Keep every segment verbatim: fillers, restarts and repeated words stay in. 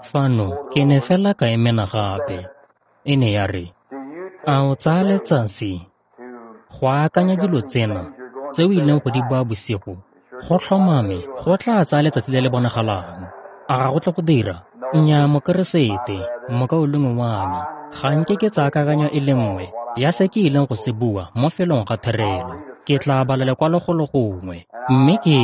Fano ke ne fela ka emena gape. E ne ya re, a o tsaya letsatsi go akanya dilo tsena tse o ileng go di bua bosigo? Go tlhomame go tla tsaya letsatsi le le bonagalang. A ga go tle go dira? Nnyaa, Mokeresete, mokaulengwe wa me, ga nke ke tsaya kakanyo e le nngwe ya se ke ileng go se bua mo felong ga therelo. Ke tla bala lekwalo go le gongwe, mme ke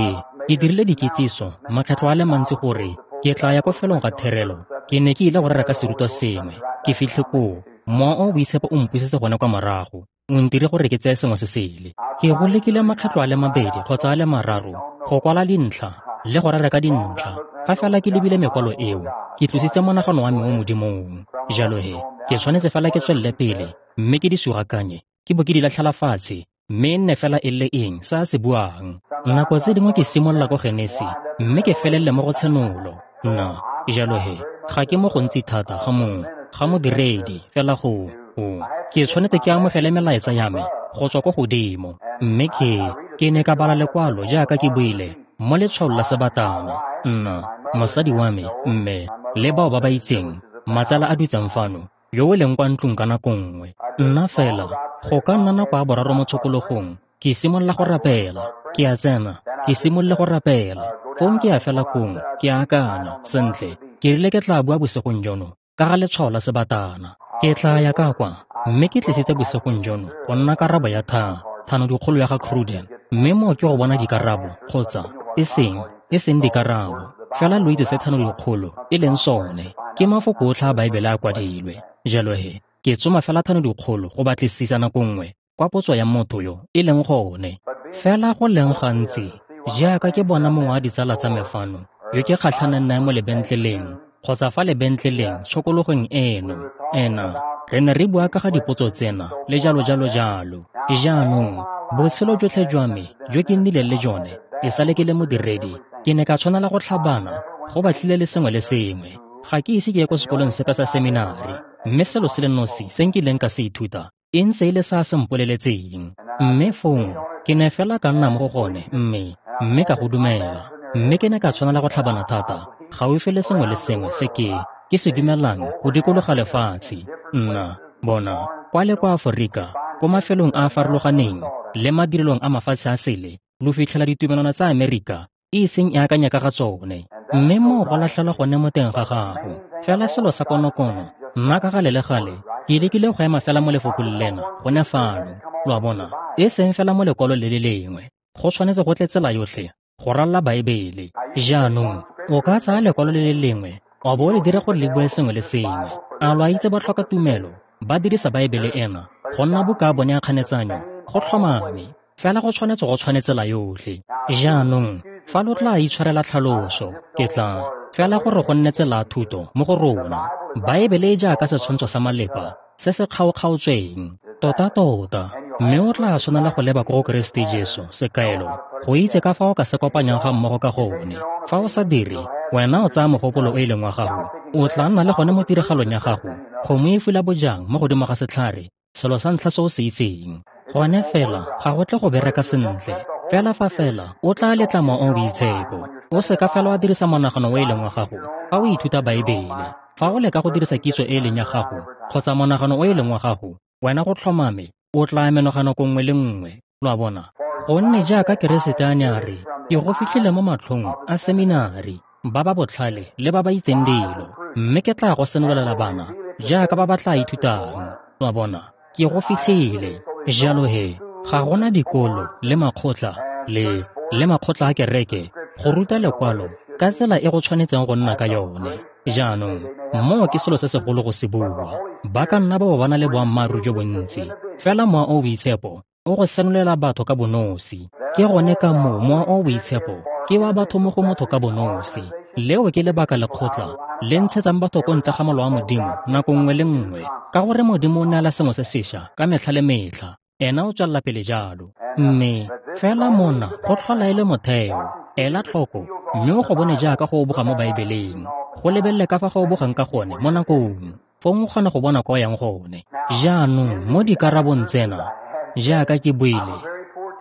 ke dirile dikitsiso makgetlho a le mantsi gore ke tla ya ko felong ga therelo. Ke ne ke ile go rera ka serutwa sengwe. Ke fitlhe koo, Mowa o o Boitshepo o mpusetse gone kwa morago, o ntire gore ke tseye sengwe se sele. Ke go lekile makgetlho a le mabedi kgotsa a le mararo go kwala dintlha le go rera ka dintlha. Fa fela ke lebile mekwalo eo, ke tlositse monagano wa me mo Modimong. Jalo he, ke tshwanetse fela ke tswelele pele mme ke di sugakanye, ke bo ke di latlhela fatshe, mme e nne fela e le eng se a se buang. Nako tse dingwe ke simolola ko Genesi mme ke felele mo go Tshenolo. Nna, jalo he, ga ke mo gontsi thata ga mo ga modiredi fela go o ke tshwanetse ke amogele melaetsa ya me go tswa ko godimo. Mme ke ke ne ka bala lekwalo jaaka ke buile mo letshwaong la sebatana. Nna, mosadi wa me, mme le bao ba ba itseng matsala a dutseng fano, yo o leng kwa ntlong ka nako nngwe. Nna fela go ka nna nako ya boraro mo tshokologong, ke simolola go rapela. Ke a tsena, ke simolole go rapela. Fong ke a fela kong, ke a akanya, sentle, ke rile ke tla bua bosigong jono ka ga letshwao la sebatana. Ke tla ya ka kwa, mme ke tlisitse bosigong jono go nna karabo ya tha thano dikgolo ya ga Cruden. Mme moo ke go bona dikarabo, kgotsa e seng e seng dikarabo, fela lo itse se thano dikgolo e leng sone. Ke mafoko otlhe a Baebele a kwadilwe. Jalo he, ke tsoma fela thano dikgolo go batlisisa nako nngwe kwa potso ya motho yo e leng gone. Fela go leng gantsi, jaaka ke bona mongwe wa ditsala tsa me fano, yo ke kgatlhanang nae mo lebentleleng kgotsa fa lebentleleng tshokologong eno, ena re ne re bua ka ga dipotso tsena le jalo jalo jalo. Jaanong, botshelo jotlhe jwa me jo ke nnileng le jone e sale ke le modiredi, ke ne ka tshwanela go tlhabana go batlile le sengwe le sengwe. Ga ke ise ke ye ko sekolong sepe sa seminari, mme selo se le nosi se nkileng ka se ithuta e ntse e le sa se mpoleletseng. Mme fong ke ne fela ka nna mo go gone, mme mme ka go dumela. Mme ke ne ka tshwanela go tlhabana thata gaufi le sengwe le sengwe se ke ke se dumelang go dikologa lefatshe. Nna bona kwa le kwa Aforika, ko mafelong a a farologaneng le madirelong a mafatshe a sele, lo fitlhela ditumelwana tsa Amerika e seng e akanya ka ga tsone. Mme moo go latlhelwa gone mo teng ga gago. Fela selo sa konokono, nna ka gale le gale ke lekile go ema fela mo lefokong lena gone fano. Lo a bona, e seng fela mo lekwalo le le lengwe, go tshwanetse go tle tsela yotlhe go ralla Baebele. Jaanong o ka tsaya lekwalo le le lengwe wa bo o le dire gore le bue sengwe le sengwe. A lo a itse ba tlhoka tumelo ba dirisa Baebele ena go nna buka ya bone ya kganetsanyo? Go tlhomame, fela go tshwanetse go tshwane tsela yotlhe. Jaanong fa lo tla itshwarela tlhaloso, ke tla fela gore go nne tsela thuto mo go rona. Baebele e jaaka setshwantsho sa malepa se se kgaokgaotsweng tota-tota, mme o tla tshwanela go leba ko go Keresete Jesu sekaelo go itse ka fa o ka se kopanyang ga mmogo ka gone. Fa o sa dire, wena o tsaya mogopolo o e leng wa gago, o tla nna le gone mo tiragalong ya gago. Kgomo e fula bojang mo godimo ga setlhare, selo sa ntlha se o se itseng. Gone fela ga go tle go bereka sentle. Fela fa fela o tla letla Mowa o o Boitshepo. O seka fela wa dirisa monagano o e leng wa gago fa o ithuta Baebele. Fa o leka go dirisa kitso e e leng ya gago kgotsa monagano o e leng wa gago, wena go tlhomame o tla menoga nako nngwe le nngwe. Lo a bona? Gonne jaaka Keresete a ne a re, ke go fitlhile mo matlhong a seminari, ba ba botlhale le ba ba itseng dilo, mme ke tla go senolela bana jaaka ba ba tla ithutang. Lo a bona? Ke go fitlhile. Jalo he, ga gona dikolo le makgotla le le makgotla a kereke go ruta lekwalo ka tsela e go tshwanetseng go nna ka yone. Jaanong, moo ke selo se segolo go se bua. Ba ka nna ba bo ba na le boammaaruri jo bontsi, fela Mowa o o Boitshepo o go senolela batho ka bonosi. Ke gone ka moo Mowa o o Boitshepo ke wa batho mo go motho ka bonosi. Leo ke lebaka lekgotla le ntshetsang batho ko ntle ga molao wa Modimo nako nngwe le nngwe, ka gore Modimo o neela sengwe se sešwa ka metlha le metlha. Ena o tswelela pele jalo. Mme fela mona go tlhola e le motheo. Ela tlhoko, mme o go bone jaaka go oboga mo Baebeleng. Go lebelele ka fa go obogang ka gone mo nakong, fong o kgona go bona kwa o yang gone. Jaanong mo dikarabong tsena, jaaka ke buile,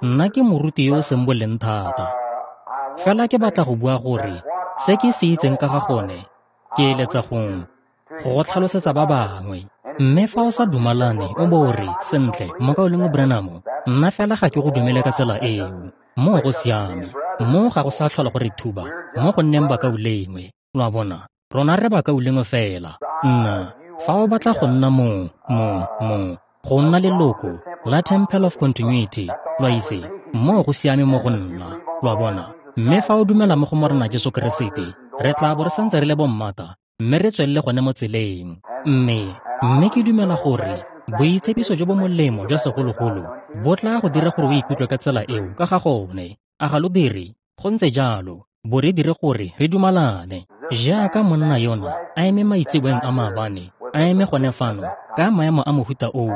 nna ke moruti yo o seng boleng thata. Fela ke batla go bua gore se ke se itseng ka ga gone Ke eletsa go, go go tlhalosetsa ba bangwe. Mme fa o sa dumalane, o bo o re, sentle, Mokaulengwe Branham, nna fela ga ke go dumele ka tsela eo. Moo go siame. Moo ga go sa tlhola go re thuba mo go nneng bakaulengwe. Lo a bona? Rona re bakaulengwe fela. Nna, fa o batla go nna mo, mo, mo, go nna leloko la Temple of Continuity, lo a itse, moo go siame mo go nna. Lo a bona? Mme fa o dumela mo go Morena Jesu Keresete, re tla bo re santse re le bommata, mme re tswelele gone mo tseleng. Mme, mme ke dumela gore boitshepiso jo bo molemo jwa segologolo bo tla go dira gore o ikutlwe ka tsela eo ka ga gone. A ga lo dire? Go ntse jalo, bo re dire gore re dumalane. Jaaka monna yona a eme maitseboeng a maabane, a eme gone fano ka maemo a mohuta oo.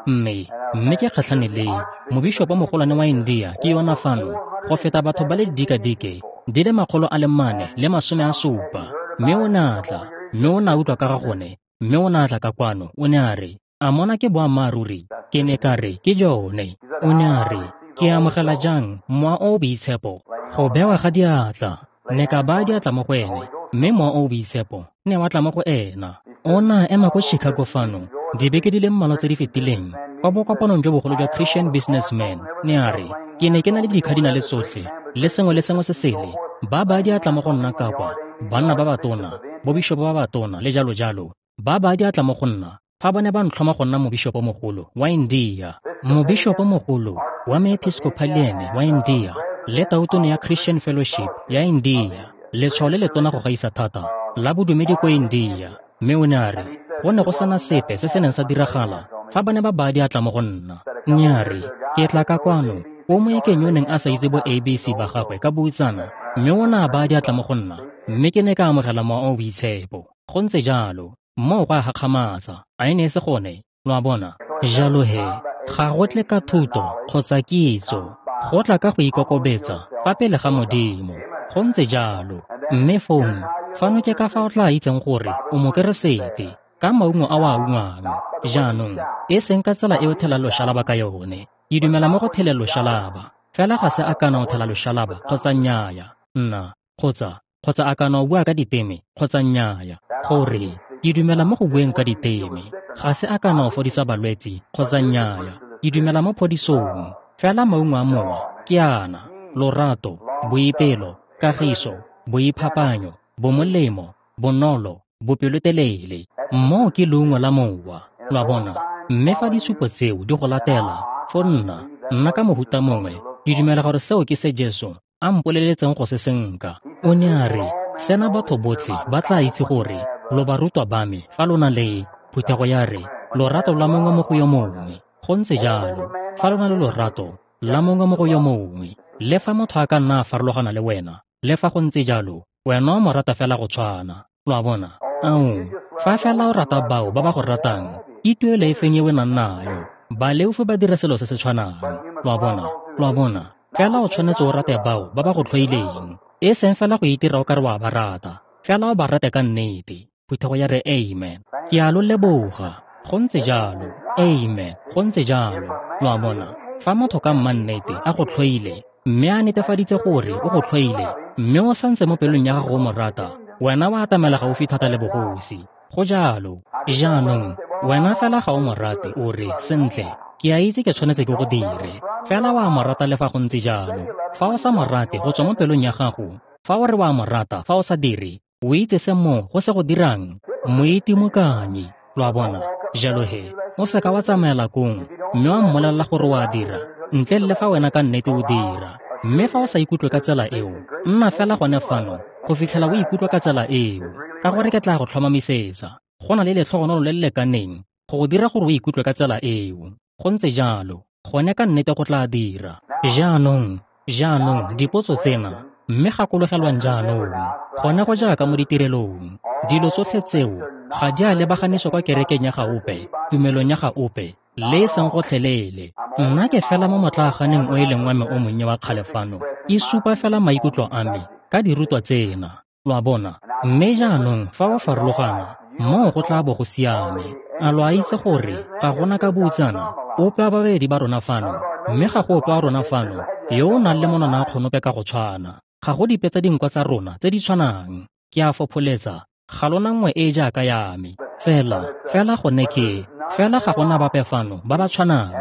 Mme, mme ke kgatlhane le mobishopo mogolwane wa India ke yona fano, go feta batho ba le didikadike di le makgolo a le mane le masome a supa. Mme o ne a tla, mme o ne a utlwa ka ga gone, mme o ne a tla ka kwano, o ne a re, a mona ke boammaaruri? Ke ne ka re, ke jone. O ne a re, ke amogela jang Mowa o o Boitshepo? Go bewa ga diatla. Ne ka baya diatla mo go ene, mme Mowa o o Boitshepo ne wa tla mo go ena. O ne a ema ko Chicago fano dibeke di le mmalwa tse di fetileng, kwa bokopanong jo bogolo jwa Christian Businessman. Ne a re, ke ne ke na le dikhadinale tsotlhe le sengwe le sengwe se sele, ba baya diatla mo go nna ka kwa, banna ba batona, bobishopo ba batona le jalo jalo, ba baya diatla mo go nna fa ba ne ba ntlhoma go nna mobishopo mogolo wa India. Mobishopo mogolo wa Moepiscopalian wa India le tautona ya Christian Fellowship ya India, letshwao le letona go gaisa thata la bodumedi ko India. Mme o ne a re, go ne go sena sepe se se neng sa diragala fa ba ne ba baya diatla mo go nna. Ne a re, ke tla ka kwano o moekeng yo neng a sa itse bo A B C ba gagwe ka boutsana, mme o ne a baya diatla mo go nna, mme ke ne ka amogela Mowa o o Boitshepo. Go ntse jalo, moo go a gakgamatsa, a e ne e se gone? Lo a bona? Jalo he, ga go tle ka thuto kgotsa kitso, go tla ka go ikokobetsa fa pele ga Modimo. Go ntse jalo. Mme fong, fano ke ka fa o tla itseng gore o Mokeresete, ka maungo a o a ungwang. Jaanong, e seng ka tsela e o thelang loshalaba ka yone. Ke dumela mo go theleng loshalaba, fela ga se a kana o thela loshalaba kgotsa nnyaya, nna, kgotsa, kgotsa a kana o bua ka diteme kgotsa nnyaya. Gore, ke dumela mo go bueng ka diteme, ga se a kana o fodisa balwetsi kgotsa nnyaya. Ke dumela mo phodisong, fela maungo a Mowa ke ana: lorato, boipelo, kagiso, boiphapanyo, bomolemo, bonolo, bopelotelele. Moo ke leungo la Mowa. Lo a bona? Mme fa disupo tseo di go latela, fo nna, nna ka mohuta mongwe, ke dumela gore seo ke se Jesu a mpoleletseng go se senka. O ne a re, sena batho botlhe ba tla itse gore lo barutwa ba me fa lo na le, phuthego ya re, lorato la mongwe mo go yo mongwe. Go ntse jalo, fa lo na le lorato la mongwe mo go yo mongwe, le fa motho a ka nna a farologana le wena, le fa go ntse jalo, wena o mo rata fela go tshwana. Lo a bona? Ao, fa fela o rata bao ba ba go ratang, ke tuelo e feng e o nang nayo? Baleofi ba dira selo se se tshwanang. Lo a bona? Lo a bona? Fela o tshwanetse o rate bao ba ba go tlhoileng, e seng fela go itira o kare wa ba rata, fela o ba rate ka nnete. Phuthego ya re amen. Ke a lo leboga. Go ntse jalo. Amen. Go ntse jalo. Lo a bona? Fa motho ka mmannete a go tlhoile, mme a netefaditse gore o go tlhoile, mme o santse mo pelong ya gago o mo rata, wena wa atamela gaufi thata le bogosi. Go jalo. Jaanong, wena fela ga o mo rate, o re, sentle, ke a itse ke tshwanetse ke go dire. Fela wa mo rata le fa go ntse jalo. Fa o sa mo rate go tswa mo pelong ya gago, fa o re wa mo rata fa o sa dire, o itse se mo go se go dirang, moitimokanyi. Lo a bona? Jalo he, o seka wa tsamaela kong, mme wa mmolelela gore wa dira, ntle le fa wena ka nnete o dira. Mme fa o sa ikutlwe ka tsela eo, nna fela gone fano go fitlhela o ikutlwa ka tsela eo, ka gore ke tla go tlhomamisetsa go na le letlhogonolo le le lekaneng go go dira gore o ikutlwe ka tsela eo. Go ntse jalo, gone ka nnete go tla dira. Jaanong, jaanong dipotso tsena, mme gakologelwang jaanong, gone go jaaka mo ditirelong, dilo tsotlhe tseo ga di a lebaganiswa kwa kerekeng ya ga ope, tumelong ya ga ope, le e seng gotlhelele. Nna ke fela mo motlaaganeng o e leng wa me o monnye wa kgale fano, ke supa fela maikutlo a me ka dirutwa tsena. Lo a bona? Mme jaanong fa o farologana, moo go tla bo go siame. A lo a itse gore ga gona ka boutsana ope wa babedi ba rona fano, mme ga go ope wa rona fano yo o nang le monwana a kgonope ka go tshwana. Ga go dipe tsa dinkwa tsa rona tse di tshwanang. Ke a fopholetsa Ga lona nngwe e e jaaka ya me. Fela, fela gone ke, fela ga gona bape fano ba ba tshwanang,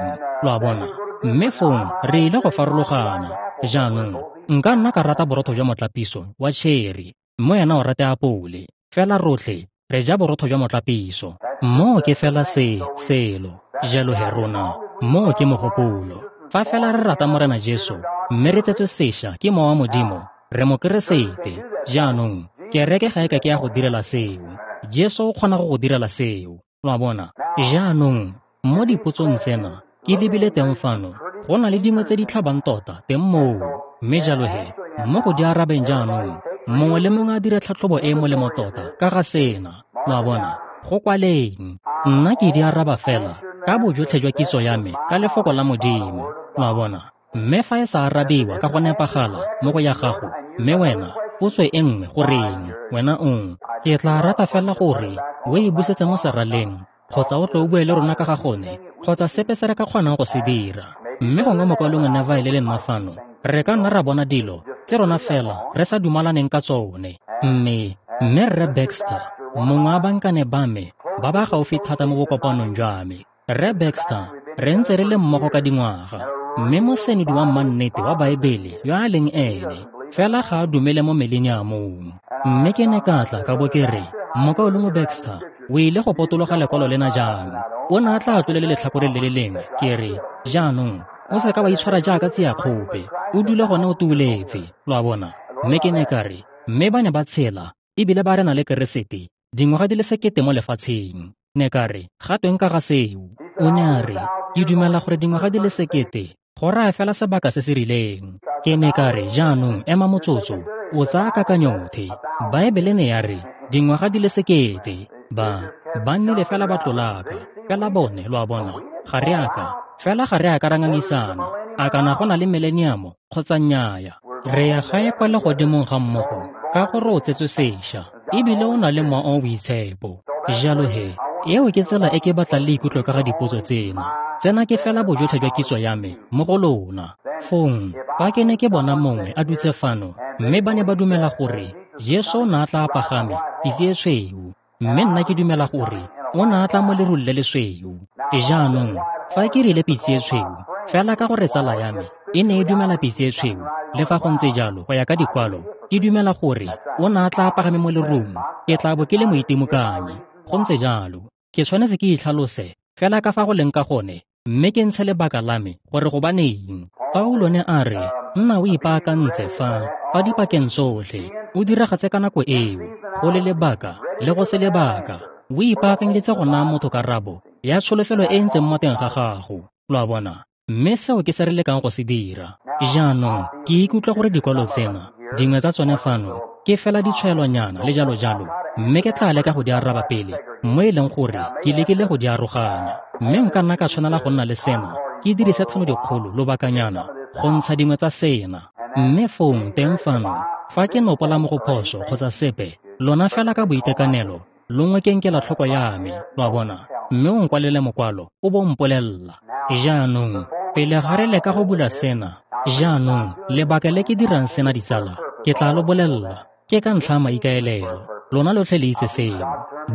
lo a bona. Mme fong re ile go farologana. Jaanong, nka nna ka rata borotho jwa motlapiso wa cherry, mme wena o rate apole. Fela rotlhe re ja borotho jwa motlapiso. Moo ke fela se, selo. Jalo he rona, moo ke mogopolo. Fa fela re rata Morena Jesu, mme re tsetswe sešwa ke Mowa wa Modimo, re mo Keresete. Jaanong, kereke ga e ka ke ya go direla seo. Jesu o kgona go go direla seo. Lo a bona? Jaanong, mo dipotsong tsena, ke lebile teng fano, go na le dingwe tse di tlhabang tota teng moo. Mme jalo he, mo go di arabeng jaanong, mongwe le mongwe a dire tlhatlhobo e e molemo tota ka ga sena. Lo a bona? Go kwaleng. Nna ke di araba fela ka bojotlhe jwa kitso ya me ka lefoko la Modimo. Lo a bona? Mme fa e sa arabiwa ka go nepagala mo go ya gago, mme wena potso e nngwe goreng wena ong, ke tla rata fela gore o e busetse mo seraleng, kgotsa o tle o bue le rona ka ga gone, kgotsa sepe se re ka kgonang go se dira. Mme gongwe mokwalong Neville le nna fano, re ka nna ra bona dilo tse rona fela re sa dumalaneng ka tsone. Mme, mme Rre Baxter, mongwe wa bankane ba me ba ba gaufi thata mo bokopanong jwa me. Rre Baxter, re ntse re le mmogo ka dingwaga, mme mosenodi wa mannete wa Baebele yo a leng ene, fela ga a dumele mo mileniamong. Mme ke ne ka tla ka bo ke re, Mokaulengwe Baxter, o ile go potologa lekwalo lena jang? O ne a tla tlole le letlhakore le le lengwe. Ke re, jaanong, o se ka wa itshwara jaaka tsiakgope, o dule gone o tuuletse, lo a bona. Mme ke ne ka re, mme ba ne ba tshela, ebile ba rena le Keresete, dingwaga di le sekete mo lefatsheng. Ne ka re, ga tweng ka ga seo? O ne a re, ke dumela gore dingwaga di le sekete go raya fela sebaka se se rileng. Ke ne ka re, jaanong, ema motsotso, o tsaya kakanyothe. Baebele ne ya re, dingwaga di le sekete, ba, ba nnile fela ba tlolaka, fela bone, lo a bona, ga re a ka, fela ga re a ka ra ngangisana, a kana go na le mileniamo kgotsa nnyaya. Re ya gae kwa legodimong ga mmogo, ka gore o tsetswe sešwa, ebile o na le Mowa o o Boitshepo. Jalo he, eo ke tsela e ke batlang le ikutlwe ka ga dipotso tsena. Tsena ke fela bojotlhe jwa kitso ya me mo go lona. Fong, fa ke ne ke bona mongwe a dutse fano, mme ba ne ba dumela gore Jesu o ne a tla pagame pitse e tshweu, mme nna ke dumela gore o ne a tla mo lerung le lesweu. Jaanong, fa ke rile pitse e tshweu, fela ka gore tsala ya me e ne e dumela pitse e tshweu, le fa go ntse jalo go ya ka dikwalo, ke dumela gore o ne a tla pagame mo lerung, ke tla bo ke le moitimokanyi. Go ntse jalo, ke tshwanetse ke itlhalose fela ka fa go leng ka gone, mme ke ntshe lebaka la me gore gobaneng. Paulo ne a re, nna o ipaakantse fa, fa dipakeng tsotlhe, o diragatse ka nako eo, go le lebaka le go se lebaka, o ipaakanyeditse go naya motho karabo ya tsholofelo e e ntseng mo teng ga gago. Lo a bona? Mme seo ke se re lekang go se dira. Jaanong, ke ikutlwa gore dikwalo tsena, dingwe tsa tsone fano, ke fela ditshwaelonyana le jalo jalo, mme ke tla leka go di araba pele, mo e leng gore ke lekile go di aroganya. Mme nka nna ka tshwanela go nna le sena, ke dirise thano dikgolo lobakanyana go ntsha dingwe tsa sena. Mme fong teng fano, fa ke nopola mo go phoso kgotsa sepe, lona fela ka boitekanelo, lo ngwekeng kelotlhoko ya me, lo a bona, mme o nkwalele mokwalo, o bo mpolelela. Jaanong, pele ga re leka go bula sena, jaanong, lebaka le ke dirang sena ditsala, ke tla lo bolelela, ke ka ntlha ya maikaelelo. Lona lotlhe le itse seo.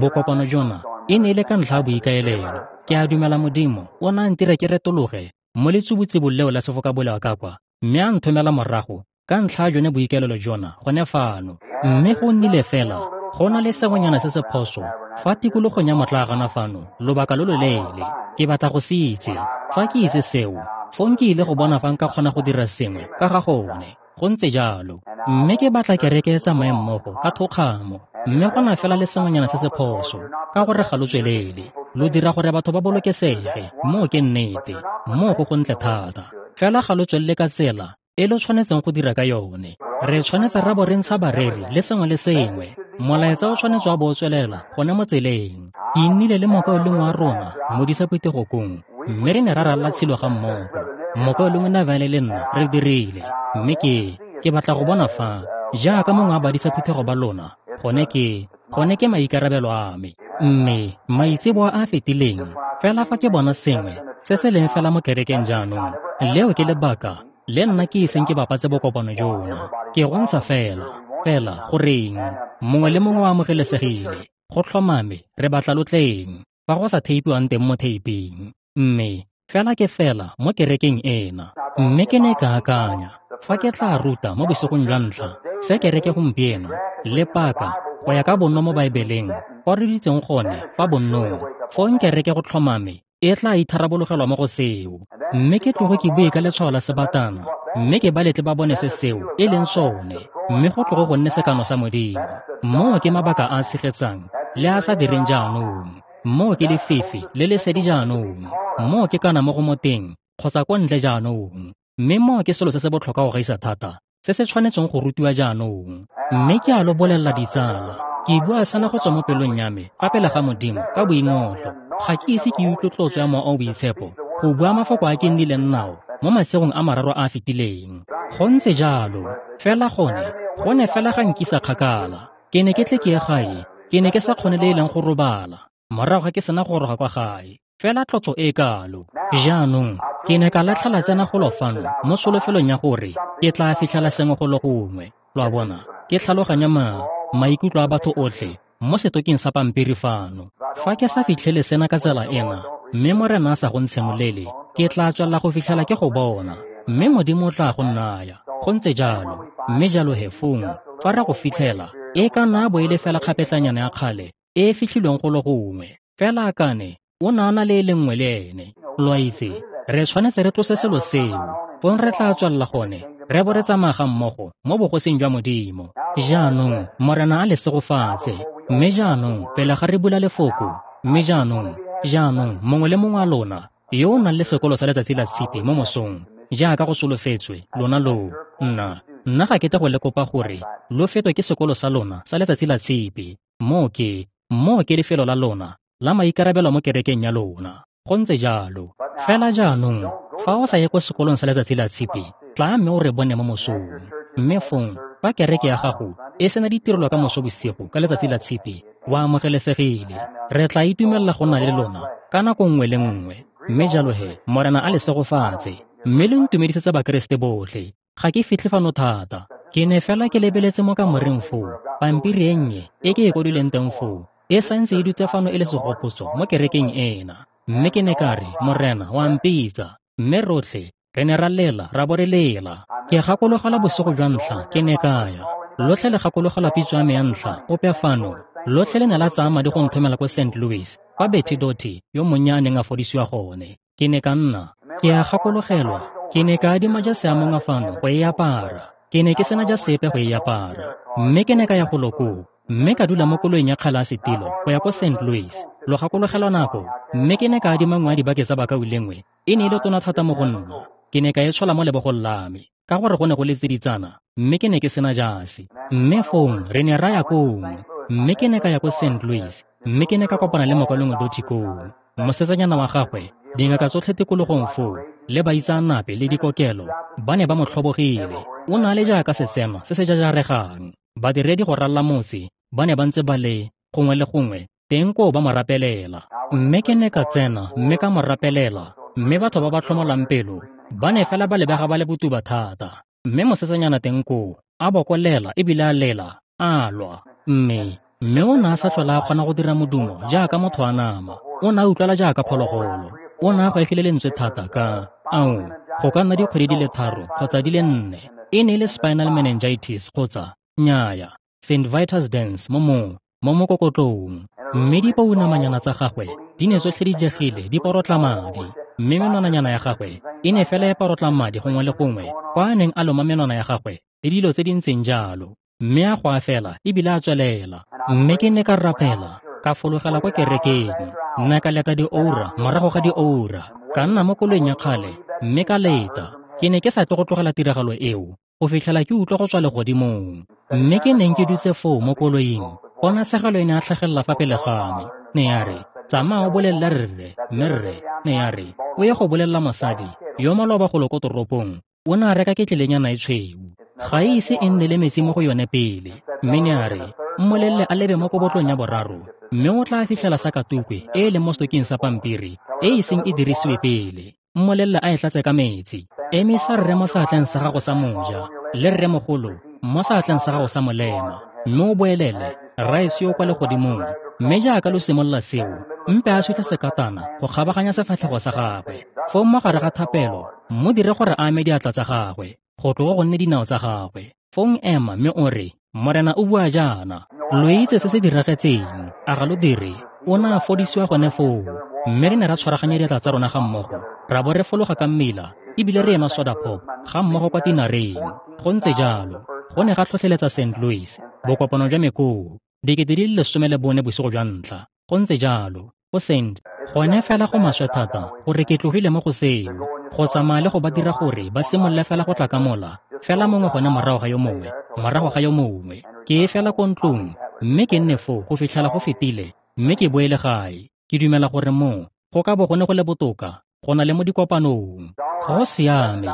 Bokopano jona e ne e le ka ntlha ya boikaelelo. Ke a dumela Modimo o ne a ntira ke retologe mo letsubutsubung leo la sefokabolea ka kwa, mme a nthomela morago ka ntlha ya jone boikaelelo jona gone fano. Mme go nnile fela go na le sengwenyana se se phoso fa tikologong ya motlaagana fano lobaka lo loleele. Ke batla go se itse. Fa ke itse seo, fong ke ile go bona fa nka kgona go dira sengwe ka ga gone. Go ntse jalo. Mme ke batla kereke e tsamaye mmogo ka thokgamo. Mme go na fela le sengwenyana se se phoso, ka gore ga lo tswelele. Lo dira gore batho ba bolokesege, moo ke nnete, moo go gontle thata. Fela ga lo tswelele ka tsela e lo tshwanetseng go dira ka yone. Re tshwanetse ra bo re ntsha bareri le sengwe le sengwe. Molaetsa o tshwanetse wa bo o tswelela gone mo tseleng. Ke nnile le mokaulengwe wa rona, modisa phuthegokong, mme re ne ra ralala tshilo ga mmogo. Mokaulengwe Neville le nna re dirile, mme ke, ke batla go bona fa, jaaka mongwe wa badisa phuthego ba lona, gone ke, gone ke maikarabelo a me. Mme maitseboa a a fetileng, fela fa ke bona sengwe se se leng fela mo kerekeng jaanong, leo ke lebaka le nna ke iseng ke bapatse bokopano jona. Ke go ntsha fela. Fela, goreng, mongwe le mongwe o amogelesegile. Go tlhomame, re batla lo tleng, fa go sa theipiwang teng mo theiping. Mme fela ke fela mo kerekeng ena. Mme ke ne ka akanya, fa ke tla ruta mo bosigong jwa ntlha, se kereke gompieno, le paka, go ya ka bonno mo Baebeleng, kwa re ditseng gone fa bonnong, fong kereke go tlhomame, e tla itharabologelwa mo go seo. Mme ke tloge ke bue ka letshwao la sebatana, mme ke ba letle ba bone se seo e leng sone, mme go tloge go nne sekano sa Modimo. Moo ke mabaka a a tshegetsang le a sa direng jaanong. Moo ke lefifi le lesedi jaanong. Moo ke kana mo go mo teng kgotsa ko ntle jaanong. Mme moo ke selo se se botlhokwa go gaisa thata, se se tshwanetseng go rutiwa jaanong. Mme ke a lo bolelela ditsala, ke bua sena go tswa mo pelong ya me fa pele ga Modimo ka boingotlo. Ga ke ise ke utlwe tlotso ya Mowa o o Boitshepo go bua mafoko a ke nnileng nao mo masigong a mararo a a fetileng. Go ntse jalo, fela gone, gone fela ga nkisa kgakala. Ke ne ke tle ke ye gae, ke ne ke sa kgone le e leng go robala morago ga ke sena go goroga kwa gae. Fela tlotso e kalo. Jaanong, ke ne ka latlhela tsena golo fano mo solofelong ya gore ke tla fitlhela sengwe golo gongwe. Lo a bona, ke tlhaloganya ma maikutlo a batho otlhe mo setoking sa pampiri fano. Fa ke sa fitlhele sena ka tsela ena, mme Morena a sa go ntshenolele, ke tla tswelela go fitlhela ke go bona, mme Modimo o tla go nnaya. Go ntse jalo. Mme jalo he fong, fa re go fitlhela, e ka nna bo e le fela kgapetlanyana ya kgale e e fitlhilweng golo gongwe. Fela akane o ne a na le e le nngwe le ene. Lo a itse, re tshwanetse re tlose selo seo, fong re tla tswelela gone, re bo re tsamaya ga mmogo mo bogosing jwa Modimo. Jaanong, Morena a le segofatse. Mme jaanong, pele ga re bula lefoko, mme jaanong, jaanong, mongwe le mongwe wa lona yo o nang le sekolo sa letsatsi la tshipi mo mosong, jaaka go solofetswe, lona lo, nna, nna ga ke tle go le kopa gore lo fetwe ke sekolo sa lona sa letsatsi la tshipi. Moo ke, moo ke lefelo la lona la maikarabelo mo kerekeng ya lona. Go ntse jalo. Fela jaanong, fa o sa ye ko sekolong sa letsatsi la tshipi, tla mme o re bone mo mosong. Mme fong, fa kereke ya gago e sena ditirelo ka moso bosigo ka letsatsi la tshipi, o amogelesegile. Re tla itumelela go nna le lona ka nako nngwe le nngwe. Mme jalo he, Morena a le segofatse. Mme le ntumedisetsa Bakeresete botlhe. Ga ke fitlhe fano thata. Ke ne fela ke lebeletse mo kamoreng foo, pampiri e nnye e ke e kwadileng teng foo, e santse e dutse fano e le segopotso mo kerekeng ena. Mme ke ne ka re, Morena wa mpitsa. Mme rotlhe re ne ra lela, ra bo re lela. Ke gakologelwa bosigo jwa ntlha ke ne ka ya. Lotlhe le gakologelwa pitso ya me ya ntlha, ope fano. Lotlhe le ne la tsaya madi go nthomela ko Saint Louis, kwa Betty Doty yo monnye a neng a fodisiwa gone. Ke ne ka nna, ke a gakologelwa, ke ne ka adima jase ya mongwe fano go e apara. Ke ne ke sena jase epe go e apara. Mme ke ne ka ya golo koo, mme ka dula mo koloing ya kgale ya setilo go ya ko Saint Louis. Lo gakologelwa nako, mme ke ne ka adima nngwe ya dibake tsa bakaulengwe, e ne e le tona thata mo go nna. Ke ne ka e tshola mo lebogong la me, ka gore go ne go le tsiditsana, mme ke ne ke sena jase. Mme fong re ne ra ya kong, mme ke ne ka ya ko Saint Louis, mme ke ne ka kopana le mokaulengwe Doty koo. Mosetsanyana wa gagwe, dingaka tsotlhe tikologong foo, le baitseanape le dikokelo, ba ne ba mo tlhobogile. O ne a le jaaka setsenwa se se jajaregang. Badiredi go ralla motse ba ne ba ntse ba le gongwe le gongwe teng koo ba mo rapelela. Mme ke ne ka tsena mme ka mo rapelela, mme batho ba ba tlhomolang pelo ba ne fela ba lebega ba le botuba thata. Mme mosetsanyana teng koo a bokolela ebile a lela, a lwa. Mme mme o ne a sa tlhola a kgona go dira modumo jaaka motho a nama. O ne a utlwala jaaka phologolo. O ne a gwaegile lentswe thata ka, ao, go ka nna dikgwedi di le tharo kgotsa di le nne. E ne e le spinal meningitis kgotsa, nnyaya, Saint Vitus dance mo mo, mo mokokotlong. Mme dipounamanyana tsa gagwe di ne tsotlhe di jegile di porotla madi. Mme menwananyana ya gagwe e ne fela e porotla madi gongwe le gongwe kwa a neng a loma menwana ya gagwe le dilo tse di ntseng jalo. Mme a goa fela ebile a tswelela. Mme ke ne ka rapela, ka fologela kwa kerekeng. Nna ka leta dioura morago ga dioura, ka nna mo koloing ya kgale mme ka leta. Ke ne ke sa tle go tlogela tiragalo eo go fitlhela ke utlwa go tswa legodimong. Mme ke neng ke dutse foo mo koloing, ponatshegelo e ne a tlhagelela fa pele ga me. Ne ya re, tsamaya o bolelele rre, mme rre, ne ya re, o ye go bolelela mosadi yo maloba golo ko toropong, o ne a reka ketlelenyana e tshweu. Ga e ise e nne le metsi mo go yone pele. Mme ne a re, mmolelele a lebe mo kobotlong ya boraro, mme o tla fitlhela sakatukwe e e leng mo setoking sa pampiri e e iseng e dirisiwe pele. Mmolelele a e tlatse ka metsi. Emisa rre mo seatleng sa gago sa moja, le rremogolo mo seatleng sa gago sa molema, mme o boelele, Rraetsho yo o kwa legodimong. Mme jaaka lo simolola seo, mpe a sutlhe sekatana go kgabaganya sefatlhego sa gagwe. Foo mo gare ga thapelo, mo dire gore a ame diatla tsa gagwe, go tloga go nne dinao tsa gagwe. Fong ema mme o re, Morena o bua jaana. Lo itse se se diragetseng, a ga lo dire? O ne a fodisiwa gone foo. Mme re ne ra tshwaraganya diatla tsa rona ga mmogo, ra bo re fologa ka mmila, ebile re enwa soda pop ga mmogo kwa tinareng. Go ntse jalo, go ne ga tlhotlheletsa Saint Louis, bokopano jwa mekoo, dikete di le lesome le bone bosigo jwa ntlha. Go ntse jalo, go Saint, gone fela go maswe thata gore ke tlogile mo go seo, go tsamaya le go ba dira gore ba simolole fela go tla ka mola, fela mongwe gone morago ga yo mongwe, morago ga yo mongwe. Ke fela ko ntlong, mme ke nne foo go fitlhela go fetile, mme ke boele gae. Ke dumela gore moo go ka bo gone go le botoka go na le mo dikopanong. Go siame,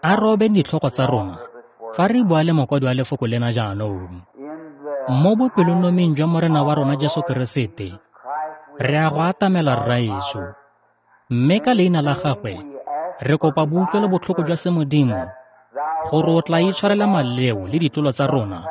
a robe ditlhogo tsa rona fa re bua le mokwadi wa lefoko lena jaanong. Mo bopelonoming jwa Morena wa rona Jesu Keresete, re a go atamela Rraetsho, mme ka leina la gagwe re kopa boutlwelo botlhoko jwa semodimo gore o tla itshwarela maleo le ditlolo tsa rona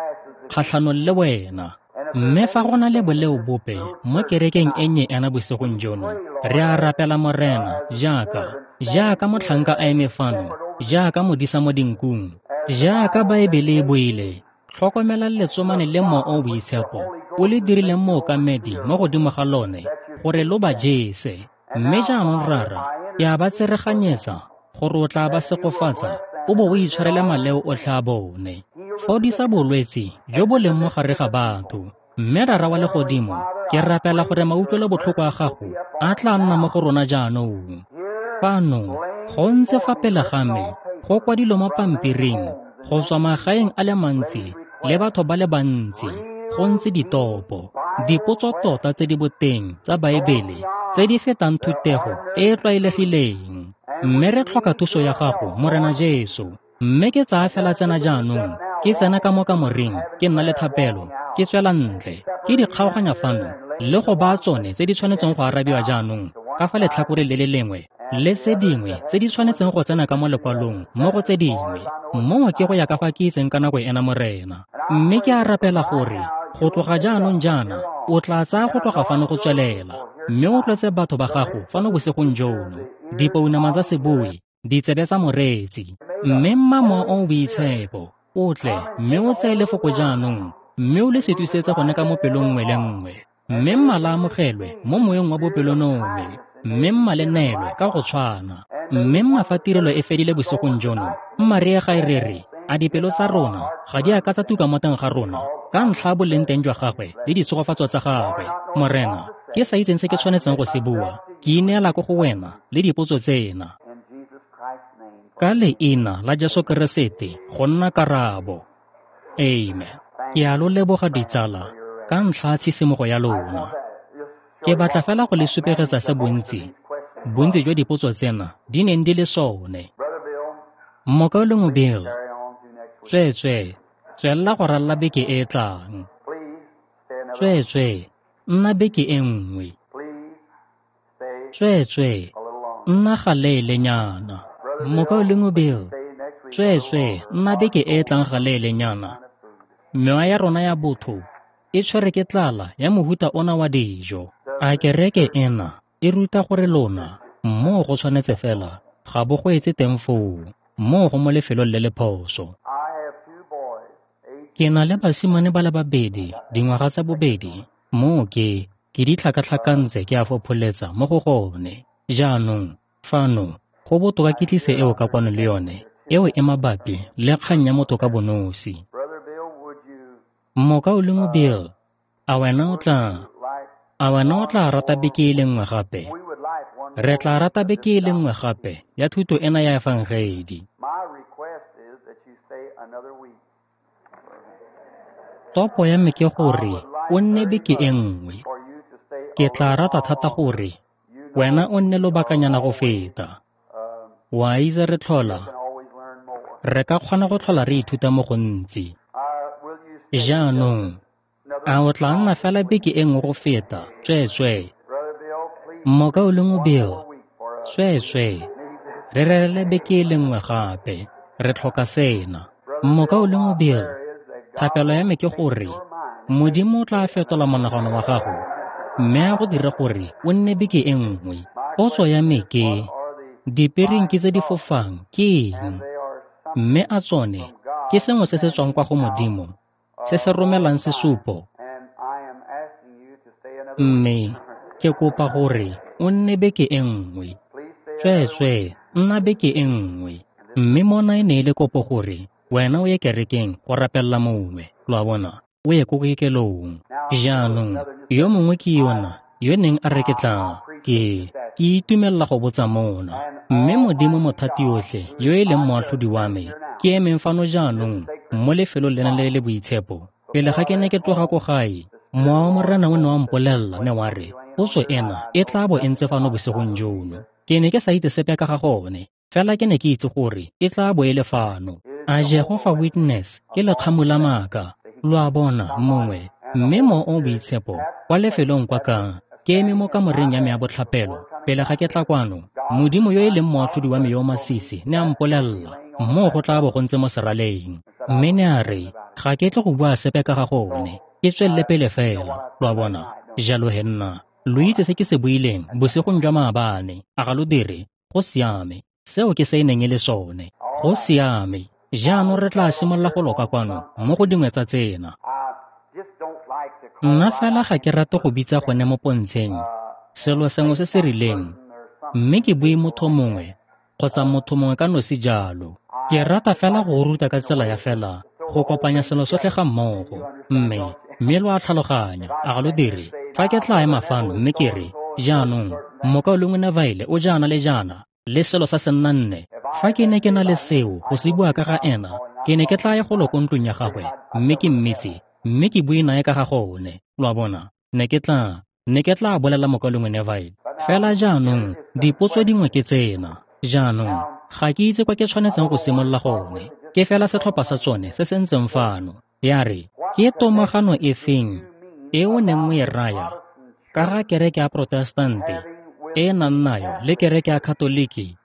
kgatlhanong le wena. Mme fa go na le boleo bope mo kerekeng e nnye ena bosigong jono, re a rapela Morena jaaka jaaka motlhanka a eme fano, jaaka modisa mo dinkung, jaaka Baebele e buile, tlhokomela letsomane le Mowa o o Boitshepo o le dirileng mookamedi mo godimo ga lone gore lo ba jese. Mme jaanong Rara, ke a ba tsereganyetsa gore o tla ba segofatsa o bo o itshwarele maleo otlhe a bone. Fodisa bolwetse jo bo leng mo gare ga batho. Mme Rara wa legodimo, ke rapela gore mautlwelo botlhoko a gago a tla nna mo go rona jaanong. Fano, go ntse fa pele ga me, go kwadilwe mo pampiring, go tswa magaeng a le mantsi le batho ba le bantsi, go ntse ditopo, dipotso tota tse di boteng tsa Baebele tse di fetang thutego e e tlwaelegileng. Mme re tlhoka thuso ya gago, Morena Jesu. Mme ke tsaya fela tsena jaanong, ke tsena ka mo kamoreng, ke nna le thapelo, ke tswela ntle, ke di kgaoganya fano, le go baya tsone tse di tshwanetseng go arabiwa jaanong ka fa letlhakoreng le le lengwe, le tse dingwe tse di tshwanetseng go tsena ka mo lekwalong mo go tse dingwe. Moo ke go ya ka fa ke itseng ka nako ena, Morena. Mme ke a rapela gore go tloga jaanong jaana o tla tsaya go tloga fano go tswelela, mme o tlotse batho ba gago fano bosigong jono, dipounama tsa seboi, ditsebe tsa moreetsi. Mme mma Mowa o o Boitshepo o tle mme o tseye lefoko jaanong, mme o le setisetse gone ka mo pelong nngwe le nngwe. Mme mma la amogelwe mo moyeng wa bopelonomi, mme mma le neelwe ka go tshwana. Mme mma fa tirelo e fedile bosigong jono, mma re ye gae re re, a dipelo tsa rona ga di a ka tsa tuka mo teng ga rona ka ntlha ya boleng teng jwa gagwe le ditshegofatso tsa gagwe. Morena, ke sa itseng se ke tshwanetseng go se bua, ke ineela ko go wena le dipotso tsena. Ka leina la Jesu Keresete go nna karabo. Amen. Ke a lo leboga ditsala ka ntlha ya tshisimogo ya lona. Ke batla fela go le supegetsa se bontsi, bontsi jwa dipotso tsena di neng di le sone. Mokaulengwe Bill, tsweetswee, tswelela go ralala beke e e tlang. Tsweetswee, nna beke e nngwe. Tsweetswee, nna galeelenyana. Mokaulengwe Bill, tsweetswee, nna beke e e tlang galeelenyana. Mewa ya rona ya botho e tshwere ke tlala ya mohuta ona wa dijo. A kereke ena e ruta gore lona moo go tshwanetse fela ga bo go etse teng foo, moo go mo lefelong le le phoso. Ke na le basimane ba le babedi, dingwaga tsa bobedi, moo ke ke di tlhakatlhakantse ke a fopholetsa mo go gone. Jaanong, fano, go botoka ke tlise eo ka kwano le yone, eo e mabapi le kgang ya motho ka bonosi. Mokaulengwe Bill, a wena o tla a wena o tla rata beke e le nngwe gape? Re tla rata beke e le nngwe gape ya thuto ena ya efangedi. Topo ya me ke gore o nne beke e nngwe. Ke tla rata thata gore wena o nne lobakanyana go feta. Wa itse re tlhola, re ka kgona go tlhola re ithuta mo gontsi. Jaanong, a o tla nna fela beke e nngwe go feta, tsweetswee? Mokaulengwe Bill, tsweetswee, re rerele beke e le nngwe gape, re tlhoka sena. Mokaulengwe Bill, Thapelo ya me ke gore Modimo o tla fetola monagano wa gago mme a go dire gore o nne beke e nngwe. Potso ya me ke, dipirinki tse di fofang ke eng? Mme a tsone ke sengwe se se tswang kwa go Modimo se se romelang sesupo? Mme ke kopa gore o nne beke e nngwe. Tsweetswee, nna beke e nngwe. Mme mona e ne e le kopo gore wena o ye kerekeng go rapelela mongwe, lo a bona, o ye ko kokelong. Jaanong, yo mongwe ke yona yo neng a re ke tla, ke, ke itumelela go botsa mona. Mme Modimo Mothatiotlhe yo e leng moatlhodi wa me, ke emeng fano jaanong mo lefelong lena le le boitshepo. Pele ga ke ne ke tloga ko gae, Mowa wa Morena o ne wa mpolelela ne wa re, potso ena e tla bo e ntse fano bosigong jono. Ke ne ke sa itse sepe ka ga gone, fela ke ne ke itse gore e tla bo e le fano. A Jehovah Witness ke lekgamu la maaka, lo a bona, mongwe, mme Mowa o o Boitshepo kwa lefelong kwa ka ke eme mo kamoreng ya me ya botlhapelo pele ga ke tla kwano. Modimo yo e leng moatlhodi wa me yo o masisi ne a mpolelela, moo go tla bo go ntse mo seraleng. Mme ne a re, ga ke tle go bua sepe ka ga gone, ke tswelele pele fela, lo a bona. Jalo he nna, lo itse se ke se buileng bosigong jwa maabane, a ga lo dire? Go siame, seo ke se e neng e le sone. Go siame. Jaanong re tla simolola go loka kwano mo go dingwe tsa tsena. Nna fela ga ke rate go bitsa gone mo pontsheng selo sengwe se se rileng, mme ke bue motho mongwe kgotsa motho mongwe ka nosi jalo. Ke rata fela go ruta ka tsela ya fela go kopanya selo sotlhe ga mmogo, mme mme lo a tlhaloganya, a ga lo dire? Fa ke tla ema fano mme ke re, jaanong mokaulengwe Neville o jaana le jaana le selo sa senna nne, fa ke ne ke na le seo go se bua ka ga ena, ke ne ke tla ya golo ko ntlong ya gagwe mme ke mmitse mme ke bue nae ka ga gone, lo a bona. Ne ke tla, ne ke tla bolela mokaulengwe Neville. Fela jaanong dipotso dingwe ke tsena. Jaanong ga ke itse kwa ke tshwanetseng go simolola gone. Ke fela setlhopha sa tsone se se ntseng fano. Ya re, ke tomagano e feng e o neng o e raya ka ga kereke ya Protestante e nang nayo le kereke ya Katoliki?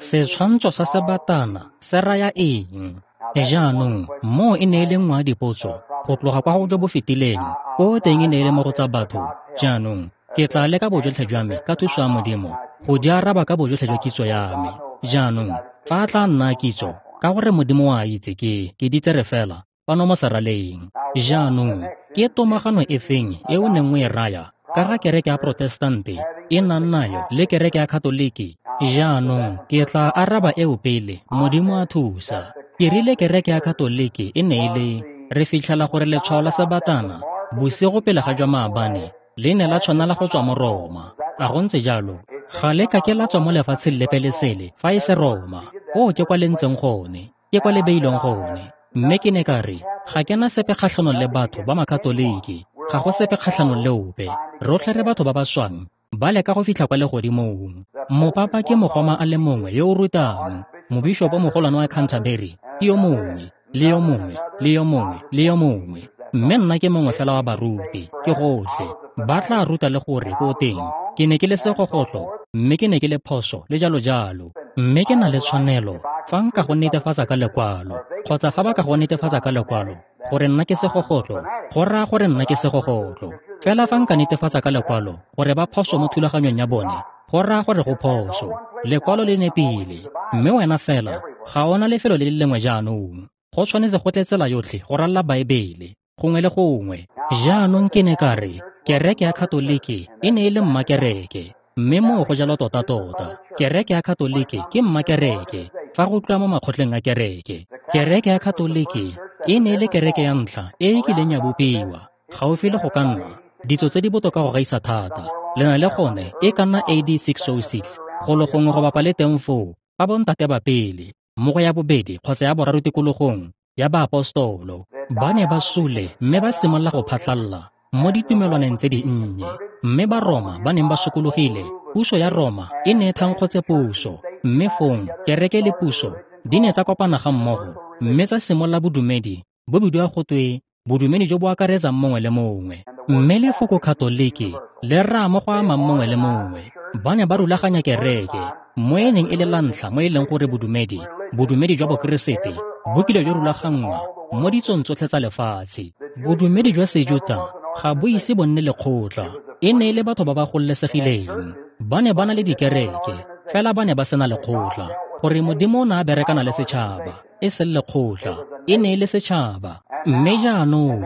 Setshwantsho sa sebatana se raya eng? Jaanong moo e ne e le nngwe ya dipotso go tloga kwa go jo bo fetileng, ko teng e ne e le mo go tsa batho. Jaanong ke tla leka bojotlhe jwa me ka thuso ya Modimo go di araba ka bojotlhe jwa kitso ya me. Jaanong fa a tla nna kitso, ka gore Modimo wa itse ke ke di tsere fela fano mo seraleng. Jaanong ke tomagano e feng e o neng o e raya ka ga kereke ya Protestante e nang nayo le kereke ya Katoliki? Jaanong ke tla araba eo pele, Modimo a thusa. Ke rile kereke ya Katoliki e ne e le, re fitlhela gore letshwao la sebatana bosigo pele ga jwa maabane le ne la tshwanela go tswa mo Roma. A go ntse jalo? Ga le ka ke la tswa mo lefatsheng lepe le sele fa e se Roma. Koo ke kwa le ntseng gone, ke kwa le beilweng gone. Mme ke ne ka re, ga ke na sepe kgatlhanong le batho ba Makatoliki, ga go sepe kgatlhanong le ope. Rotlhe re batho ba ba swang, ba leka go fitlha kwa legodimong. Mopapa ke mogoma a le mongwe yo o rutang, mobishopo mogolwane wa Canterbury ke yo mongwe, le yo mongwe, le yo mongwe, le yo mongwe. Mme nna ke mongwe fela wa baruti, ke gotlhe. Ba tla ruta le gore ko teng ke ne ke le segogotlo, mme ke ne ke le phoso le jalo jalo. Mme ke na le tshwanelo fa nka go netefatsa ka lekwalo, kgotsa fa ba ka go netefatsa ka lekwalo gore nna ke segogotlo, go raya gore nna ke segogotlo. Fela fa nka netefatsa ka lekwalo gore ba phoso mo thulaganyong ya bone, go raya gore go phoso. Lekwalo le nepile, mme wena fela ga ona lefelo le le lengwe jaanong. Go tshwanetse go tle tsela yotlhe go ralla Baebele gongwe le gongwe. Jaanong ke ne ka re, kereke ya Katoliki e ne e le mmakereke, mme moo go jalo tota-tota. Kereke ya Katoliki ke mmakereke fa go tliwa mo makgotleng a kereke. Kereke ya Katoliki e ne e le kereke ya ntlha e e kileng ya bopiwa, gaufi le go ka nna ditso tse di botoka go gaisa thata. Le na le gone e ka nna A D six oh six, golo gongwe go bapa le teng foo, fa bontate ba pele, mo go ya bobedi kgotsa ya boraro tikologong ya baapostolo, ba ne ba sule mme ba simolola go phatlalla mo ditumelwaneng tse dinnye. Mme ba Roma ba neng ba sokologile, puso ya Roma e ne e thankgotse puso, mme fong kereke le puso di ne tsa kopana ga mmogo mme tsa simolola bodumedi bo bidiwa go twe bodumedi jo bo akaretsang mongwe le mongwe. Mme lefoko Katoliki le raya mo go amang mongwe le mongwe. Ba ne ba rulaganya kereke Mo e neng e le la ntlha mo e leng gore bodumedi, bodumedi jwa Bokeresete bo kile jwa rulaganngwa mo ditsong tsotlhe tsa lefatshe. Bodumedi jwa Sejuta ga bo ise bo nne lekgotla. E ne e le batho ba ba gololesegileng. Ba ne ba na le dikereke, fela ba ne ba sena lekgotla. Gore Modimo o ne a berekana le setšhaba, e seng lekgotla. E ne e le setšhaba. Mme jaanong,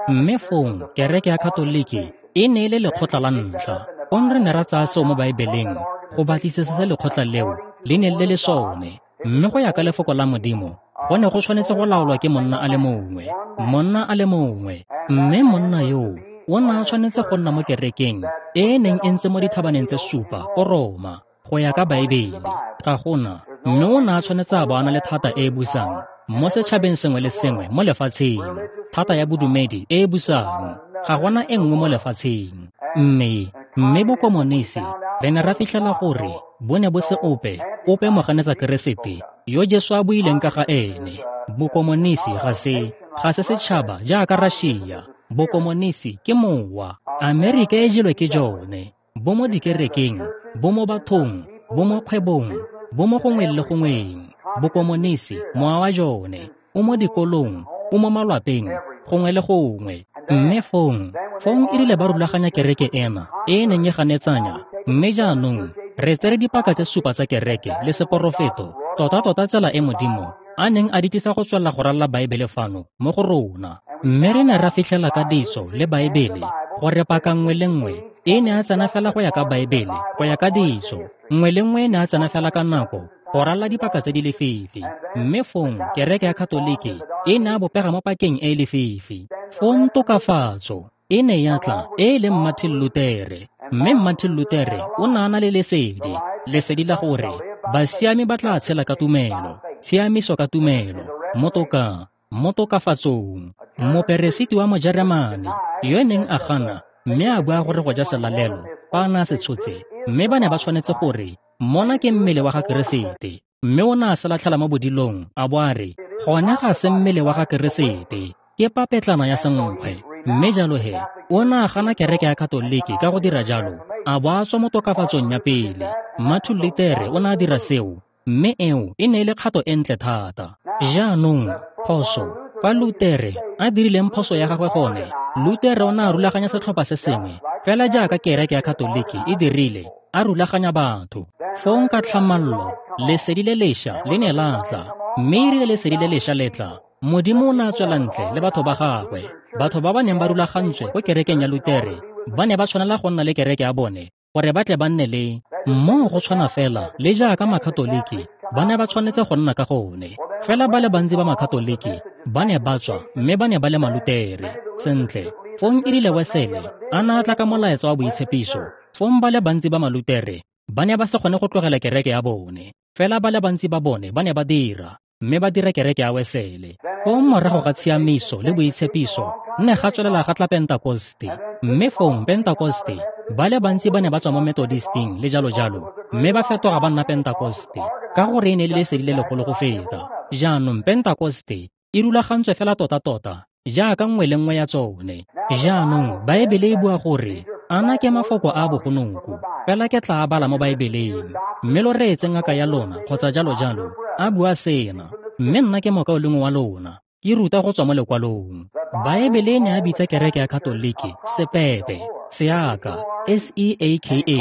mme fong kereke ya Katoliki e ne e le lekgotla la ntlha. Fong re ne ra tsaya seo mo Baebeleng go batlisisa se lekgotla leo le neng le le sone. Mme go ya ka lefoko la Modimo, go ne go tshwanetse go laolwa ke monna a le mongwe, monna a le mongwe. Mme monna yoo o ne a tshwanetse go nna mo kerekeng e e neng e ntse mo dithabaneng tse supa ko Roma, go ya ka Baebele. Ga gona, mme o ne a tshwanetse a bo a na le thata e e busang mo setšhabeng sengwe le sengwe mo lefatsheng, thata ya bodumedi e e busang. Ga gona e nngwe mo lefatsheng. Mme mme bokomonisi re ne ra fitlhela gore bo ne bo se ope ope moganetsa Keresete yo Jesu a buileng ka ga ene. Bokomonisi ga se ga se setšhaba jaaka Russia. Bokomonisi ke mowa. Amerika e jelwe ke jone. Bo mo dikerekeng, bo mo bathong, bo mo kgwebong, bo mo gongwe le gongweng. Bokomonisi, mowa wa jone, o mo dikolong, o mo malwapeng, gongwe le gongwe. Mme fong, fong e rile ba rulaganya kereke ena e e neng e ganetsanya. Mme jaanong re tsere dipaka tse supa tsa kereke le seporofeto, tota-tota tsela e Modimo a neng a di tlisa go tswelela go ralala Baebele fano mo go rona. Mme re ne ra fitlhela ka ditso le Baebele gore paka nngwe le nngwe e ne a tsena fela go ya ka Baebele, go ya ka ditso. Nngwe le nngwe e ne a tsena fela ka nako go ralala dipaka tse di lefifi. Mme fong kereke ya Katoliki e ne a bopega mo pakeng e e lefifi. Fong tokafatso e ne ya tla e e leng Martin Luther. Mme Martin Luther o ne a na le lesedi, lesedi la gore basiami ba tla tshela ka tumelo, tshiamiso ka tumelo, mo toka, mo tokafatsong. Moperesiti wa Mojeremane yo neng a gana mme a bua gore go ja selalelo fa a ne a se tshotse, mme ba ne ba tshwanetse gore mona ke mmele wa ga Keresete. Mme o ne a se latlhela mo bodilong a bo a re gone ga se mmele wa ga Keresete, ke papetlana ya senkgwe. Mme jalo he o ne a gana kereke ya Katoliki ka go dira jalo, a bo a tswa mo tokafatsong ya pele. Martin Luther o ne a dira seo, mme eo e ne e le kgato e ntle thata. Jaanong phoso, fa Luther a dirileng phoso ya gagwe gone, Luther o ne a rulaganya setlhopha se sengwe fela jaaka kereke ya Katoliki e dirile, a rulaganya batho. Fong ka tlhamallo lesedi le lešwa le ne la tla, mme e rile lesedi le lešwa le tla, Modimo o ne a tswela ntle le batho ba gagwe. Batho ba ba neng ba rulagantswe ko kerekeng ya Lutere ba ne ba tshwanela go nna le kereke ya bone gore ba tle ba nne le mo go tshwana fela le jaaka Makatoliki ba ne ba tshwanetse go nna ka gone. Fela ba le bantsi ba Makatoliki ba ne ba tswa mme ba ne ba le Malutere. Sentle, fong e rile Wesele a ne a tla ka molaetsa wa boitshepiso, fong ba le bantsi ba Malutere ba ne ba se kgone go tlogela kereke ya bone. Fela ba le bantsi ba bone ba ne ba dira, mme ba dira kereke ya Wesele. Fong morago ga tshiamiso le boitshepiso nne ga tswelela ga tla Pentakoste. Mme fong Pentakoste ba le bantsi ba ne ba tswa mo Methodisting le jalo jalo, mme ba fetoga ba nna Pentakoste ka gore e ne e le lesedi le legolo go feta. Jaanong Pentakoste e rulagantswe fela tota-tota jaaka nngwe le nngwe ya tsone. Jaanong Baebele e bua gore ana ke mafoko a bogonoko, fela ke tla a bala mo Baebeleng, mme lo reetse ngaka ya lona kgotsa jalo jalo a bua sena, mme nna ke mokaulengwe wa lona, ke ruta go tswa mo lekwalong. Baebele e ne a bitsa kereke ya Katoliki sepepe, seaka, S E A K A,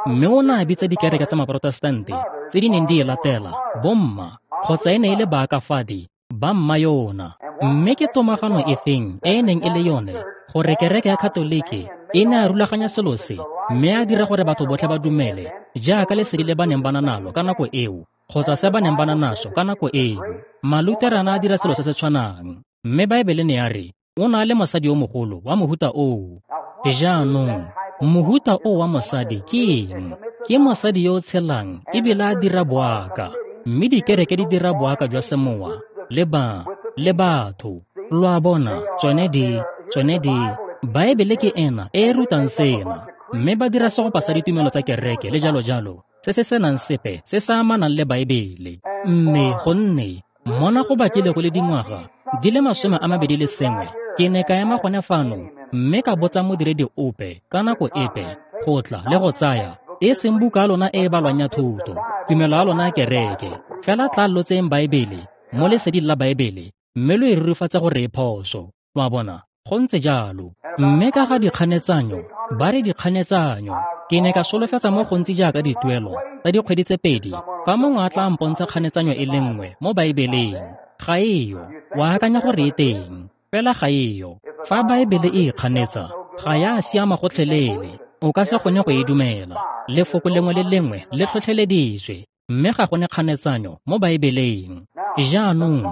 mme o ne a bitsa dikereke tsa Maprotestante tse di neng di e latela bomma, kgotsa e ne e le baakafadi ba mma yona. Mme ke tomagano e feng e e neng e le yone gore kereke ya Katoliki e ne a rulaganya selo se, mme a dira gore batho botlhe ba dumele jaaka lesedi le ba neng ba na nalo ka nako eo, kgotsa se ba neng ba na naso ka nako eo. Maluterana a dira selo se se tshwanang. Mme Baebele ne ya re o na le mosadi yo mogolo wa mohuta oo. Jaanong mohuta o wa mosadi ke eng? Ke mosadi yo o tshelang ebile a dira boaka, mme dikereke di dira boaka jwa semowa le ba le batho. Lo a bona, tsone di tsone di Baebele ke ena e e rutang sena, mme ba dira segopa sa ditumelo tsa kereke le jalo jalo se se senang sepe se se amanang le Baebele. Mme gonne mona go bakile go le dingwaga di le masome a mabedi le sengwe, ke ne ka ema gone fano mme ka botsa modiredi ope ka nako epe go tla le go tsaya E seng buka ya lona e e balwang ya thuto, tumelo ya lona ya kereke, fela tla lo tseyeng Baebele, mo leseding la Baebele, mme lo e rurifatse gore e phoso. Lo a bona? Go ntse jalo. Mme ka ga dikganetsanyo, ba re dikganetsanyo, ke ne ka solofetsa mo gontsi jaaka dituelo tsa dikgwedi tse pedi fa mongwe a tla mpontsha kganetsanyo e le nngwe mo Baebeleng. Ga eyo. O akanya gore e teng, fela ga eyo. Fa Baebele e ikganetsa, ga ya siama gotlhelele. O ka se kgone go e dumela. Lefoko lengwe le lengwe le tlhotlheleditswe, mme ga go ne kganetsanyo mo Baebeleng. Jaanong,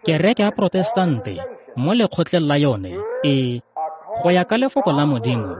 kereke ya Protestante mo lekgotleng la yone e, go ya ka lefoko la Modimo,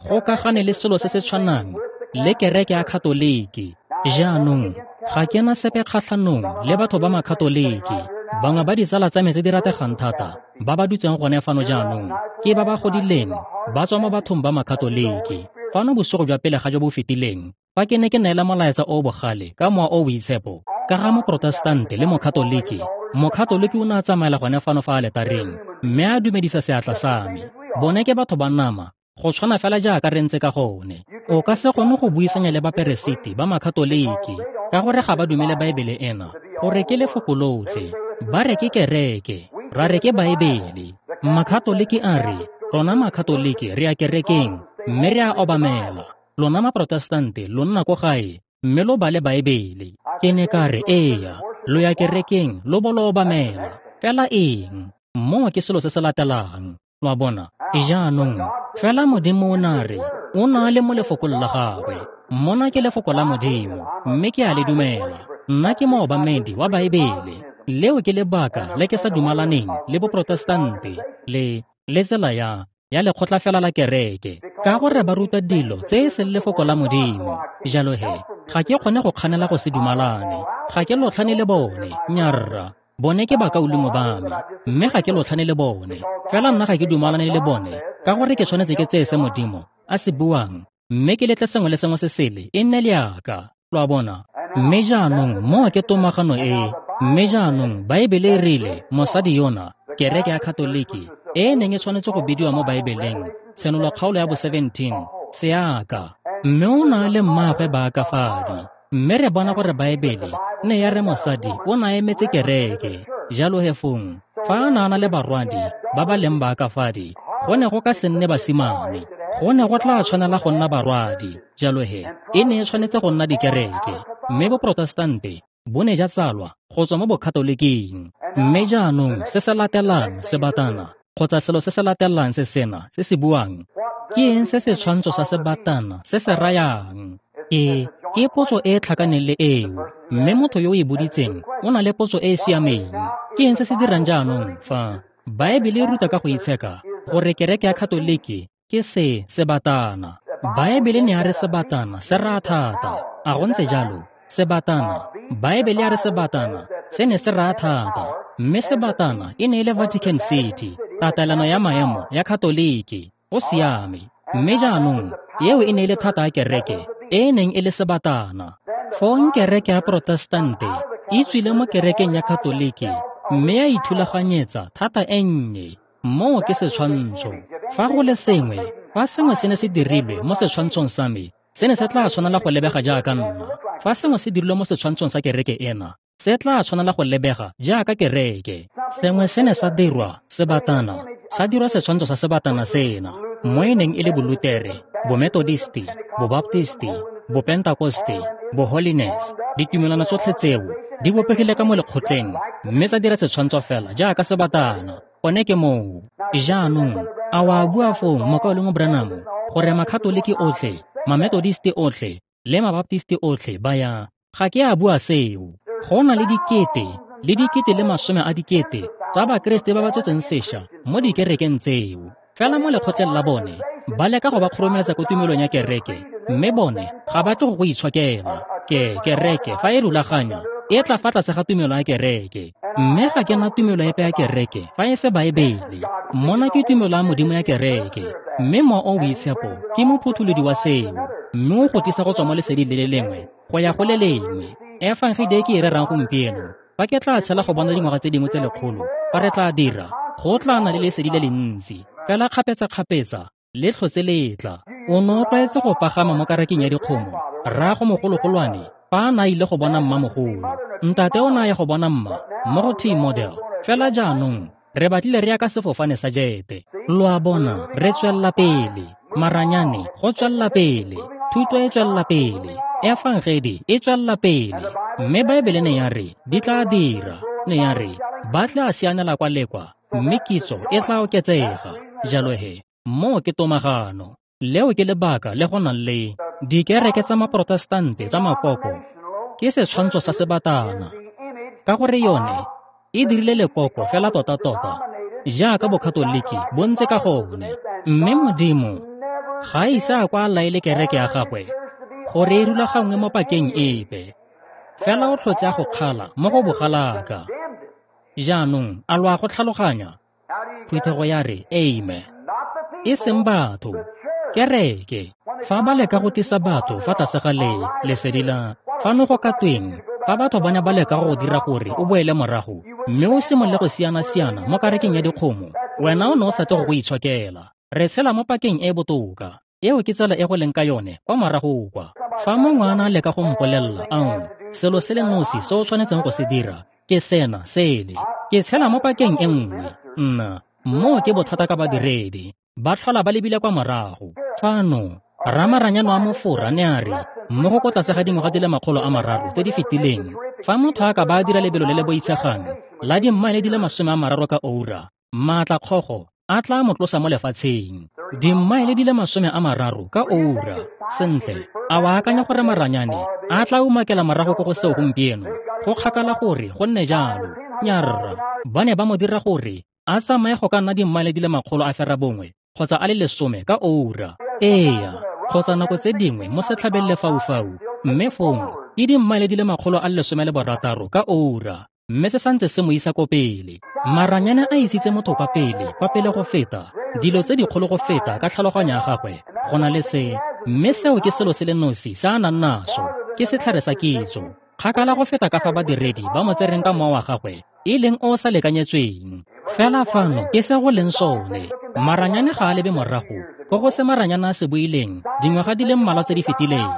go ka gane le selo se se tshwanang le kereke ya Katoliki. Jaanong, ga ke na sepe kgatlhanong le batho ba Makatoliki. Bangwe ba ditsala tsa me tse di rategang thata ba ba dutseng gone fano jaanong ke ba ba godileng ba tswa mo bathong ba Makatoliki. Fano bosigo jwa pele ga jo bo fetileng, fa ke ne ke neela molaetsa o o bogale ka mowa o o boitshepo ka ga Moprotestante le Mokatoliki, Mokatoliki o ne a tsamaela gone fano fa aletareng mme a dumedisa seatla sa me. Bone ke batho ba nama, go tshwana fela jaaka re ntse ka gone. O ka se kgone go buisanya le baperesiti ba Makatoliki ka gore ga ba dumele Baebele ena gore ke lefoko lotlhe. Ba re ke kereke, ra re ke Baebele. Makatoliki a re, rona Makatoliki re ya kerekeng mme re a obamela. Lona Maprotestante lo nna ko gae mme lo bale Baebele. Ke ne ka re, eya, lo ya kerekeng lo bo lo obamela. Fela eng? Moo ke selo se se latelang. Lo a bona? Jaanong, fela Modimo o na re, o na le mo lefokong la gagwe. Mona ke lefoko la Modimo, mme ke a le dumela. Nna ke moobamedi wa Baebele. Leo ke lebaka le ke sa dumalaneng le Boprotestante le le tsela ya ya lekgotla fela la kereke, ka gore ba ruta dilo tse e seng lefoko la Modimo. Jalo he, ga ke kgone go kganela go se dumalane. Ga ke lotlhane le bone, nyarra. Bone ke bakaulengwe ba me, mme ga ke lotlhane le bone. Fela nna ga ke dumalane le bone, ka gore ke tshwanetse ke tseye se Modimo a se buang, mme ke letle sengwe le sengwe se sele e nne leaka. Lo a bona? Mme jaanong moo ke tomagano e. Mme jaanong Baebele e rile mosadi yona, kereke ya Katoliki, e e neng e tshwanetse go bidiwa mo Baebeleng, Tshenolo kgaolo ya bo seventeen, seaka. Mme o na le mmaagwe baakafadi. Mme re bona gore Baebele ne ya re mosadi o na emetse kereke. Jalo he fong, fa a na a na le barwadi ba ba leng baakafadi, go ne go ka se nne basimane. Go ne go tla tshwanela go nna barwadi. Jalo he, e ne e tshwanetse go nna dikereke. Mme Boprotestante bo ne ja tsalwa go tswa mo Bokatoliking. Mme jaanong se se latelang sebatana, kgotsa selo se se latelang se sena se se buang, ke eng se setshwantsho sa sebatana se se rayang? Ke ke potso e e tlhakaneng le eo, mme motho yo o e boditseng o na le potso e e siameng. Ke eng se se dirang jaanong fa Baebele e ruta ka go itsheka gore kereke ya Katoliki ke se sebatana? Baebele ne ya re sebatana se raya thata. A go ntse jalo? Sebatana, Baebele ya re sebatana se ne se raya thata, mme sebatana e ne e le Vatican City, tatelano ya maemo ya Katoliki. Go siame. Mme jaanong eo e ne e le thata ya kereke e e neng e le sebatana. Fong kereke ya Protestante e tswile mo kerekeng ya Katoliki mme ya ithulaganyetsa thata e nnye. Moo ke setshwantsho. Fa go le sengwe, fa sengwe se ne se dirilwe mo setshwantshong sa me, se ne se tla tshwanela go lebega jaaka nna. Fa sengwe se dirilwe mo setshwantshong sa kereke ena, se tla tshwanela go lebega jaaka kereke. Sengwe se ne sa dirwa sebatana, sa dirwa setshwantsho sa sebatana sena, mo e neng e le Bolutere, Bomethodisti, Bobaptisti, Bopentakoste, Boholiness. Ditumelano tsotlhe tseo di bopegile ka mo lekgotleng mme tsa dira setshwantsho fela jaaka sebatana. Gone ke moo. Jaanong, a wa bua foo mokaulengwe Branham gore Makatoliki otlhe, Mamethodisti otlhe le Mabaptisti otlhe ba ya? Ga ke a bua seo. Go na le dikete le dikete le masome a dikete tsa Bakreste ba ba tswetseng sešwa mo dikerekeng tseo. Fela mo lekgotleng la bone ba leka go ba kgoromeletsa ko tumelong ya kereke, mme bone ga ba tle go go itshokela. Ke kereke fa e rulaganya e tla fa tlase ga tumelo ya kereke. Mme ga ke na tumelo epe ya kereke fa e se Baebele. Mona ke tumelo ya Modimo ya kereke, mme Mowa o o Boitshepo ke mophutholodi wa seo, mme o go tlisa go tswa mo leseding le le lengwe go ya go le lengwe. Efangedi e ke e rerang gompieno, fa ke tla tshela go bona dingwaga tse dingwe tse lekgolo, fa re tla dira, go tla nna le lesedi le le ntsi. Fela kgapetsa-kgapetsa le tlhotse le tla. O ne o tlwaetse go pagama mo karaking ya dikgomo, rraago mogologolwane fa a ne a ile go bona mmamogolo. Ntate o ne a ya go bona mma mo go T-model. Fela jaanong re batlile re ya ka sefofane sa jete. Lo a bona, re tswelela pele. Maranyane go tswelela pele, thuto e tswelela pele, efangedi e tswelela pele. Mme Baebele ne ya re di tla dira, ne ya re ba tla sianela kwa le kwa, mme kitso e tla oketsega. Jalo he, moo ke tomagano. Leo ke lebaka le go nang le dikereke tsa maprotestante tsa makoko. Ke setshwantsho sa sebatana, ka gore yone e dirile lekoko fela tota-tota jaaka bokatoliki bo ntse ka gone. Mme Modimo ga a ise a kwa a laele kereke ya gagwe gore e rulaganngwe mo pakeng epe, fela o tlhotse a go kgala mo go bogalaka. Jaanong a lo a go tlhaloganya? Phuthego ya re amen. E seng batho, kereke. Fa ba leka go tlisa batho fa tlase ga le lesedi la fano go ka tweng, fa batho ba ne ba leka go dira gore o boele morago mme o simolole go siana-siana mo karekeng ya dikgomo, wena o ne o sa tle go go itshokela. Re tshela mo pakeng e botoka. Eo ke tsela e go leng ka yone kwa morago kwa. Fa mongwe a na leka go mpolelela, ao, selo se le nosi se o tshwanetseng go se dira ke sena sele, ke tshela mo pakeng e nngwe. Nna, moo ke bothata ka badiredi, ba tlhola ba lebile kwa morago. Fano ramaranyane wa mofora ne a re mo go ko tlase ga dingwaga di le makgolo a mararo tse di fetileng, fa motho a ka ba a dira lebelo le le boitshegang la dimmaele di le masome a mararo ka oura, maatla kgogo a tla mo tlosa mo lefatsheng. Dimmaele di le masome a mararo ka oura. Sentle, a wa akanya gore maranyane a tla umakela morago ko go seo gompieno? Go kgakala gore go nne jalo. Nyarra, ba ne ba mo dira gore a tsamaye go ka nna dimmaele di le makgolo a ferabongwe kgotsa a le lesome ka oura. Eya, kgotsa nako tse dingwe mo setlhabeng lefaufau, mme fong ke dimmaele di le makgolo a le lesome le borataro ka oura, mme se santse se mo isa ko pele. Maranyane a isitse motho kwa pele, kwa pele go feta, dilo tse dikgolo go feta ka tlhaloganyo ya gagwe go na le se, mme seo ke selo se le nosi se a nang naso, ke setlhare sa kitso. Kgakala go feta ka fa badiredi ba mo tsereng ka mowa wa gagwe e leng o o sa lekanyetsweng. Fela fano ke se go leng sone. Maranyane ga a lebe morago ko go se maranyane a se buileng dingwaga di le mmalwa tse di fetileng.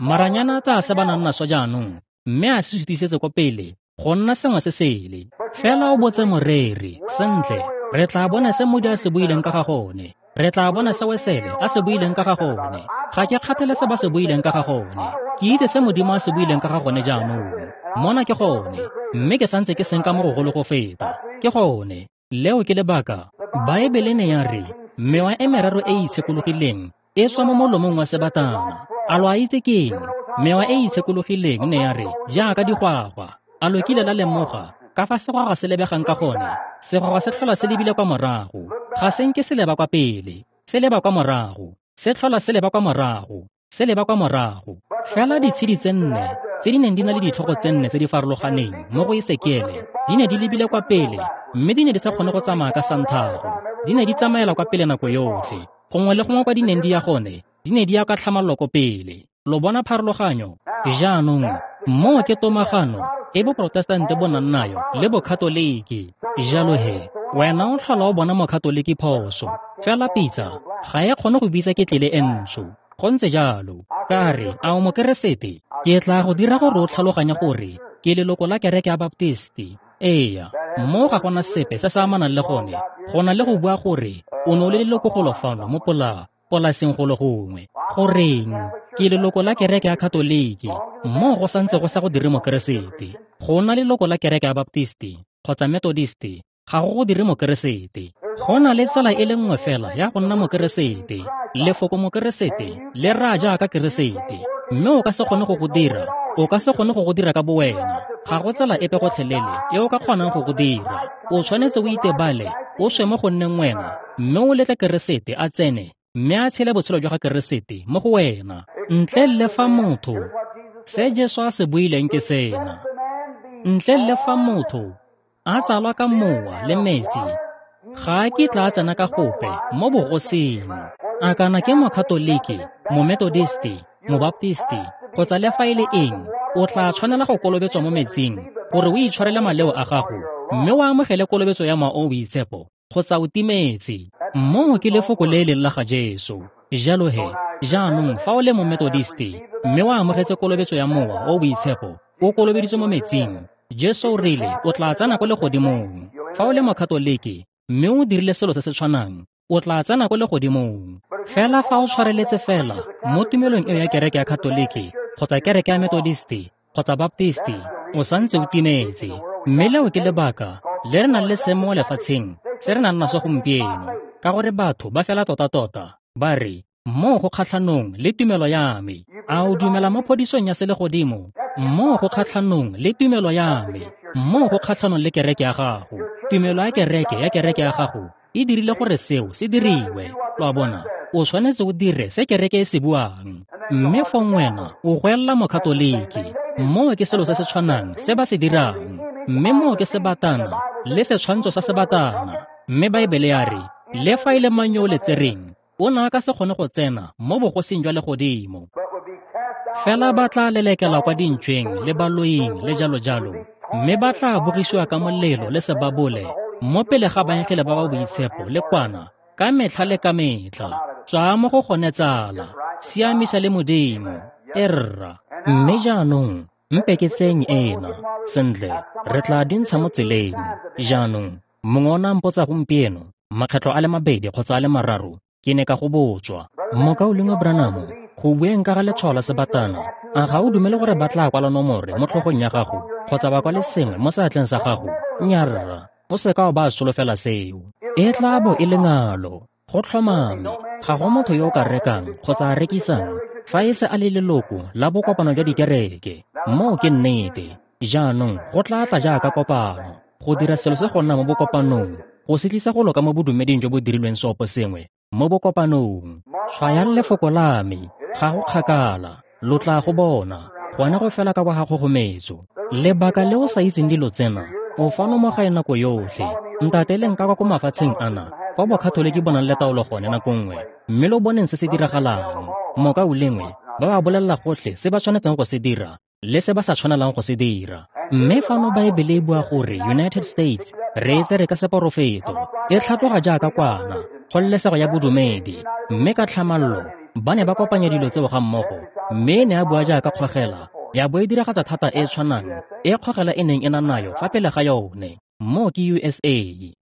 Maranyane a tsaya se ba nang naso jaanong mme a se sutisetse ko pele go nna sengwe se sele. Fela o botse moreri, sentle, re tla bona se Modi a se buileng ka ga gone. Re tla bona se Wesele a se buileng ka ga gone. Ga ke kgathale se ba se buileng ka ga gone. Ke itse se Modimo a se buileng ka ga gone jaanong. Mona ke gone, mme ke santse ke senka mo gogolo go feta. Ke gone, leo ke lebaka. Baebele ne ya re mewa e meraro e e itshekologileng e tswa mo molomong wa sebatana. A lo a itse keng? Mewa e e itshekologileng ne ya re jaaka digwagwa. A lo kile la lemoga ka fa segwagwa se lebegang ka gone? Segwagwa se tlhola se lebile kwa morago, ga se nke se leba kwa pele, se leba kwa morago, se tlhola se leba kwa morago, se leba kwa morago. Fela ditshedi tse nne tse di neng di na le ditlhogo tse nne tse di farologaneng mo go Esekiele di ne di lebile kwa pele, mme di ne di sa kgone go tsamaya ka santhago. Di ne di tsamaela kwa pele nako yotlhe. Gongwe le gongwe kwa di neng di ya gone, di ne di ya ka tlhamallo ko pele. Lo bona pharologanyo? Jaanong, moo ke tomagano e boprotestante bo nang nayo le bokatoliki. Jalo he, wena o tlhola o bona mokatoliki phoso, fela pitsa ga e kgone go bitsa ketlele e ntsho. Go ntse jalo. Ka re, a o mokeresete? Ke tla go dira gore o tlhaloganye gore ke leloko la kereke ya Baptisti. Eya, mo ga gona sepe se se amanang le gone, go na le go bua gore o ne o le leloko golo fano mo pola polaseng golo gongwe. Goreng, ke leloko la kereke ya Katoliki, mo go santse go sa go dire mokeresete. Go na leloko la kereke ya Baptisti kgotsa Methodisti ga go go dire mokeresete. Go na le tsela e le nngwe fela ya go nna mokeresete. Lefoko mokeresete le raya jaaka keresete, mme o ka se kgone go go dira. O ka se kgone go go dira ka bowena. Ga go tsela epe gotlhelele e o ka kgonang go go dira. O tshwanetse o itebale, o swe mo go nneng wena, mme o letle keresete a tsene mme a tshele botshelo jwa ga keresete mo go wena. Ntle le fa motho, se Jesu a se buileng ke sena, ntle le fa motho a tsalwa ka mowa le metsi, ga a kitla a tsena ka gope mo bogosing. A kana ke mokatoliki, mometodisti, mobaptisti, kgotsa le fa e le eng, o tla tshwanela go kolobetswa mo metsing gore o itshwarele maleo a gago mme o amogele kolobetso ya Mowa o o Boitshepo kgotsa o timetse. Moo ke lefoko le e leng la ga Jesu. Jalo he, jaanong fa o le Mometodisti mme o amogetse kolobetso ya Mowa o o Boitshepo, o kolobeditswe mo metsing, Jesu o rile o tla tsena ko legodimong. Fa o le Mokatoliki mme o dirile selo se se tshwanang, o tla tsena ko legodimong. Fela fa o tshwareletse fela mo tumelong eo ya kereke ya Katoliki kgotsa kereke ya Metodisti kgotsa Baptisti, o santse o timetse. Mme leo ke lebaka le re nang le seemo mo lefatsheng se re nang naso gompieno, ka gore batho ba fela tota-tota ba re, moo go kgatlhanong le tumelo ya me. A o dumela mo phodisong ya selegodimo? Moo go kgatlhanong le tumelo ya me. Moo go kgatlhanong le kereke ya gago. Tumelo ya kereke ya kereke ya gago e dirile gore seo se diriwe. Lo a bona, o tshwanetse o dire se kereke e se buang. Mme fong wena o goelela Mokatoliki. Moo ke selo se se tshwanang se ba se dirang. Mme moo ke sebatana le setshwantsho sa sebatana. Mme Baebele ya re, le fa e le mang yo o le tsereng, o ne a ka se kgone go tsena mo bogosing jwa legodimo. Fela ba tla lelekela kwa dintšweng le baloing le jalo-jalo, mme ba tla bogisiwa ka molelo le sebabole mo pele ga baengele ba ba boitshepo le kwana ka metlha le ka metlha. Tswa mo go gone tsala, siamisa le Modimo, erra. Mme jaanong mpe ke tseng ena. Sentle, re tla dintsha mo tseleng. Jaanong, mongwe o ne a mpotsa gompieno, makgetlho a le mabedi kgotsa a le mararo, ke ne ka go botswa. Mokaulengwe Branham, go bueng ka ga letshwao la sebatana, a ga o dumele gore ba tla kwala nomore mo tlhogong ya gago kgotsa ba kwale sengwe mo seatleng sa gago? Nnyaa, o seka wa ba solofela seo. E tla bo e le ngalo. Go tlhomame, ga go motho yo o ka rekang kgotsa a rekisang fa e se a le leloko la bokopano jwa dikereke. Moo ke nnete. Jaanong go tla tla jaaka kopano, go dira selo se go nna mo bokopanong, go se tlisa go loka mo bodumeding jo bo dirilweng seopo sengwe mo bokopanong. Tshwayang lefoko la me, ga go kgakala, lo tla go bona, gone go fela ka kwa ga kgogometso. Lebaka le o sa itseng dilo tsena, o fano mo gae nako yotlhe. Ntateleng ka kwa ko mafatsheng ana, kwa Bokatoliki bo nang le taolo gone nako nngwe, mme lo boneng se se diragalang. Mokaulengwe, ba ba bolelela gotlhe se ba tshwanetseng go se dira le se ba sa tshwanelang go se dira. Mme fano Baebele e bua gore United States re e tsere ka seporofeto, e tlhatloga jaaka kwana, kgololesego ya bodumedi, mme ka tlhamallo ba ne ba kopanya dilo tseo ga mmogo, mme e ne a bua jaaka kgogela, ya bo e diragatsa thata e tshwanang e kgogela e neng e na nayo fa pele ga yone. Moo ke U S A.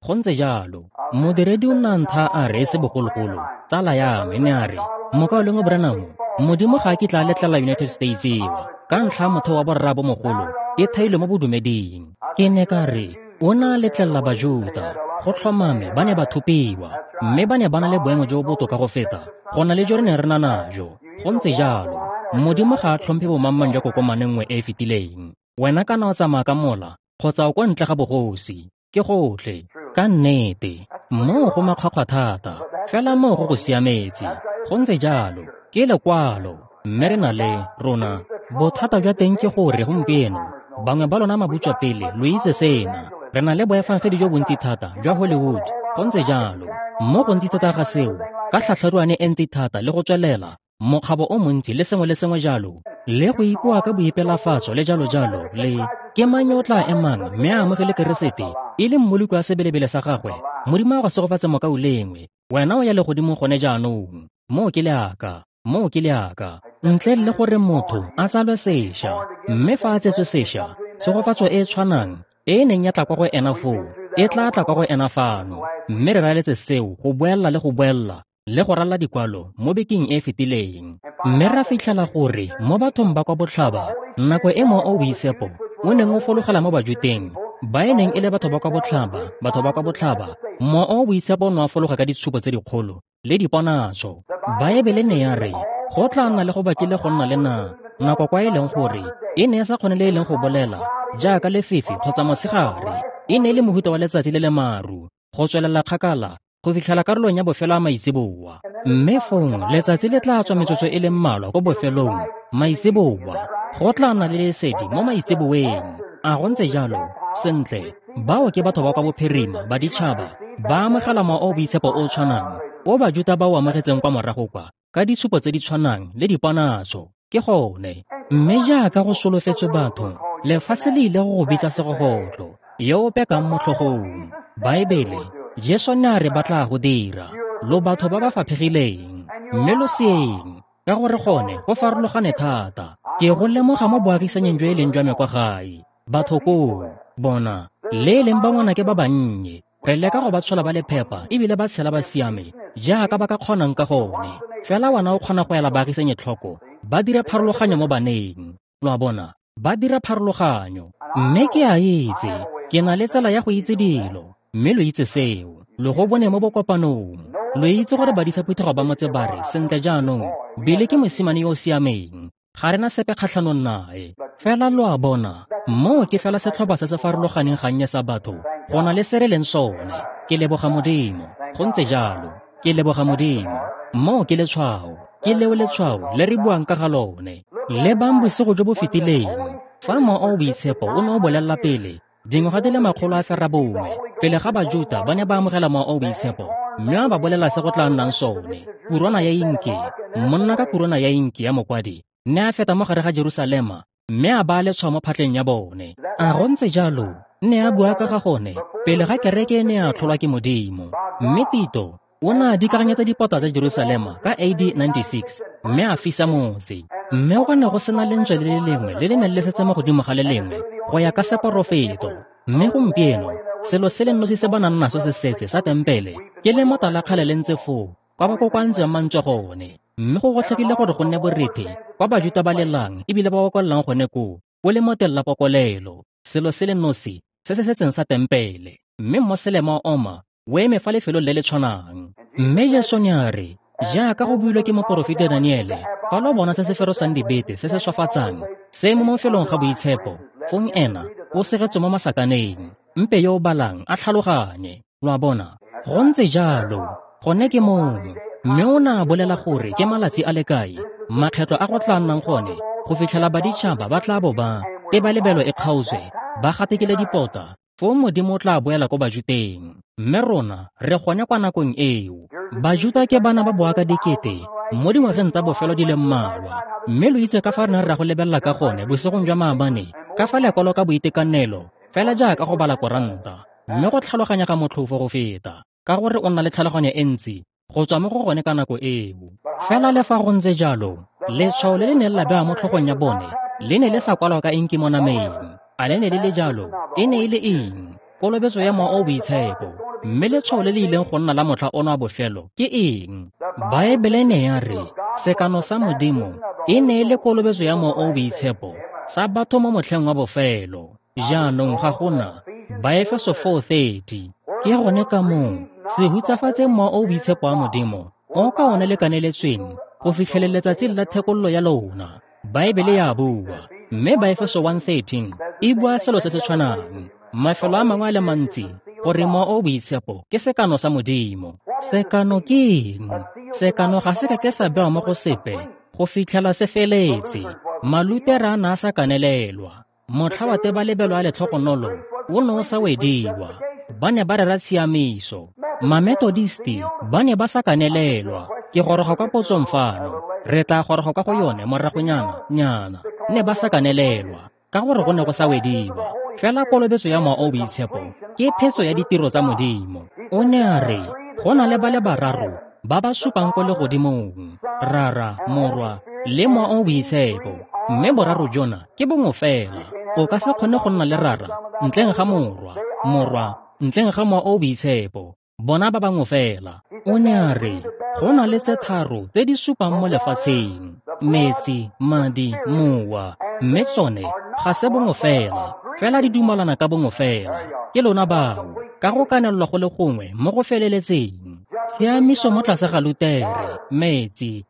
Go ntse jalo. Modiredi o nna ntha a re e se bogologolo, tsala ya me ne a re, Mokaulengwe Branham, Modimo ga a kitla a letlela United States ewa ka ntlha ya motheo wa borraabomogolo e thailwe mo bodumeding. Ke ne ka re, o ne a letlelela Bajuta, go tlhomame ba ne ba thopiwa, mme ba ne ba na le boemo jo bo botoka go feta go na le jo re neng re na najo. Go ntse jalo. Modimo ga a tlhomphe bomangmang jwa kokomane nngwe e e fetileng. Wena kana o tsamaya ka mola kgotsa o kwa ntle ga bogosi, ke gotlhe. Ka nnete, moo go makgwakgwa thata, fela moo go go siametse. Go ntse jalo, ke lekwalo. Mme re na le rona. Bothata jwa teng ke gore gompieno bangwe ba lona mabutswapele lo itse sena. Re na le boefangedi jo bontsi thata jwa Hollywood. Go ntse jalo. Mo gontsi thata ga seo, ka tlhatlharuane e ntsi thata le go tswelela, mokgabo o montsi le sengwe le sengwe jalo, le go ipoa ka boipelafatso le jalo-jalo, le ke mang yo o tla emang mme a amogele Keresete e le mmoloki wa sebelebele sa gagwe? Modimo a go segofatse mokaulengwe, wena o ya legodimong gone jaanong. Moo ke leaka, moo ke leaka. Ntle le gore motho a tsalwe sešwa, mme fa a tsetswe sešwa, tshegofatso e e tshwanang e e neng ya tla kwa go ena foo, e tla tla kwa go ena fano. Mme re raeletse seo go boella le go boella le go ralla dikwalo mo bekeng e e fetileng. Mme ra fitlhela gore mo bathong ba kwa botlhaba, nako e Mowa o o Boitshepo o neng o fologela mo Bajuteng, ba e neng e le batho ba kwa botlhaba, batho ba kwa botlhaba, Mowa o o Boitshepo o ne wa fologa ka ditshupo tse dikgolo le diponatso. Baebele ne ya re, go tla nna le go bakile go nna le na nako kwa e leng gore e ne e sa kgone le e leng go bolela jaaka lefifi kgotsa motshegare, e ne e le mohuta wa letsatsi le le maru, go tswelela kgakala go fitlhela karolong ya bofelo a maitseboa. Mme fong letsatsi le tla tswa metsotso e le mmalwa ko bofelong maitseboa, go tla nna le lesedi mo maitseboeng. A go ntse jalo? Sentle, bao ke batho ba kwa bophirima ba ditšhaba ba amogela Mowa o o Boitshepo o o tshwanang o Bajuta ba o amogetseng kwa morago kwa, ka ditshupo tse di tshwanang le diponatso. Ke gone. Mme jaaka go solofetswe batho, lefatshe le ile go go bitsa segogotlo, yo o pekang mo tlhogong. Baebele Jesu ne a re ba tla go dira. Lo batho ba ba faphegileng, mme lo seeng, ka gore gone go farologane thata. Ke go lemoga mo boagisanyeng jo e leng jwa me kwa gae. Batho koo, bona, le e leng ba ngwanake ba bannye, re leka go ba tshola ba le phepa ebile ba tshela ba siame jaaka ba ka kgonang ka gone. Fela wena o kgona go ela baagisanye tlhoko, ba dira pharologanyo mo baneng. Lo a bona, ba dira pharologanyo. Mme ke a itse, ke na le tsela ya go itse dilo, mme lo itse seo. Lo go bone mo bokopanong. Lo itse gore badisa phuthego ba motse ba re, sentle jaanong, Bile ke mosimane yo o siameng, ga re na sepe kgatlhanong nae. Fela lo a bona, moo ke fela setlhopha se se farologaneng gannye sa batho go na le se re leng sone. Ke leboga Modimo, go ntse jalo. Ke leboga Modimo. Moo ke letshwao, ke leo letshwao le re buang ka ga lone. Lebang bosigo jo bo fetileng, fa Mowa o o Boitshepo o ne o bolelela pele dingwaga di le makgolo a ferabongwe pele ga Bajuta ba ne ba amogela Mowa o o Boitshepo, mme a ba bolela se go tla nnang sone. Kurwana ya inki, monna ka kurwana ya inki ya mokwadi, ne a feta mo gare ga Jerusalema, mme a baya letshwao mo phatleng ya bone. A go ntse jalo, ne a bua ka ga gone pele ga kereke e ne ya tlholwa ke Modimo. Mme Tito o ne a dikaganyetsa dipota tsa Jerusalema ka A D ninety-six, mme a fisa motse. Mme go ne go sena lentswe le le lengwe le le neng le setse mo godimo ga le lengwe go ya ka seporofeto. Mme gompieno selo se le nosi se ba nang naso se setse sa tempele ke lemota la kgale le ntse foo kwa ba kokoantseng mantswe gone. Mme go gotlhekile gore go nne borethe kwa Bajuta ba lelang ebile ba okolelang gone koo ko lemoteng la pokolelo, selo se le nosi se se setseng sa tempele. Mme Mmoselema wa Oma o eme fa lefelong le le tshwanang. Mme Jesu ne a re, jaaka go builwe ke moporofeta Daniele, fa lo bona se se ferosang dibete se se swafatsang se mo mafelong ga boitshepo, fong ena o segetswe mo masakaneng. Mpe yo o balang a tlhaloganye. Lo a bona, go ntse jalo, gone ke moo. Mme o ne a bolela gore ke malatsi a le kae makgetlo a go tla nnang gone go fitlhela baditšhaba ba tla bo ba tebalebelo e kgaotswe, ba gatekile dipota, foo Modimo o tla boela ko Bajuteng. Mme rona re gone kwa nakong eo. Bajuta ke bana ba boaka dikete mo dingwageng tsa bofelo di le mmalwa. Mme lo itse ka fa re neng ra go lebelela ka gone bosigong jwa maabane, ka fa lekwalo ka boitekanelo, fela jaaka go bala koranta, mme go tlhaloganya ga motlhofo go feta, ka gore o nna le tlhaloganyo e ntsi go tswa mo go gone ka nako eo. Fela le fa go ntse jalo, letshwao le le neng la bewa mo tlhogong ya bone le ne le sa kwalwa ka inki mo nameng. A le ne le le jalo? E ne e le eng? Kolobetso ya Mowa o o Boitshepo. Mme letshwao le le ileng go nna la motlha ono wa bofelo ke eng? Baebele ne ya re sekano sa Modimo e ne e le kolobetso ya Mowa o o Boitshepo sa batho mo motlheng wa bofelo. Jaanong ga gona Baefeso four thirty. Ke gone ka moo se hutsafatseng Mowa o o Boitshepo wa Modimo o ka one le kaneletsweng go fitlhelela letsatsi la thekololo ya lona. Baebele ya bua. Mme Baefeso one thirteen e bua selo se se tshwanang. Mafelo a mangwe a le mantsi gore Mowa o o Boitshepo ke sekano sa Modimo. Sekano ke eng? Sekano ga se ka ke sa bewa mo go sepe go fitlhela se feletse. Malutera a ne a sa kanelelwa. Motlha wa tebalebelo a letlhogonolo o ne o sa wediwa. Ba ne ba rera tshiamiso. Mametodisti ba ne ba sa kanelelwa. Ke goroga kwa potsong fano. Re tla goroga kwa go yone moragonyana nyana. Ne ba sa kanelelwa ka gore go ne go sa wediwa. Fela kolobetso ya Mowa o o Boitshepo ke phetso ya ditiro tsa Modimo. O ne a re go na le ba le bararo ba ba supang ko legodimong, Rara, Morwa le Mowa o o Boitshepo. Mme boraro jona ke bongwe fela. O ka se kgone go nna le Rara ntleng ga Morwa, Morwa ntleng ga Mowa o o Boitshepo. Bona ba bangwe fela. O ne a re go na le tse tharo tse di supang mo lefatsheng, metsi, madi, mowa, mme tsone ga se bongwe fela, fela di dumalana ka bongwe fela. Ke lona bao, ka go kanelelwa go le gongwe mo go feleletseng. Tshiamiso mo tlase ga Lutere, metsi,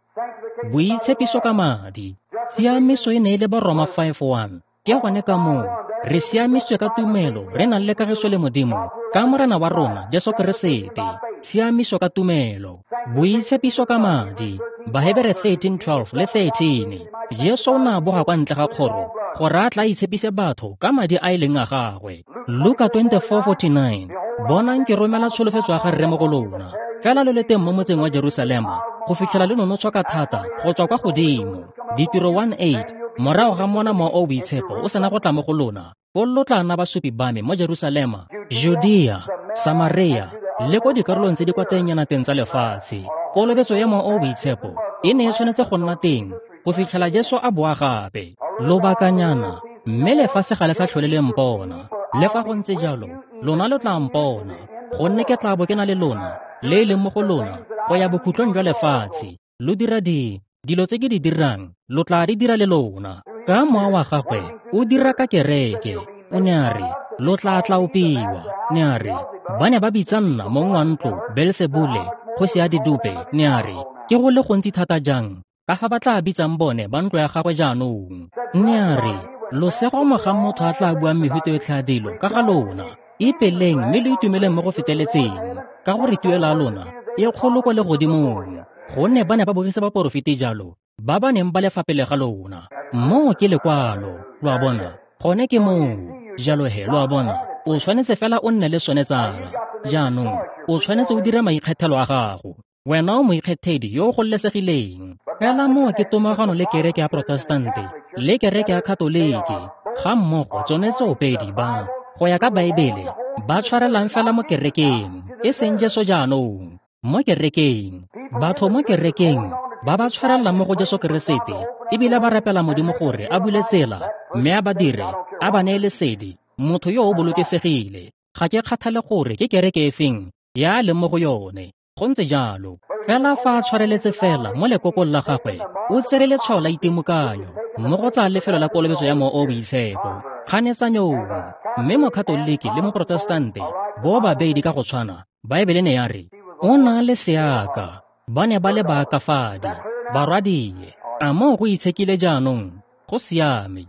boitshepiso ka madi. Tshiamiso e ne e le Baroma five one. Ke gone ka moo re siamisitswe ka tumelo, re nang le kagiso le Modimo ka Morena wa rona Jesu Keresete. Tshiamiso ka tumelo, boitshepiso ka madi. Bahebere thirteen twelve le thirteen. Jesu o ne a boga kwa ntle ga kgoro gore a tla itshepise batho ka madi a e leng a gagwe. Luka twenty-four forty-nine. Bonang ke romela tsholofetso ya ga Rre mo go lona, fela lo le teng mo motseng wa Jerusalema go fitlhela le nonotshwa ka thata go tswa kwa godimo. Ditiro one eight. Morago ga mona Mowa o o Boitshepo o sena go tla mo go lona, foo lo tla nna basupi ba me mo Jerusalema, Judea, Samaria le ko dikarolong tse di kwa tennyanateng tsa lefatshe. Kolobetso ya Mowa o o Boitshepo e ne e tshwanetse go nna teng go fitlhela Jesu a boa gape. Lobakanyana, mme lefatshe ga le sa tlhole le mpona. Le fa go ntse jalo, lona lo tla mpona, gonne ke tla bo ke na le lona, le e leng mo go lona, go ya bokhutlong jwa lefatshe. Lo dira di dilo tse ke di dirang, lo tla di dira le lona. Ka mowa wa gagwe o dira ka kereke. O ne a re, lo tla tlaopiwa. Ne a re, ba ne ba bitsa nna mong wa ntlo Beelsebule, kgosi ya didupe. Ne a re, ke go le gontsi thata jang ka fa ba tla bitsang bone ba ntlo ya gagwe jaanong. Ne a re, losego mogang motho a tla buang mehuta yotlhe ya dilo ka ga lona. Ipeleng mme lo itumeleng mo go feteletseng, ka gore tuelo ya lona e kgolo kwa legodimong. Gonne ba ne ba bogisa baporofeti jalo, ba ba neng ba le fa pele ga lona. Moo ke lekwalo, lo a bona. Gone ke moo. Jalo he, lo a bona, o tshwanetse fela o nne le sone tsala. Jaanong, o tshwanetse o dire maikgethelo a gago. Wena o moikgethedi yo o gololesegileng. Fela moo ke tomagano le kereke ya Protestante le kereke ya Katoliki, ga mmogo tsone tsoopedi ba, go ya ka Baebele, ba tshwarelang fela mo kerekeng, e seng Jesu jaanong. Mo kerekeng, batho mo kerekeng ba ba tshwarelang mo go Jesu Keresete, ebile ba rapela Modimo gore a bule tsela, mme a ba dire, a ba neye lesedi, motho yo o bolokesegile. Ga ke kgathale gore ke kereke efeng ya leng mo go yone. Go ntse jalo. Fela fa a tshwareletse fela mo lekokong la gagwe, o tsere letshwao la itimokanyo mo go tsaya lefelo la kolobetso ya Mowa o o Boitshepo kganetsanyong. Mme Mokatoliki le Moprotestante bo babedi ka go tshwana, Baebele ne ya re, o na le seaka. Ba ne ba le baakafadi, barwadie. A moo go itshekile jaanong? Go siame.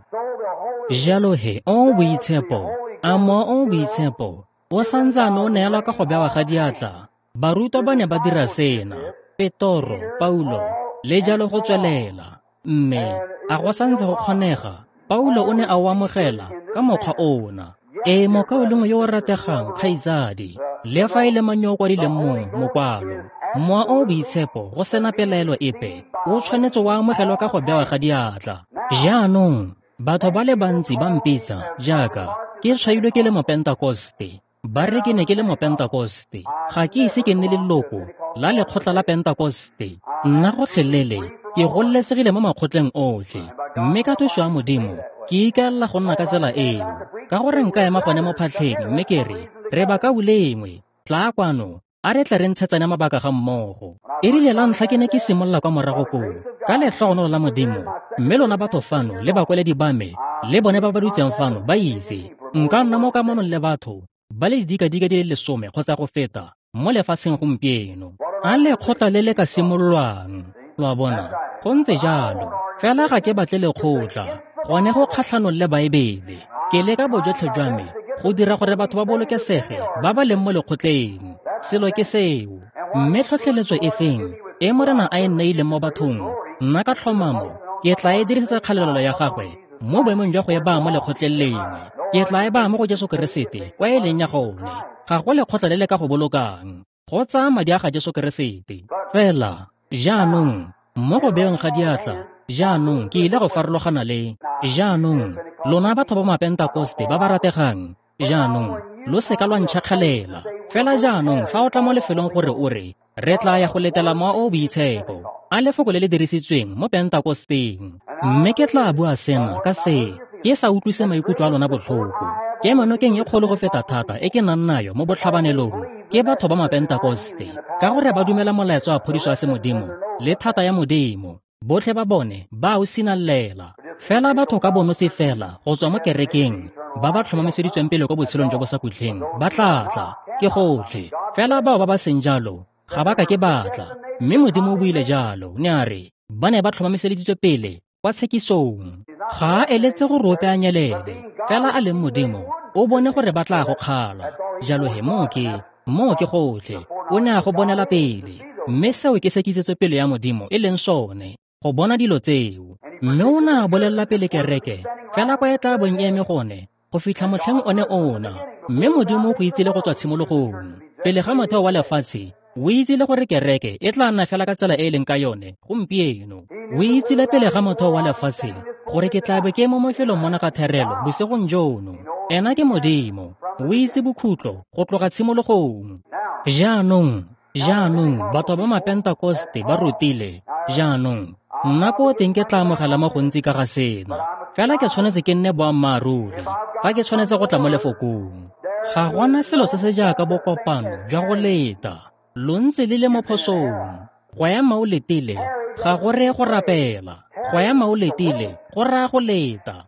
Jalo he, o Boitshepo, a Mowa o o Boitshepo o santsane o neelwa ka go bewa ga diatla? Barutwa ba ne ba dira sena, Petoro, Paulo, le jalo go tswelela. Mme a go santse go kgonega? Paulo o ne a o amogela ka mokgwa ona. Ee, mokaulengwe yo o rategang, kgaitsadi, le fa e le mang yo o kwadileng mong mokwalo, Mowa o o Boitshepo go sena pelaelo epe o tshwanetse wa amogelwa ka go bewa ga diatla. Jaanong, batho ba le bantsi ba mpitsa jaaka ke tshwailwe ke le Mopentakoste. Ba re ke ne ke le Mopentakoste. Ga ke ise ke nne leloko la lekgotla la Pentakoste. Nna gotlhelele ke gololesegile mo makgotleng otlhe, mme ka thuso ya Modimo ke ikaelela go nna ka tsela eo. Ka gore nka ema gone mo phatlheng mme ke re, re bakaulengwe, tlaa kwano, a re tle re ntshetsane mabaka ga mmogo. E rile la ntlha ke ne ke simolola kwa morago koo, ka letlhogonolo la Modimo, mme lona batho fano le bakweledi ba me, le bone ba ba dutseng fano ba itse, nka nna mo kamanong le batho ba le didikadika di le lesome kgotsa go feta mo lefatsheng gompieno. A lekgotla le le ka simololwang, lo a bona, go ntse jalo. Fela ga ke batle lekgotla, gone go kgatlhanong le Baebele. Ke leka bojotlhe jwa me go dira gore batho ba bolokesege ba ba leng mo lekgotleng. Selo ke seo. Mme tlhotlheletso e feng e Morena a e neileng mo bathong, nna ka tlhomamo ke tla e dirisetsa kgalalelo ya gagwe mo boemong jwa go e baya mo lekgotleng lengwe. Ke tla e baya mo go Jesu Keresete kwa e leng ya gone. Ga go lekgotla le le ka go bolokang, go tsaya madi a ga Jesu Keresete. Fela jaanong mo go beweng ga diatla, jaanong ke ile go farologana le jaanong lona batho ba Mapentakoste ba ba rategang, jaanong lo seka lwa ntšhakgalela. Fela jaanong fa o tla mo lefelong gore o re, re tla ya go letela Mowa o o Boitshepo, a lefoko le le dirisitsweng mo Pentakosteng. Mme ke tla bua sena ka se, ke sa utlwise maikutlo a lona botlhoko. Ke manokeng e kgolo go feta thata e ke nang nayo mo botlhabanelong ke batho ba Mapentakoste, ka gore ba dumela molaetsa wa phodiso ya semodimo le thata ya Modimo. Botlhe ba bone ba o sinalela. Fela batho ka bonosi fela go tswa mo kerekeng ba ba tlhomamiseditsweng pele ko botshelong jo bo sa khutleng ba tla tla, ke gotlhe. Fela bao ba ba seng jalo ga ba ka ke ba tla. Mme Modimo o buile jalo, ne a re ba ne ba tlhomamiseditswe pele kwa tshekisong. Ga a eletse gore ope a nyelele, fela a leng Modimo o bone gore ba tla go kgala. Jalo he moo ke, moo ke gotlhe. O ne a go bonela pele, mme seo ke se kitsetso pele ya Modimo e leng sone, go bona dilo tseo. Mme o ne a bolelela pele kereke fela kwa e tla bong e eme gone go fitlha motlheng one ona. Mme Modimo o go itsile go tswa tshimologong, pele ga motheo wa lefatshe. O itsile gore kereke e tla nna fela ka tsela e e leng ka yone gompieno. O itsile pele ga motheo wa lefatshe gore ke tla be ke mo mafelong mona ka therelo bosigong jono. Ena ke Modimo, o itse bokhutlo go tloga tshimologong. Jaanong, jaanong batho ba Mapentekoste ba rutile, jaanong, nna ko teng ke tla amogela mo gontsi ka ga sena. Fela ke tshwanetse ke nne boammaaruri, fa ke tshwanetse go tla mo lefokong. Ga gona selo se se jaaka bokopano jwa go leta. Lo ntse le le mo phosong. Go ema o letile ga go reye go rapela. Go ema o letile go raya go leta.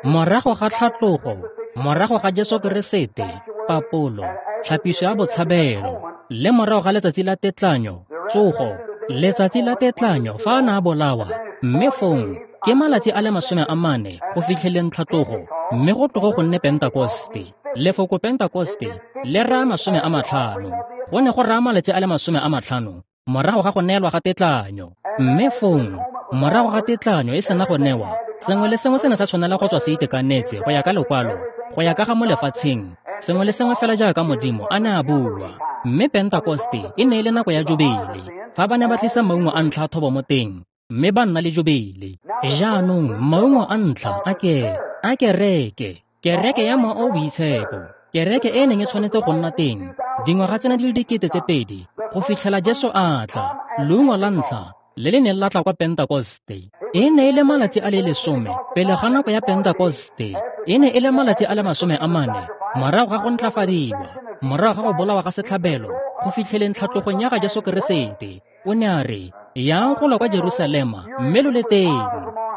Morago ga tlhatlogo, morago ga Jesu Keresete, papolo, tlhapiso ya botshabelo, le morago ga letsatsi la tetlanyo, tsogo, letsatsi la tetlanyo fa a ne a bolawa, mme fong ke malatsi a le masome a mane go fitlheleng tlhatlogo, mme go tlogo go nne Pentekoste. Lefoko Pentekoste le raya masome a matlhano. Go ne go raya malatsi a le masome a matlhano morago ga go neelwa ga tetlanyo. Mme fong, morago ga tetlanyo e sena go newa, sengwe le sengwe se ne sa tshwanela go tswa se itekanetse go ya ka lekwalo, go ya ka ga mo lefatsheng, sengwe le sengwe fela jaaka Modimo a ne a bua. Mme Pentekoste e ne e le nako ya jubile, fa ba ne ba tlisa maungo a ntlha a thobo mo teng, mme ba nna le jubile. Jaanong maungo a ntlha a ke a kereke, kereke ya Mowa o o Boitshepo, kereke e neng e tshwanetse go nna teng dingwaga tsena di le dikete tse pedi go fitlhela Jesu a tla. Leungo la ntlha le le neng la tla kwa Pentekoste e ne e le malatsi a le lesome pele ga nako ya Pentekoste. E ne e le malatsi a le masome a mane morago ga go ntlafadiwa, morago ga go bolawa ga setlhabelo go fitlheleng tlhatlogong ya ga Jesu Keresete. O ne a re, yang go lwa kwa Jerusalema mme lo le teng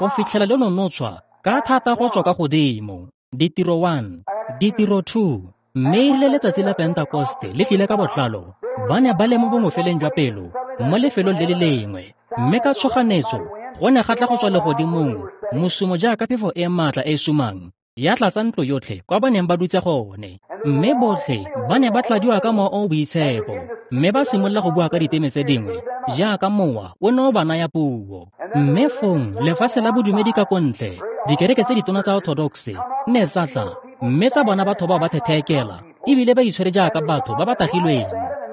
go fitlhela le nonotshwa ka thata go tswa ka godimo. Ditiro one, Ditiro two. Mme erile letsatsi la Pentekoste le tlile ka botlalo, ba ne ba le mo bongofeleng jwa pelo mo lefelong le le lengwe, mme ka tshoganetso go ne ga tla go tswa legodimong mosumo jaaka phefo e maatla e e sumang, ya tlatsa ntlo yotlhe kwa ba neng ba dutse gone. Mme botlhe ba ne ba tladiwa ka Mowa o o Boitshepo, mme ba simolola go bua ka diteme tse dingwe jaaka Mowa o ne o ba naya puo. Mme fong lefatshe la bodumedi ka kontle, dikereke tse ditona tsa Orthodox ne tsa tla, mme tsa bona batho bao ba thetheekela ebile ba itshwere jaaka batho ba ba tagilweng.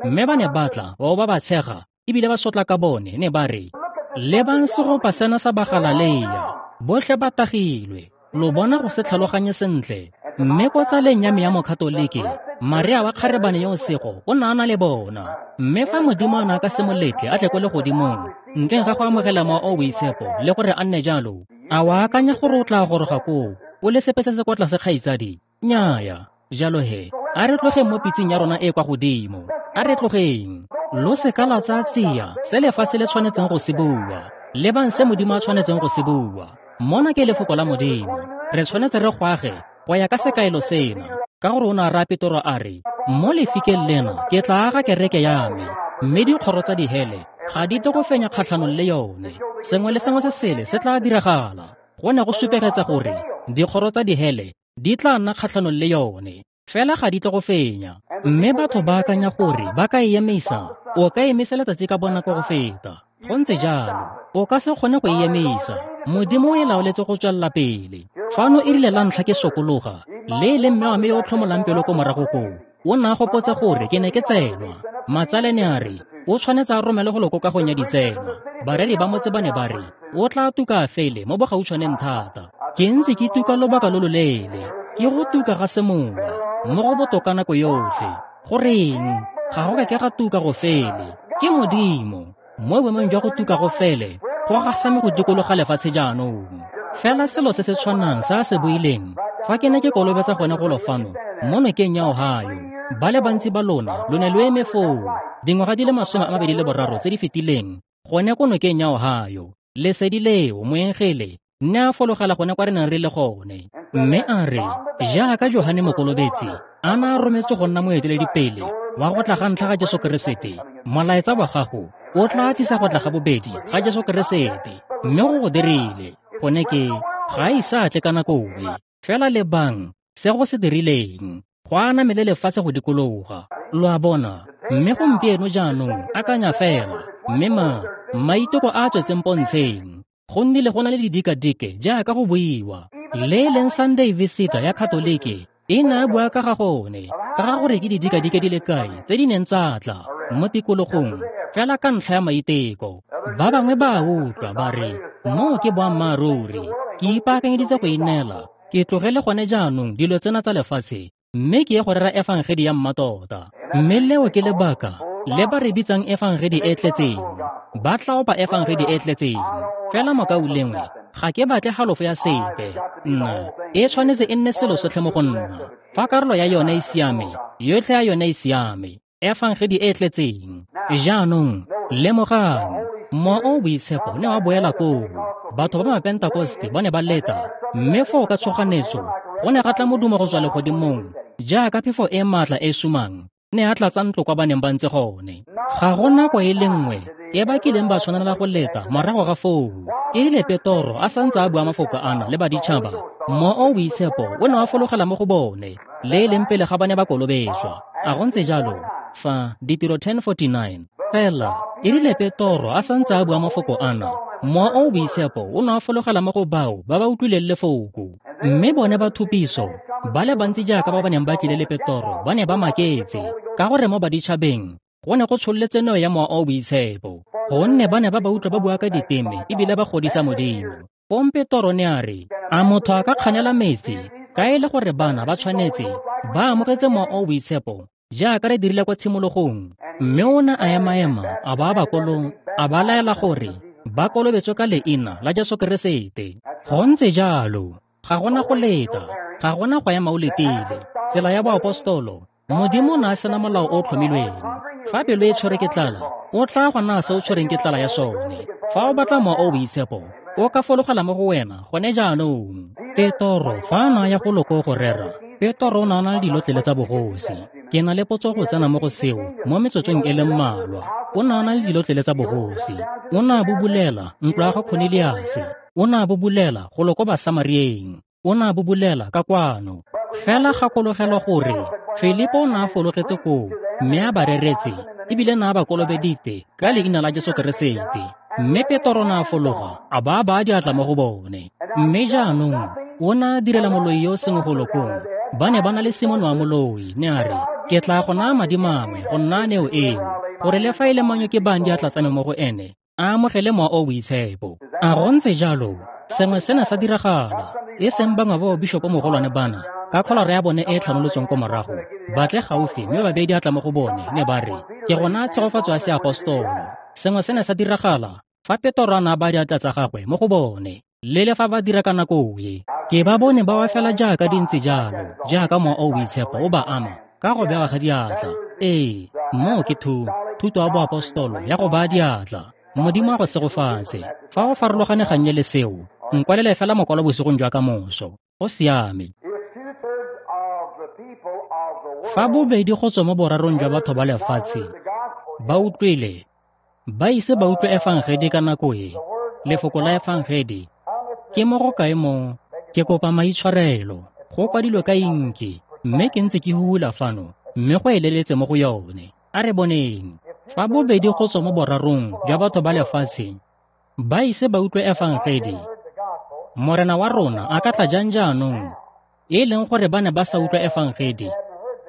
Mme ba ne ba tla bao ba ba tshega ebile ba sotla ka bone, ne ba re, lebang segopa sena sa Bagalaleya, botlhe ba tagilwe, lo bona go se tlhaloganye sentle. Mme ko tsaleng ya me ya Mokatolike, Maria wa kgarebane yo o sego o ne a na le bona. Mme fa Modimo a ne a ka se mo letle a tle ko legodimong ntleng ga go amogela Mowa o o Boitshepo le gore a nne jalo, a wa akanya gore o tla goroga koo o le sepe se se kwa tlase, kgaitsadi? Nnyaya. Jalo he, a re tlogeng mo pitseng ya rona e kwa godimo. A re tlogeng. Lo seka la tsaya tsia se lefatshe le tshwanetseng go se bua. Lebang se Modimo a tshwanetseng go se bua. Mona ke lefoko la Modimo. Re tshwanetse re go age go ya ka sekaelo sena, ka gore o ne a raya Petoro a re, mo lefikeng lena ke tla aga kereke ya me, mme dikgoro tsa dihele ga di tle go fenya kgatlhanong le yone. Sengwe le sengwe se sele se tla diragala. Go ne go supegetsa gore dikgoro tsa dihele di tla nna kgatlhanong le yone, fela ga di tle go fenya. Mme batho ba akanya gore ba ka e emisa. O ka emisa letsatsi ka bonako go feta. Go ntse jalo, o ka se kgone go e emisa. Modimo o e laoletse go tswelela pele. Fano e rile la ntlha ke sokologa, le e leng mme wa me yo o tlhomolang pelo ko morago koo, o ne a gopotse gore ke ne ke tsenwa. Matsale ne a re, o tshwanetse a romele go loko kagong ya ditsenwa. Bareri ba motse ba ne ba re, o tla tuka fele mo bogautshwaneng thata. Ke ntse ke tuka lobaka lo loleele, ke go tuka ga semowa, mo go botoka nako yotlhe. Goreng? Ga go ka ke ga tuka go fele. Ke Modimo. Mo boemong jwa go tuka go fele, go gasame go dikologa lefatshe jaanong. Fela selo se se tshwanang se a se buileng fa ke ne ke kolobetsa gone golo fano mo nokeng ya Ohio. Ba le bantsi ba lona lo ne lo eme foo dingwaga di le masome a mabedi le boraro tse di fetileng gone ko nokeng ya Ohio. Lesedi leo moengele ne a fologela gone kwa re neng re le gone, mme a re, jaaka Johane Mokolobetsi a ne a rometswe go nna moeteledipele wa go tla ga ntlha ga Jesu Keresete, molaetsa wa gago o tla tlisa go tla ga bobedi ga Jesu Keresete. Mme go go dirile. Gone ke ga e sa tle ka nako e. Fela lebang se go se dirileng, go aname le lefatshe go dikologa. Lo a bona? Mme gompieno jaanong akanya fela, mme ma maiteko a a tswetseng pontsheng, go nnile go na le didikadike jaaka go buiwa. Le e leng Sunday Visitor ya Katolike e ne a bua ka ga gone, ka ga gore ke didikadike di le kae tse di neng tsa tla mo tikologong fela ka ntlha ya maiteko. Ba bangwe ba a utlwa ba re, moo ke boammaaruri, ke ipaakanyeditse go ineela, ke tlogele gone jaanong dilo tsena tsa lefatshe, mme ke ye go rera efangedi ya mmatota. Mme leo ke lebaka le ba re bitsang efangedi e tletseng. Ba tla opa efangedi e tletseng. Fela mokaulengwe, ga ke batle halofo ya sepe. Nna, e tshwanetse e nne selo sotlhe mo go nna. Fa karolo ya yone e siame, yotlhe ya yone e siame. Efangedi e tletseng. Jaanong, lemogang, Mowa o o Boitshepo ne wa boela koo. Batho ba Mapentakoste ba ne ba leta, mme foo ka tshoganetso go ne ga tla modumo go tswa legodimong jaaka phefo e maatla e sumang ne a tlatsa ntlo kwa ba neng ba ntse gone. Ga go nako e le nngwe e ba kileng ba tshwanela go leta morago ga foo. E rile Petoro a santse a bua mafoko ana le baditšhaba, Mowa o o Boitshepo o ne wa fologela mo go bone, le e leng pele ga ba ne ba kolobetswa. A go ntse jalo? Fa Ditiro ten forty-nine. Fela e rile Petoro a santse a bua mafoko ana, Mowa o o Boitshepo o ne wa fologela mo go bao ba ba utlwileng lefoko. Mme bone ba thupiso ba le bantsi jaaka ba ba neng ba tlile le Petoro ba ne ba maketse, ka gore mo baditšhabeng go ne go tshololetse neo ya Mowa o o Boitshepo, gonne ba ne ba ba utlwa ba bua ka diteme ebile ba godisa Modimo. Fong Petoro ne a re, a motho a ka kganela metsi, ka e le gore bana ba tshwanetse ba amogetse Mowa o o Boitshepo jaaka re dirile kwa tshimologong. Mme o ne a ema-ema a ba bakolong, a ba laela gore ba kolobetswe ka leina la Jesu Keresete. Go ntse jalo, ga gona go leta, ga gona go ema o letile. Tsela ya boapostolo, Modimo o ne a sena molao o o tlhomilweng. Fa pelo e tshwere ke tlala, o tla go naya se o tshwereng ke tlala ya sone. Fa o batla Mowa o o Boitshepo, o ka fologela mo go wena gone jaanong. Petoro fa a na ya go loko go rera, Petoro o ne a na le dilotlele tsa bogosi. Ke na le potso go tsena mo go seo mo metsotsong e le mmalwa. O ne a na le dilotlele tsa bogosi. O ne a bubulela ntlo ya ga Cornelius. O ne a bubulela go loko Basamarieng. O ne a bubulela ka kwano. Fela gakologelwa gore Filipo o ne a fologetse koo mme a ba reretse ebile ne a ba kolobeditse ka leina la Jesu Keresete. Mme Petoro o ne a fologa a ba a baya diatla mo go bone. Mme jaanong o ne a direla moloi yo o sengwe go lokong. Ba ne ba na le Simone wa moloi, ne a re, ke tla go naya madi mangwe go nna neo eo, gore le fa e le mang yo ke bayang diatla tsa me mo go ene, a amogele Mowa o o Boitshepo. A go ntse jalo, sengwe se ne sa diragala, e seng bangwe ba bishopo mogolwane bana, ka kholora ya bone e e tlhanolotsweng ko morago, ba tle gaufi mme ba beye diatla mo go bone, ne ba re, ke go naya tshegofatso ya seapostolo. Sengwe se ne sa diragala fa Petoro a ne a baya diatla tsa gagwe mo go bone, le le fa ba dira ka nako e. Ke ba bone ba wa fela jaaka di ntse jalo, jaaka Mowa o o Boitshepo o ba ama ka go bewa ga diatla. Ee, moo ke thu, thuto ya boapostolo ya go baya diatla. Modimo a go segofatse. Fa o farologane gannye le seo, nkwalele fela mokwalo bosigong jwa ka moso. Go siame. Fa bobedi go tswa mo borarong jwa batho ba lefatshe ba utlwile, ba ise ba utlwe efangedi ka nako e, lefoko la efangedi, ke mo go kae mo? Ke kopa maitshwarelo, go kwadilwe ka inki, mme ke ntse ke hula fano, mme go eleletse mo go yone. A re boneng. Fa bobedi go tswa mo borarong jwa batho ba lefatshe ba ise ba utlwe efangedi, Morena wa rona a ka tla jang jaanong, e leng gore ba ne ba sa utlwa efangedi,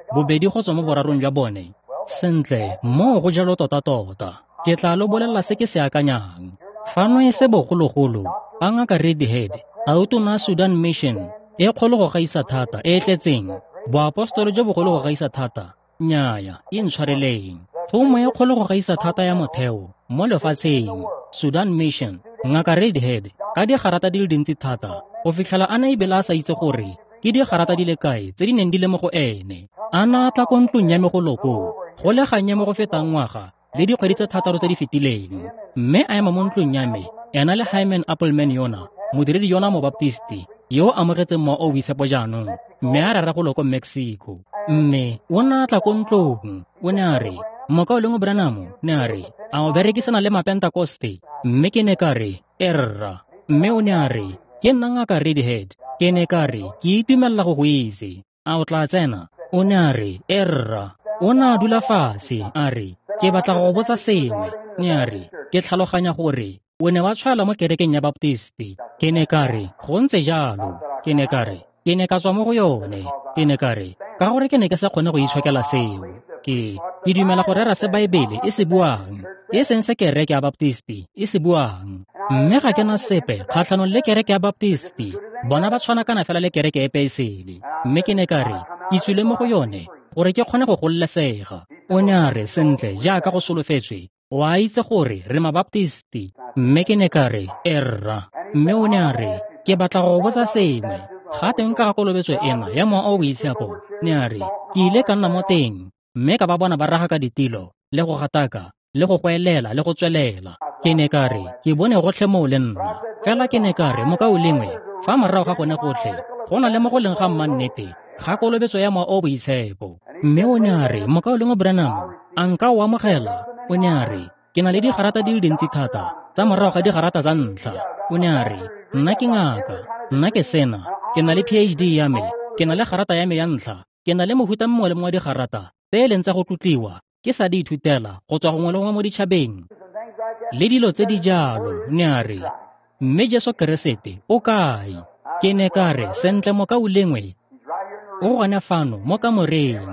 bobedi go tswa mo borarong jwa bone? Sentle, moo go jalo tota-tota. Ke tla lo bolelela se ke se akanyang. Fano e se bogologolo, ba Ngaka Redhead, tautona Sudan Mission, e kgolo go gaisa thata, e e tletseng, boapostolo jo bogolo go gaisa thata, nnyaya, e ntshwareleng. Thomo e kgolo go gaisa thata ya motheo mo lefatsheng, Sudan Mission, Ngaka Redhead, ka digarata di le dintsi thata, go fitlhela a ne ebile a sa itse gore ke digarata di le kae tse di neng di le mo go ene. A na a tla ko ntlong ya me go loko, go le gannye mo go fetang ngwaga le dikgwedi tse thataro tse di fetileng, mme a ema mo ntlong ya me, ena le Hyman Appleman yona, modiredi yona Mobaptisti, yo o amogetseng Mowa o o Boitshepo jaanong, mme a rera go loko Mexico. Mme o ne a tla ko ntlong, o ne a re, Mokaulengwe Branham, ne a re, a o berekisana le Mapentakoste? Mme ke ne ka re, erra. Mme o ne a re, ke nna Ngaka Redhead. Ke ne ka re, ke itumelela go go itse. A o tla tsena? O ne a re, erra. O ne a dula fatshe, a re, ke batla go go botsa sengwe. Ne a re, ke tlhaloganya gore o ne wa tshwaela mo kerekeng ya Baptisti. Ke ne ka re, go ntse jalo. Ke ne ka re, ke ne ka tswa mo go yone. Ke ne ka re, ka gore ke ne ke sa kgone go itshokela seo. Ke, ke dumela go rera se Baebele e se buang, e seng se kereke ya Baptisti e se buang. Mme ga ke na sepe kgatlhanong le kereke ya Baptisti. Bona ba tshwana kana fela le kereke epe e sele. Mme ke ne ka re, Ke tswile mo go yone gore ke kgone go gololesega. O ne a re, sentle, jaaka go solofetswe, o a itse gore re mabaptisti. Mme ke ne ka re, erra. Mme o ne a re, ke batla go botsa sengwe. Ga teng ka ga kolobetso ena ya Mowa o o Boitshepo. Ne a re, ke ile ka nna mo teng, mme ka ba bona ba raga ka ditilo, le go gataka, le go goelela, le go tswelela. Ke ne ka re, ke bone gotlhe moo le nna. Fela ke ne ka re, mokaulengwe, fa morago ga gone gotlhe, go na le mo go leng ga mmannete, ga kolobetso ya Mowa o o Boitshepo. Mme o ne a re, mokaulengwe Branham, a nka o amogela? O ne a re, ke na le digarata di le dintsi thata, tsa morago ga digarata tsa ntlha. O ne a re, nna ke ngaka, nna ke sena, ke na le P H D ya me, ke na le garata ya me ya ntlha, ke na le mohuta mongwe le mongwe wa digarata tse e leng tsa go tlotliwa, ke sa di ithutela go tswa gongwe le gongwe mo ditšhabeng le dilo tse di jalo. Ne a re, mme Jesu Keresete o kae? Ke ne ka re, sentle mokaulengwe, o gone fano mo kamoreng.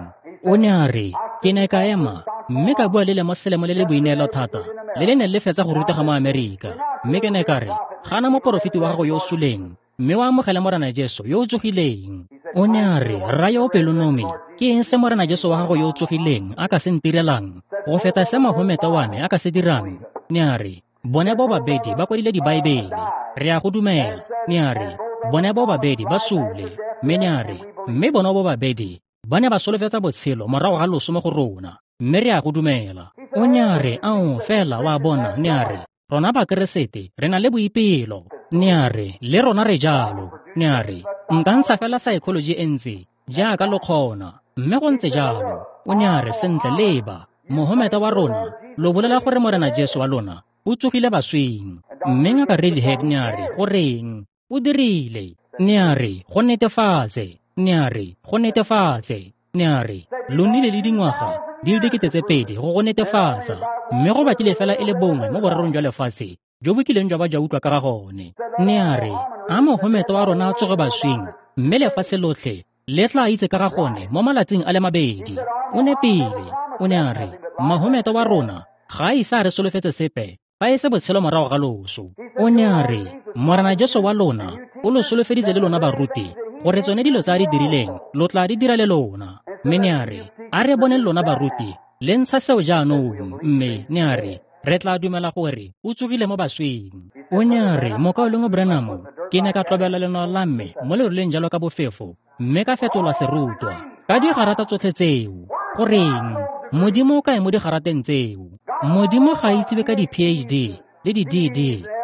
O ne a re, ke ne ka ema mme ka bua le lemoselemo le le boineelo thata le le neng le fetsa go rutega mo Amerika. Mme ke ne ka re, gana moporofeti wa gago yo o suleng, mme o amogele Morena Jesu yo o tsogileng. O ne a re, rra yo o pelonomi, ke eng se Morena Jesu wa gago yo o tsogileng a ka se ntirelang go feta se Mahomete wa me a ka se dirang? Ne a re, bone bo babedi ba kwadile dibaebele, re a go dumela. Ne a re, bone bo babedi ba sule. Mme ne a re, mme bone bo babedi ba ne ba solofetsa botshelo morago ga loso mo go rona, mme re a go dumela. O ne a re, ao fela wa bona. Ne a re, rona Bakeresete re na le boipelo. Ne a re, le rona re jalo. Ne a re, nka ntsha fela psychology e ntse jaaka lo kgona, mme go ntse jalo. O ne a re, sentle leba, Mohomete wa rona lo bolela gore Morena Jesu wa lona o tsogile baswing. Mme ngaka Redhead ne a re, goreng o dirile? Ne a re, go netefatse. Ne a re, go netefatse. Ne a re, lo nnile le dingwaga di le dikete tse pedi go go netefatsa, mme go batlile fela e le bongwe mo borarong jwa lefatshe jo bo kileng jwa ba jwa utlwa ka ga gone. Ne a re, a Mohomete wa rona a tsoge baswing, mme lefatshe lotlhe le tla itse ka ga gone mo malatsing a le mabedi. O nepile. O ne a re, Mahomete wa rona ga a ise a re solofetse sepe fa e se botshelo morago ga loso. O ne a re, Morena Jesu wa lona o lo solofeditse le lona baruti gore tsone dilo tse a di dirileng lo tla di dira le lona. Mme ne a re, a re boneng lona baruti le ntsha seo jaanong. Mme ne a re, re tla dumela gore o tsogile mo baswing. O ne a re, mokaulengwe Branham, ke ne ka tlobela lenao la me mo leroleng jalo ka bofefo, mme ka fetolwa serutwa ka digarata tsotlhe tseo. Goreng? Modimo o kae mo digarateng tseo? Modimo ga a itsiwe ka di-P H D le di-D D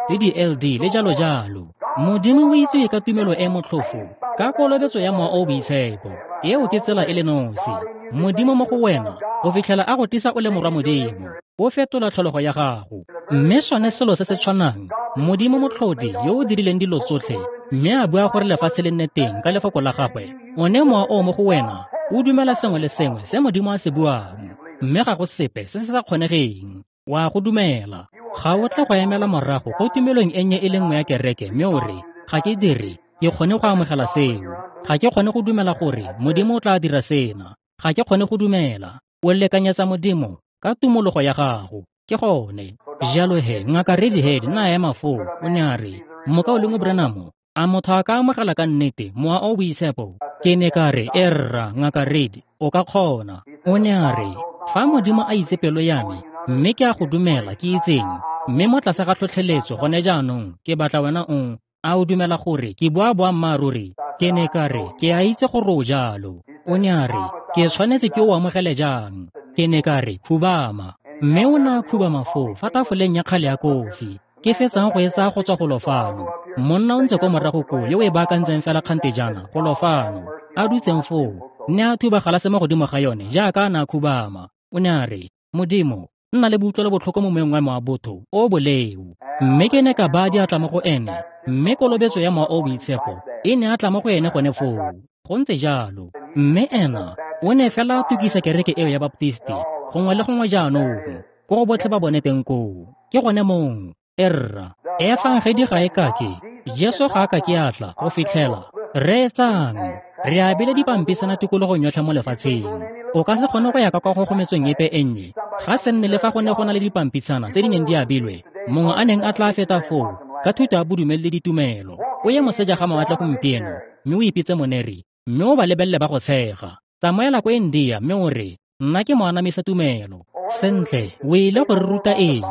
le di-L D le jalo jalo. Modimo o itsiwe ka tumelo e motlhofo, ka kolobetso ya Mowa o o Boitshepo. Eo ke tsela e le nosi. Modimo mo go wena go fitlhela a go tlisa o le morwa Modimo, o fetola tlholego ya gago. Mme sone selo se se tshwanang, Modimo motlhodi yo o dirileng dilo tsotlhe, mme a bua gore lefatshe le nne teng ka lefoko la gagwe, one mowa o mo go wena o dumela sengwe le sengwe se Modimo a se buang, mme ga go sepe se se sa kgonegeng. Wa go dumela. Ga o tle go emela morago go tumelong e nnye e le nngwe ya kereke mme o re, ga ke dire, ke kgone go amogela seo. Ga ke kgone go dumela gore Modimo o tla dira sena. Ga ke kgone go dumela. O lekanyetsa Modimo ka tumologo ya gago. Ke gone. Jalo he, ngaka Redhead na ema foo, o ne a re, mokaulengwe Branham, a motho a ka amogela ka nnete Mowa o o Boitshepo? Ke ne ka re, erra, ngaka Red, o ka kgona. O ne a re, fa Modimo a itse pelo ya me, mme ke a go dumela ke itseng, mme mo tlase ga tlhotlheletso gone jaanong, ke batla wena o, a o dumela gore ke bua boammaaruri? Ke ne ka re, ke a itse gore o jalo. O ne a re, ke tshwanetse ke o amogele jang? Ke ne ka re, khubama. Mme o ne a khubama foo fa tafoleng ya kgale ya kofi, ke fetsang go e tsaya go tswa golo fano. Monna o ntse ko morago koo yo o e baakantseng fela kgante jaana golo fano, a dutseng foo, ne a thuba galase mo godimo ga yone jaaka a ne a khubama. O ne a re, Modimo, nna le boutlwelo botlhoko mo moyeng wa me wa botho o boleo. Mme ke ne ka baya diatla mo go ene, mme kolobetso ya Mowa o o Boitshepo e ne a tla mo go ene gone foo. Go ntse jalo. Mme ena o ne fela a tukisa kereke eo ya Baptisti gongwe le gongwe jaanong, ko go botlhe ba bone teng koo. Ke gone mong. Erra, efangedi ga e kake, Jesu ga a ka ke a tla go fitlhela. Reetsang, re abile dipampisana tikologong yotlhe mo lefatsheng. O ka se kgone go ya ka kwa kgogometsong epe e nnye, ga se nne le fa go ne go na le dipampisana tse di neng di abilwe, mongwe a neng a tla feta foo ka thuto ya bodumedi le ditumelo. O ye moseja ga mawatle gompieno, mme o ipitse moneri, mme o ba lebelele ba go tshega. Tsamaela ko India mme o re, nna ke moanamisa tumelo. Sentle, o ile go re ruta eng?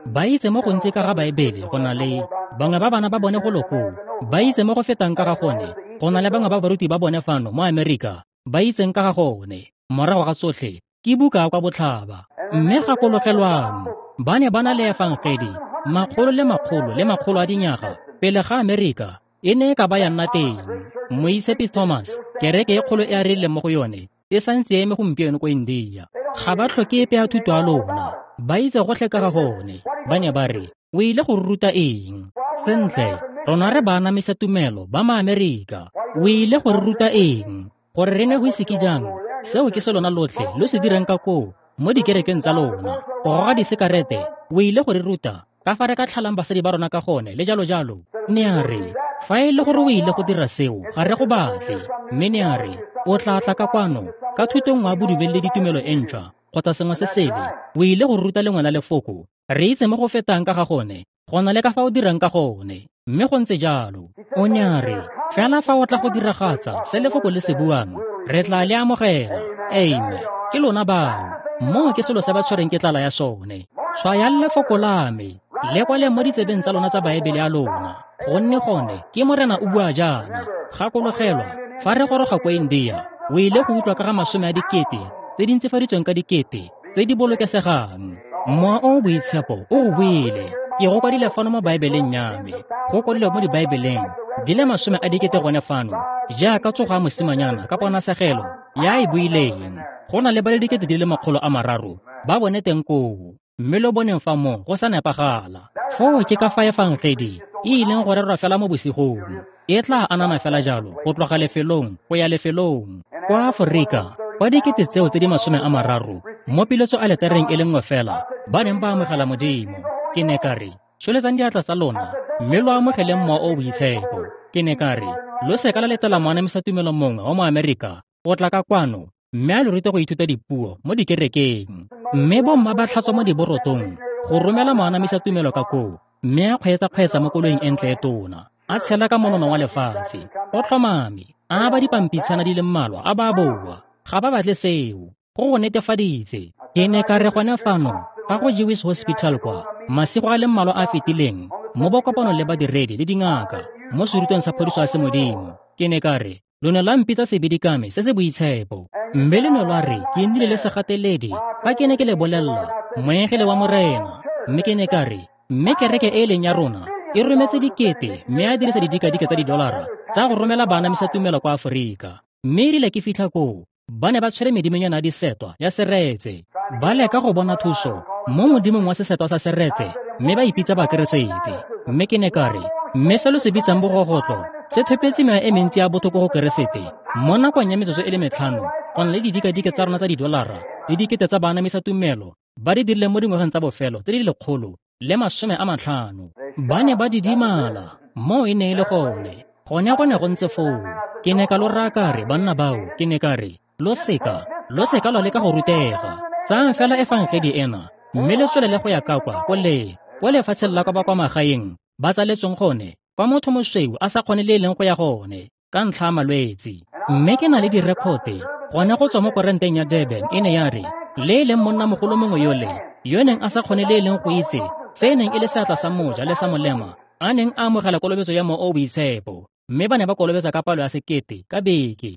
Ba itse mo gontsi ka ga Baebele go na le bangwe ba bana ba bone go loko. Ba itse mo go fetang ka ga gone go na le bangwe ba baruti ba bone fano mo Amerika ba itseng ka ga gone. Morago ga tsotlhe ke buka kwa botlhaba. Mme gakologelwang, ba ne ba na le efangedi makgolo le makgolo le makgolo a dinyaga pele ga Amerika e ne e ka ba ya nna teng. Moitshepi Thomas, kereke e kgolo e a rileng mo go yone e santse e eme gompieno ko India. Ga ba tlhoke epe ya thuto ya lona, ba itse gotlhe ka ga gone. Ba ne ba re, o ile go ruta eng? Sentle, rona re baanamisa tumelo ba ma-Amerika. O ile go re ruta eng? Gore re ne go ise ke jang? Seo ke se lona lotlhe lo se dirang ka koo mo dikerekeng tsa lona. Go goga disekarete, o ile go re ruta ka fa re ka tlhalang basadi ba rona ka gone le jalo jalo. Ne a re, fa e le gore o ile go dira seo, ga re go batle. Mme ne a re, o tla tla ka kwano ka thuto nngwe ya bodumedi le ditumelo e ntšhwa kgotsa sengwe se sele. O ile go ruta lengwe la lefoko. Re itse mo go fetang ka ga gone go na le ka fa o dirang ka gone. Mme go ntse jalo. O ne a re, fela fa o tla go diragatsa se lefoko le se buang, re tla le amogela. Amen. Ke lona bao. Moo ke selo se ba tshwereng ke tlala ya sone. Tshwayang lefoko la me, le kwale mo ditsebeng tsa lona tsa Baebele ya lona. Gonne gone ke Morena o bua jaana. Gakologelwa, fa re goroga ko India, o ile go utlwa ka ga masome a dikete tse di ntsifaditsweng ka dikete tse di bolokesegang. Mowa o o boitshepo o o buile. Ke go kwadile fano mo Baebeleng ya me. Go kwadilwe mo dibaebeleng di le masome a dikete gone fano, jaaka tsogo ya mosimanyana ka ponasegelo ya e buileng. Go na le ba le dikete di le makgolo a mararo ba bone teng koo. Mme lo boneng fa mo go sa nepagala. Foo ke ka fa efangedi e ileng go rerwa fela mo bosigong. E tla anama fela jalo go tloga lefelong go ya lefelong. Kwa Aforika, kwa dikete tseo tse di masome a mararo mo piletso aletareng e le nngwe fela ba neng ba amogela Modimo. Ke ne ka re, tsholetsang diatla tsa lona mme lo amogeleng Mowa o o Boitshepo. Ke ne ka re, lo seka la letela moanamisa tumelo mongwe wa mo Amerika go tla ka kwano mme a lo rute go ithuta dipuo mo dikerekeng. Mme bomma ba tlhatswa mo diborotong go romela moanamisa tumelo ka koo, mme a kgweetsa-kgweetsa mo koloing e ntle e tona, a tshela ka monono wa lefatshe. Go tlhomame, a ba dipampitshana di le mmalwa a ba boa. Ga ba batle seo. Go go netefaditse. Ke ne ka re gone fano ga go Jewish Hospital kwa masigo a le mmalwa a fetileng mo bokopanong le badiredi le dingaka mo serutweng sa phodiso ya semodimo. Ke ne ka re, lo ne la mpitsa sebidikame se se boitshepo, mme le ne lwa re ke nnile le segateledi fa ke ne ke le bolelela moengele wa Morena. Mme ke ne ka re, mme kereke e e leng ya rona e rometse dikete mme a dirisa didikadike tsa didolara tsa go romela baanamisa tumelo kwa Aforika. Mme erile ke fitlha koo, ba ne ba tshwere medimonyana ya disetwa ya seretse, ba leka go bona thuso mo modimong wa sesetwa sa seretse, mme ba ipitsa Bakeresete. Mme ke ne ka re, mme se lo se bitsang bogogotlo se thopetse mewa e mentsi ya botho ko go Keresete mo nakong ya metsotso e le metlhano, go na le didikadike tsa rona tsa didolara le dikete tsa baanamisa tumelo ba di dirileng mo dingwageng tsa bofelo tse di lekgolo le masome a matlhano. Ba ne ba didimala. Moo e ne e le gone. Gone go ne go ntse foo. Ke ne ka lo raya ka re, banna bao, ke ne ka re, lo seka, lo seka lwa leka go rutega. Tsayang fela efangedi ena, mme le tswelele go ya ka kwa ko le, ko lefatsheng la kwa ba kwa magaeng ba tsaletsweng gone, kwa motho mosweu a sa kgone le e leng go ya gone ka ntlha ya malwetse. Mme ke na le direkote gone go tswa mo koranteng ya Durban. E ne ya re, le e leng monnamogolo mongwe yole yo neng a sa kgone le e leng go itse se e neng e le seatla sa moja le sa molema, a neng a amogela kolobetso ya Mowa o o Boitshepo, mme ba ne ba kolobetsa ka palo ya sekete ka beke.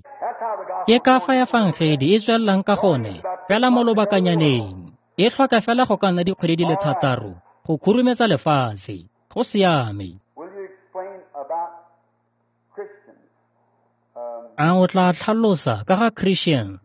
Ke ka fa efangedi e tswelelang ka gone fela mo lobakanyaneng. E tlhoka fela go ka nna dikgwedi di le thataro go khurumetsa lefatshe. Go siame. A o tla tlhalosa ka ga Christian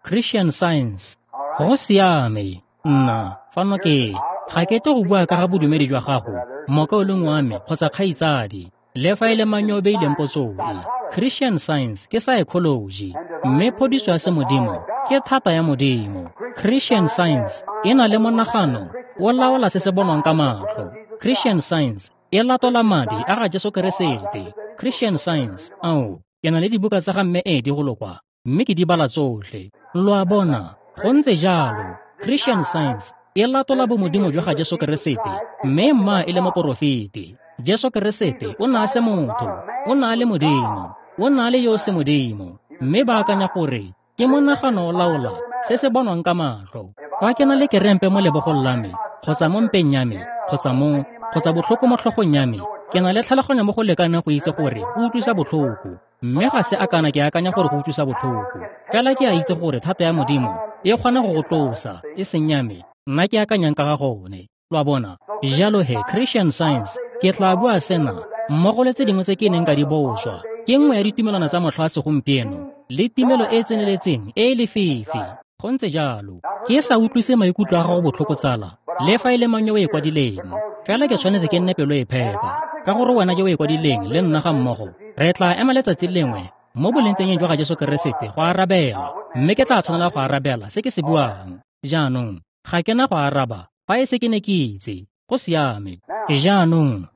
Christian Science? Go siame. Nna fano ke ga ke tle go bua ka ga bodumedi jwa gago, mokaulengwe wa me kgotsa kgaitsadi, le fa e le mang yo o beileng potso e. Christian Science ke psychology, mme phodiso ya semodimo ke thata ya Modimo. Christian Science e na le monagano o laola se se bonwang ka matlho. Christian Science e latola madi a ga Jesu Keresete. Christian Science, ao, ke na le dibuka tsa ga mme Edi go lokwa, mme ke di bala tsotlhe. Lo a bona, go ntse jalo. Christian Science e latola bomodimo jwa ga Jesu Keresete, mme mma e le moporofeti. Jesu Keresete o ne a se motho, o ne a le Modimo. O na le yo o semodimo, mme ba akanya gore ke monagano o laola se se bonwang ka matlho. Fa ke na le kerempe mo lebogong la me, kgotsa mo mpeng ya me, kgotsa mo, kgotsa botlhoko mo tlhogong ya me, ke na le tlhaloganyo mo go lekaneng go itse gore go utlwisa botlhoko, mme ga se akana ke akanya gore go utlwisa botlhoko. Fela ke a itse gore thata ya Modimo e kgona go go tlosa, e seng ya me, nna ke akanyang ka ga gone. Lo a bona? Jalo he, Christian Science, ke tla bua sena, mmogo le tse dingwe tse ke neng ka di boswa, ke nngwe ya ditumelwana tsa motlha wa segompieno, le timelo e e tseneletseng e e lefifi. Go ntse jalo. Ke sa utlwise maikutlo a gago botlhoko tsala, le fa e le mang yo o e kwadileng. Fela ke tshwanetse ke nne pelo e phepa, ka gore wena jo o e kwadileng le nna ga mmogo, re tla ema letsatsi lengwe mo bolengtengeng jwa ga Jesu Keresete go arabela, mme ke tla tshwanela go arabela se ke se buang. Jaanong, ga ke na go araba fa e se ke ne ke itse. Go siame. Jaanong,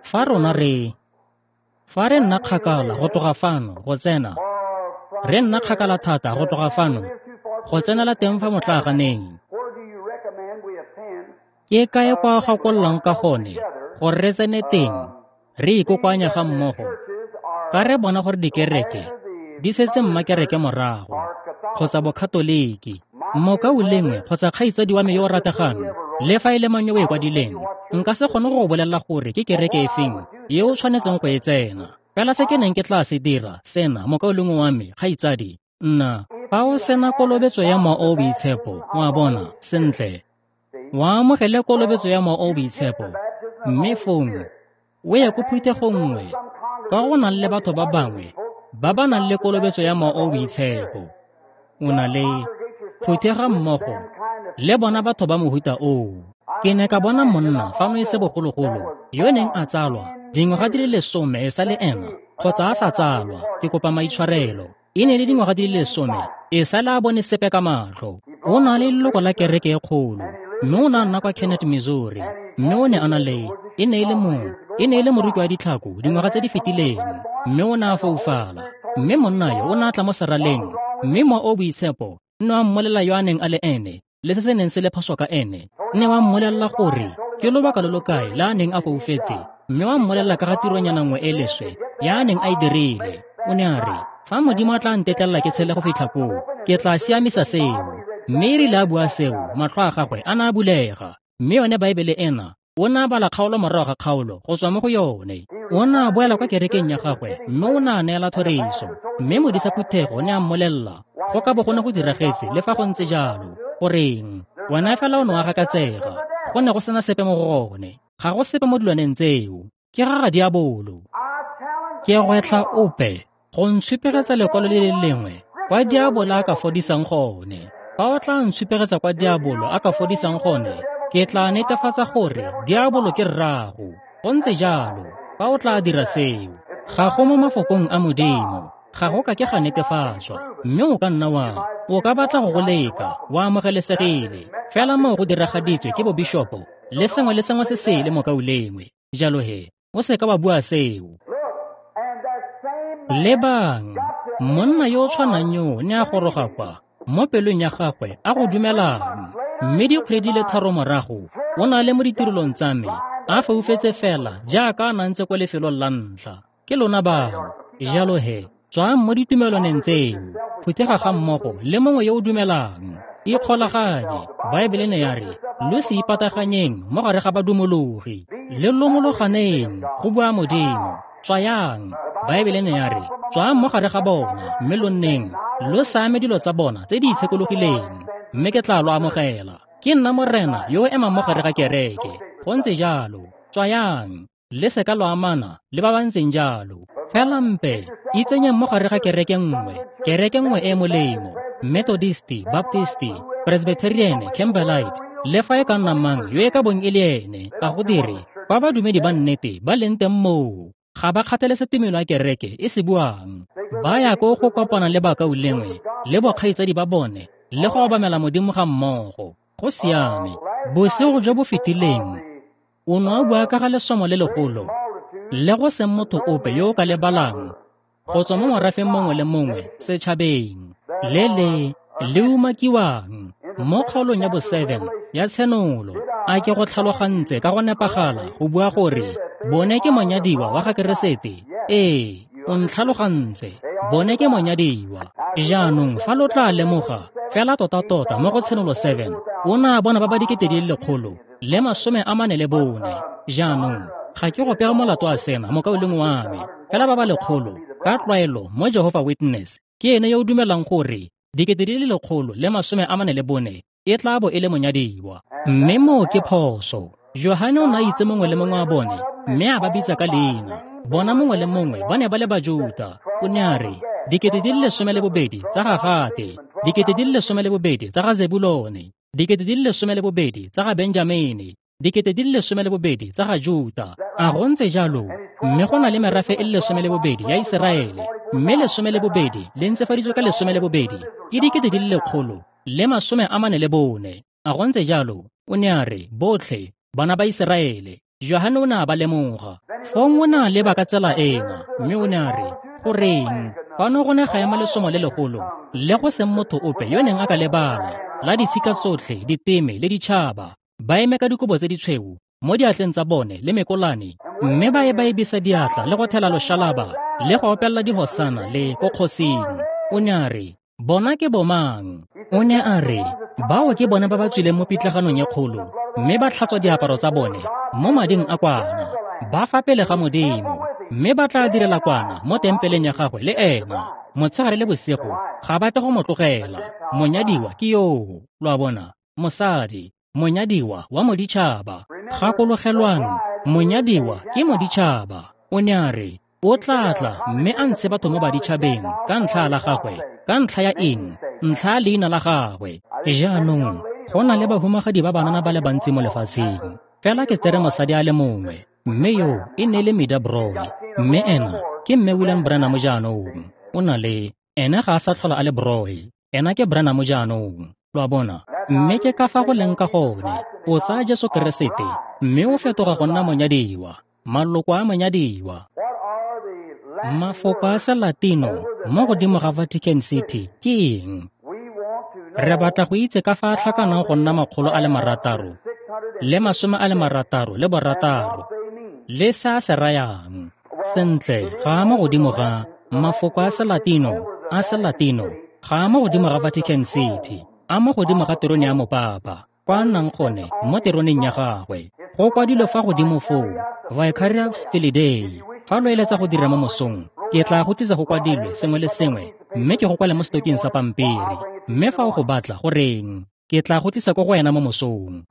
fa rona re, fa re nna kgakala go tloga fano go tsena, re nna kgakala thata go tloga fano go tsenela teng fa motlaaganeng, ke kae kwa o gakollang ka gone gore re tsene teng, re ikokoanya ga mmogo, ka re bona gore dikereke di setse mmakereke morago, kgotsa bokatoliki, mokaulengwe kgotsa kgaitsadi wa me yo o rategang, le fa e le mang yo o e kwadileng, nka se kgone go go bolelela gore ke kereke efeng e o tshwanetseng go e tsena. Fela se ke neng ke tla se dira sena, mokaulengwe wa me, kgaitsadi, nna, fa o sena kolobetso ya Mowa o o Boitshepo, wa bona, sentle, wa amogele kolobetso ya Mowa o o Boitshepo, mme fong o ye ko phuthegong nngwe, ka go nang le batho ba bangwe ba ba nang le kolobetso ya Mowa o o Boitshepo. O na le phuthega mmogo le bona batho ba mohuta oo. Ke ne ka bona monna fano e se bogologolo yo neng a tsalwa dingwaga di le lesome e sa le ena, kgotsa a sa tsalwa, ke kopa maitshwarelo. E ne le dingwaga di le lesome e sa le a bone sepe ka matlho. O na le leloko la kereke e kgolo, mme o ne a nna kwa Kennett, Missouri, mme o ne a na le, e ne e le mong, e ne e le moruti wa ditlhako dingwaga tse di fetileng, mme o ne a foufala. Mme monna yo o ne a tla mo seraleng, mme Mowa o o Boitshepo ne wa mmolelela yo a neng a le ene, le se se neng se le phoso ka ene. Ne wa mmolelela gore ke lobaka lo lo kae le a neng a foufetse, mme wa mmolelela ka ga tironyana nngwe e leswe ya a neng a e dirile. O ne a re, fa Modimo a tla ntetlelela ke tshele go fitlha koo, ke tla siamisa seo. Mme e rile a bua seo, matlho a gagwe a ne a bulega. Mme yone Baebele ena, o ne a bala kgaolo morago ga kgaolo go tswa mo go yone. O ne a boela kwa kerekeng ya gagwe, mme o ne a neela thoriso. Mme modisa phuthego o ne a mmolelela, go ka bo go ne go diragetse le fa go ntse jalo. Goreng, wena fela o ne wa gakatsega, go ne go sena sepe mo go gone. Ga go sepe mo dilwaneng tseo, ke ga ga diabolo. Ke gwetlha ope go ntshupegetsa lekwalo le le lengwe kwa diabolo a ka fodisang gone. Fa o tla ntshupegetsa kwa diabolo a ka fodisang gone, ke tla netefatsa gore diabolo ke rrago. Go ntse jalo, fa o tla dira seo, ga go mo mafokong a Modimo, ga go ka ke ga netefatswa. Mme o ka nna wa, o ka batla go go leka, wa amogelesegile, fela moo go diragaditswe ke bobishopo le sengwe le sengwe se sele mokaulengwe. Jalo he, o seka wa bua seo. Lebang, monna yo o tshwanang yo ne a goroga kwa mo pelong ya gagwe a go dumelang, mme dikgwedi di le tharo morago o na le mo ditirelong tsa me, a foufetse fela jaaka a na ntse kwa lefelong la ntlha. Ke lona bao. Jalo he, tswang mo ditumelwaneng tseo, phuthega ga mmogo le mongwe yo o dumelang, ikgolaganye. Baebele ne ya re, lo se ipataganyeng mo gare ga badumologi, le lomologaneng, go bua Modimo. Tswayang. Baebele ne ya re, tswang mo gare ga bona, mme lo nneng lo sa ame dilo tsa bona tse di itshekologileng, mme ke tla lo amogela. Ke nna Morena yo o emang mo gare ga kereke. Go ntse jalo. Tswayang, le seka lo amana le ba ba ntseng jalo. Fela mpe itsenyeng mo gare ga kereke nngwe, kereke nngwe e e molemo, Methodisti, Baptisti, Presbyterian, Campbellite, le fa e ka nna mang yo e ka bong e le ene, ga go dire. Kwa badumedi ba nnete ba leng teng moo, ga ba kgathalese tumelo ya kereke e se buang. Ba ya ko go kopana le bakaulengwe le bokgaitsadi ba bone le go obamela Modimo ga mmogo. Go siame. Bosigo jo bo fetileng o ne a bua ka ga lesomo le legolo le go seng motho ope yo o ka lebalang go tswa mo morafeng mongwe le mongwe setšhabeng, le le le umakiwang mo kgaolong ya bo seven ya Tshenolo. A ke go tlhalogantse ka go nepagala go bua gore bone ke monyadiwa wa ga Keresete? Ee, O ntlhalogantse. Bone ke monyadiwa. Jaanong fa lo tla lemoga, fela tota-tota mo go Tshenolo seven, o ne a bona ba ba dikete di le lekgolo le masome a mane le bone. Jaanong, ga ke go pega molato a sena, mokaulengwe wa me, fela ba ba lekgolo, ka tlwaelo mo Jehovah Witness, ke ene yo o dumelang gore dikete di le lekgolo le masome a mane le bone e tla bo e le monyadiwa. Mme moo ke phoso. Johane o ne a itse mongwe le mongwe wa bone, mme a ba bitsa ka leina. Bona mongwe le mongwe ba ne ba le Bajuta. O ne a re, dikete di le lesome le bobedi tsa ga Gate, dikete di le lesome le bobedi tsa ga Zebulone, dikete di le lesome le bobedi tsa ga Benjamene, dikete di le lesome le bobedi tsa ga Juta. A go ntse jalo, mme go na le merafe e le lesome le bobedi ya Iseraele, mme lesome le bobedi le ntsefaditswe ka lesome le bobedi ke dikete di le lekgolo le masome a mane le bone. A go ntse jalo, o ne a re, botlhe bana ba Iseraele. Johane o ne a ba lemoga. Fong o ne a leba ka tsela ena, mme o ne a re, goreng, fano go ne ga ema lesomo le legolo, le go seng motho ope yo neng a ka lebala, la ditshika tsotlhe, diteme le ditšhaba, ba eme ka dikobo tse ditshweu mo diatleng tsa bone le mekolane, mme ba e ba ebisa diatla le go thela loshalaba le go opelela dihosana le ko kgosing. O ne a re, bona ke bomang? O ne a re, bao ke bone ba ba tswileng mo pitlaganong e kgolo, mme ba tlhatswa diaparo tsa bone mo mading a kwana, ba fa pele ga Modimo, mme ba tla direla kwana mo tempeleng ya gagwe le ena motshegare le bosigo, ga ba tle go mo tlogela. Monyadiwa ke yoo, lo a bona, mosadi, monyadiwa wa moditšhaba. Gakologelwang, monyadiwa ke moditšhaba. O ne a re, o tla tla mme a ntshe batho mo baditšhabeng ka ntlha la gagwe. Ka ntlha ya eng? Ntlha ya leina la gagwe. Jaanong, go na le bahumagadi ba banana ba le bantsi mo lefatsheng, fela ke tsere mosadi a le mongwe, mme yo e ne le Mida Broy, mme ena ke mme William Branham jaanong. O na le, ena ga a sa tlhola a le Broy, ena ke Branham jaanong. Lo a bona? Mme ke ka fa go leng ka gone. O tsaya Jesu Keresete, mme o fetoga go nna monyadiwa, maloko a monyadiwa. Mafoko a Selatino mo godimo ga Vatican City ke eng? Re batla go itse ka fa a tlhakanang go nna makgolo a le marataro le masome a le marataro le borataro le se a se rayang. Sentle, ga a mo godimo ga mafoko a Selatino a Selatino, ga a mo godimo ga Vatican City, a mo godimo ga terone ya mopapa, kwa a nnang gone mo teroneng ya gagwe. Go kwadilwe fa godimo foo, Vicarius Filii Dei. Fa lo eletsa go dira mo mosong, ke tla go tlisa go kwadilwe sengwe le sengwe, mme ke go kwale mo setoking sa pampiri. Mme fa o go batla, goreng, ke tla go tlisa ko go wena mo mosong.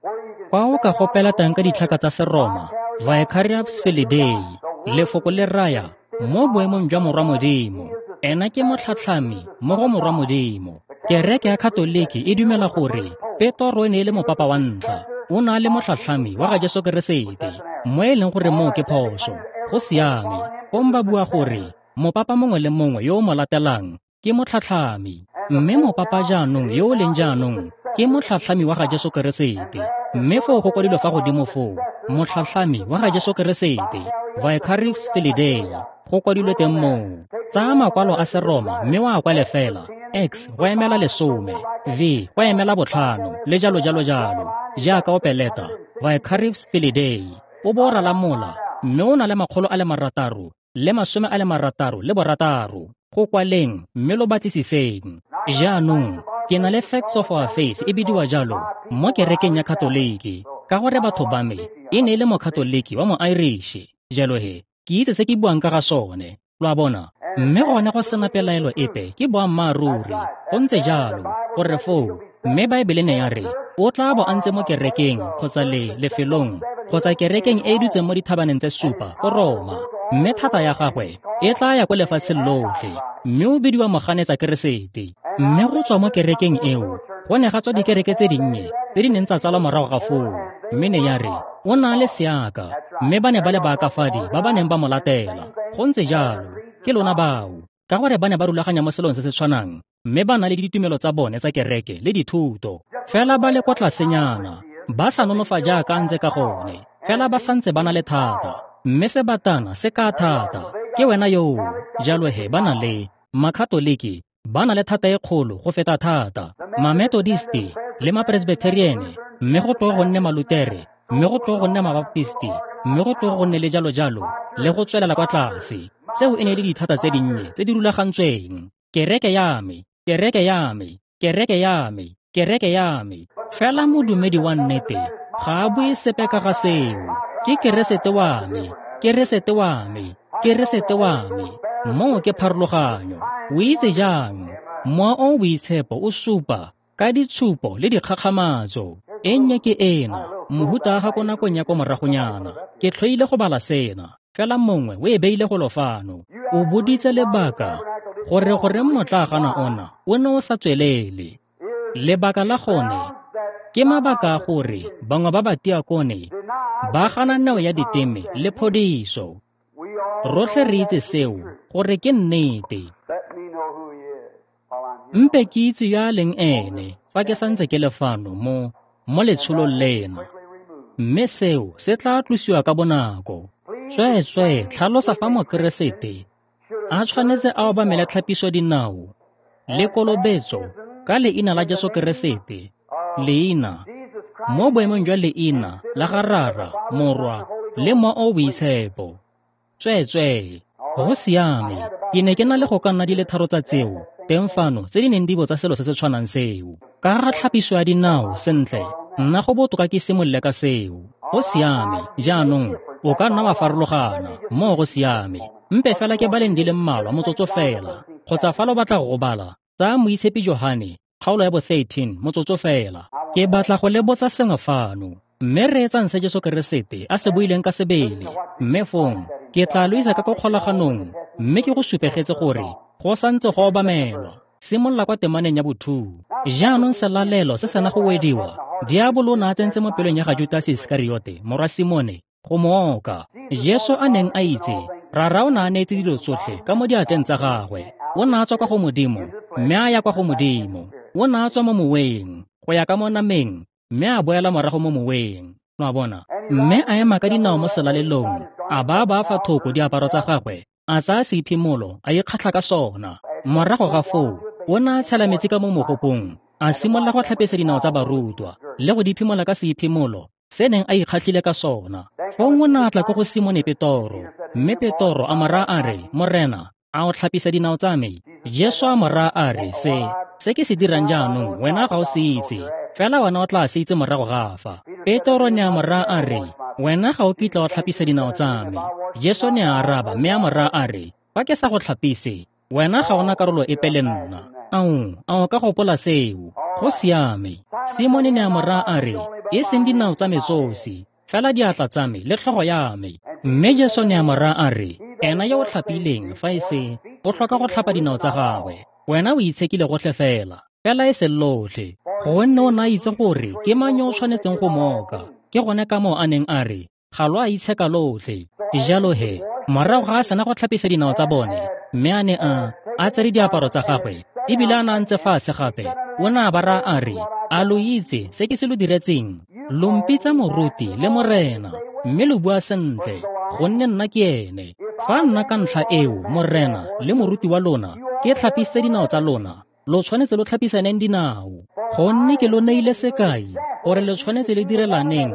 Kwa o ka gopela teng ka ditlhaka tsa Seroma, Vicarius Filii Dei, lefoko le raya mo boemong jwa Morwa Modimo. Ena ke motlhatlhami mo go Morwa Modimo. Kereke ya Katoliki e dumela gore Petro e ne e le mopapa wa ntlha, o ne a le motlhatlhami wa ga Jesu Keresete, mo e leng gore moo ke phoso. Go siame, fong ba bua gore mopapa mongwe le mongwe yo o mo latelang ke motlhatlhami, mme mopapa jaanong yo o leng jaanong ke motlhatlhami wa ga Jesu Keresete. Mme foo go kwadilwe fa godimo foo, motlhatlhami wa ga Jesu Keresete, Vicarius Filii Dei, go kwadilwe teng moo. Tsaya makwalo a Seroma mme wa a kwale fela, X go emela lesome, V go emela botlhano, le jalo jalo jalo, jaaka o peleta Vicarius Filii Dei, o bo o rala mola, mme o na le makgolo a le marataro le masome a le marataro le borataro. Go kwaleng mme lo batlisiseng. Jaanong, ke na le Facts of Our Faith e bidiwa jalo mo kerekeng ya Katoliki, ka gore batho ba me e ne e le Mokatoliki wa mo-Irish. Jalo he, ke itse se ke buang ka ga sone, lo a bona. Mme gone go sena pelaelo epe ke boammaaruri, go ntse jalo, gore foo, mme Baebele ne ya re, o tla bo a ntse mo kerekeng kgotsa le lefelong kgotsa kerekeng e e dutseng mo dithabaneng tse supa ko Roma, mme thata ya gagwe e tla ya ko lefatsheng lotlhe, mme o bidiwa moganetsa Keresete. Mme go tswa mo kerekeng eo go ne ga tswa dikereke tse dinnye tse di neng tsa tsalwa morago ga foo, mme ne ya re o na le seaka, mme ba ne ba le baakafadi ba ba neng ba mo latela. Go ntse jalo, ke lona bao, ka gore ba ne ba rulaganya mo selong se se tshwanang, mme ba na le ditumelo tsa bone tsa kereke le dithuto, fela ba le kwa tlasenyana, ba sa nonofa jaaka a ntse ka gone, fela ba santse ba na le thata, mme sebatana se ka thata. Ke wena yoo. Jalo he ba na le Makatoliki, ba na le thata e kgolo go feta thata, Mametodisti le Mapresbitheriene, mme go tloge go nne Malutere, mme go tloge go nne Mabaptisti, mme go tloge go nne le jalo jalo, le go tswelela kwa tlase. Tseo e ne le dithata tse dinnye tse di rulagantsweng. Kereke ya me, kereke ya me, kereke ya me, kereke ya me. Fela modumedi wa nnete ga a bue sepe ka ga seo. Ke Keresete wa me, Keresete wa me, Keresete wa me. Moo ke pharologanyo. O itse jang? Mowa o o Boitshepo o supa ka ditshupo le dikgakgamatso. E nnye ke ena, mohuta wa ga ko nakong ya ko moragonyana. Ke tlhoile go bala sena, fela mongwe o e beile golo fano. O boditse lebaka gore goreng motlaagana ona o ne o sa tswelele. Lebaka la gone ke mabaka a gore bangwe ba batiakone ba gana neo ya diteme le phodiso. Rotlhe re itse seo gore ke nnete. Mpe ke itse yo a leng ene fa ke santse ke le fano mo mo letsholong lena, mme seo se tla tlosiwa ka bonako. Tsweetswee tlhalosa fa Mokeresete a tshwanetse a obamele tlhapiso dinao le kolobetso ka leina la Jesu Keresete, leina mo boemong jwa leina la ga Rara, Morwa le Mowa o o Boitshepo. Tsweetswee, go siame. Ke ne ke na le go ka nna di le tharo tsa tseo teng fano tse di neng di botsa selo se se tshwanang seo. Ka ga tlhapiso ya dinao, sentle, nna go botoka ke simolole ka seo. Go siame, jaanong o ka nna wa farologana, moo go siame. Mpe fela ke baleng di le mmalwa motsotso fela, kgotsa fa lo batla go bala, tsaya Moitshepi Johane, kgaolo ya bo thirteen, motsotso fela. Ke batla go le botsa sengwe fano, mme reetsang se Jesu Keresete a se buileng ka sebele. Mme fong ke tla lo isa ka ko kgolaganong, mme ke go supegetse gore go santse go obamelwa. Simolola kwa temaneng ya bo two. Jaanong selalelo se sena go wediwa, diabolo o ne a tsentse mo pelong ya ga Judase Iskariote, morwa Simone, go mo oka. Jesu a neng a itse, Rara o ne a neetse dilo tsotlhe ka mo diatleng tsa gagwe. O ne a tswa kwa go Modimo, mme a ya kwa go Modimo. O ne a tswa mo moweng, go ya ka mo nameng, mme a boela morago mo moweng. Lo a bona? Mme a ema ka dinao mo selalelong, a ba ba fa thoko diaparo tsa gagwe, a tsaya seiphimolo, a ikgatlha ka sona. Morago ga foo, o ne a tshela metsi ka mo mogopong, a simolola go tlhapisa dinao tsa barutwa le go di phimola ka seiphimolo se neng a ikgatlhile ka sona. Fong o ne a tla ko go Simone Petoro, mme Petoro a mo raya a re, Morena, a o tlhapisa dinao tsa me? Jesu a mo raya a re, se se ke se dirang jaanong wena ga o se itse, fela wena o tla se itse morago ga fa. Petoro ne a mo raya a re, wena ga o kitla o tlhapisa dinao tsa me. Jesu ne a araba mme a mo raya a re, fa ke sa go tlhapise, wena ga ona karolo epe le nna. Ao, a o ka gopola seo? Go siame. Simone ne a mo raya a re, e seng dinao tsa me tsosi, fela diatla tsa me le tlhogo ya me. Mme Jesu ne a mo raya a re, ena yo o tlhapileng fa e se, o tlhoka go tlhapa dinao tsa gagwe. Wena o itshekile gotlhe fela, fela e se lotlhe. Gonne o ne a itse gore ke mang yo o tshwanetseng go moka. Ke gone ka moo a neng a re, ga lo a itsheka lotlhe. Jalo he, morago ga a sena go tlhapisa dinao tsa bone, mme a ne a a tsere diaparo tsa gagwe, ebile a ne a ntse fatshe gape, o ne a ba raya a re, a lo itse se ke se lo diretseng? Lo mpitsa moruti le morena, mme lo bua sentle, gonne nna ke ene. Fa nna ka ntlha eo, morena le moruti wa lona, ke tlhapisitse dinao tsa lona, lo tshwanetse lo tlhapisaneng dinao. Gonne ke lo neile sekai gore lo tshwanetse le direlaneng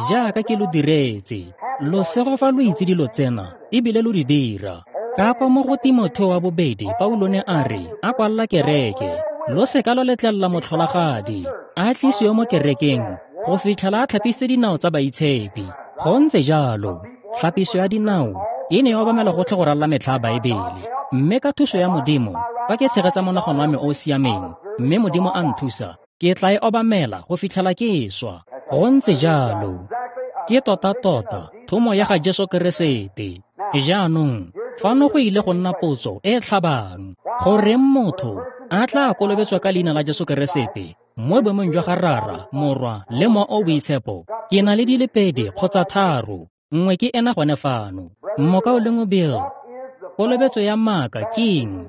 jaaka ke lo diretse. Lo sego fa lo itse dilo tsena, ebile lo di dira. Ka kwa mo go Timotheo wa bobedi, Paulo ne a re, a kwalla kereke, lo seka lo letlelela motlholagadi a tlisiwe mo kerekeng go fitlhela a tlhapise dinao tsa baitshepi. Go ntse jalo, tlhapiso ya dinao e ne ya obamela gotlhe go ralala metlha ya Baebele. Mme ka thuso ya Modimo, fa ke tshegetsa monagano wa me o o siameng, mme Modimo a nthusa, ke tla e obamela go fitlhela ke swa. Go ntse jalo, ke tota-tota thomo ya ga Jesu Keresete. Jaanong, fano go ile go nna potso e e tlhabang, goreng motho a tla kolobetswa ka leina la Jesu Keresete mo boemong jwa ga Rara, Morwa le Mowa o o Boitshepo? Ke na le di le pedi kgotsa tharo, nngwe ke ena gone fano. Mokaulengwe Bill, kolobetso ya maaka ke eng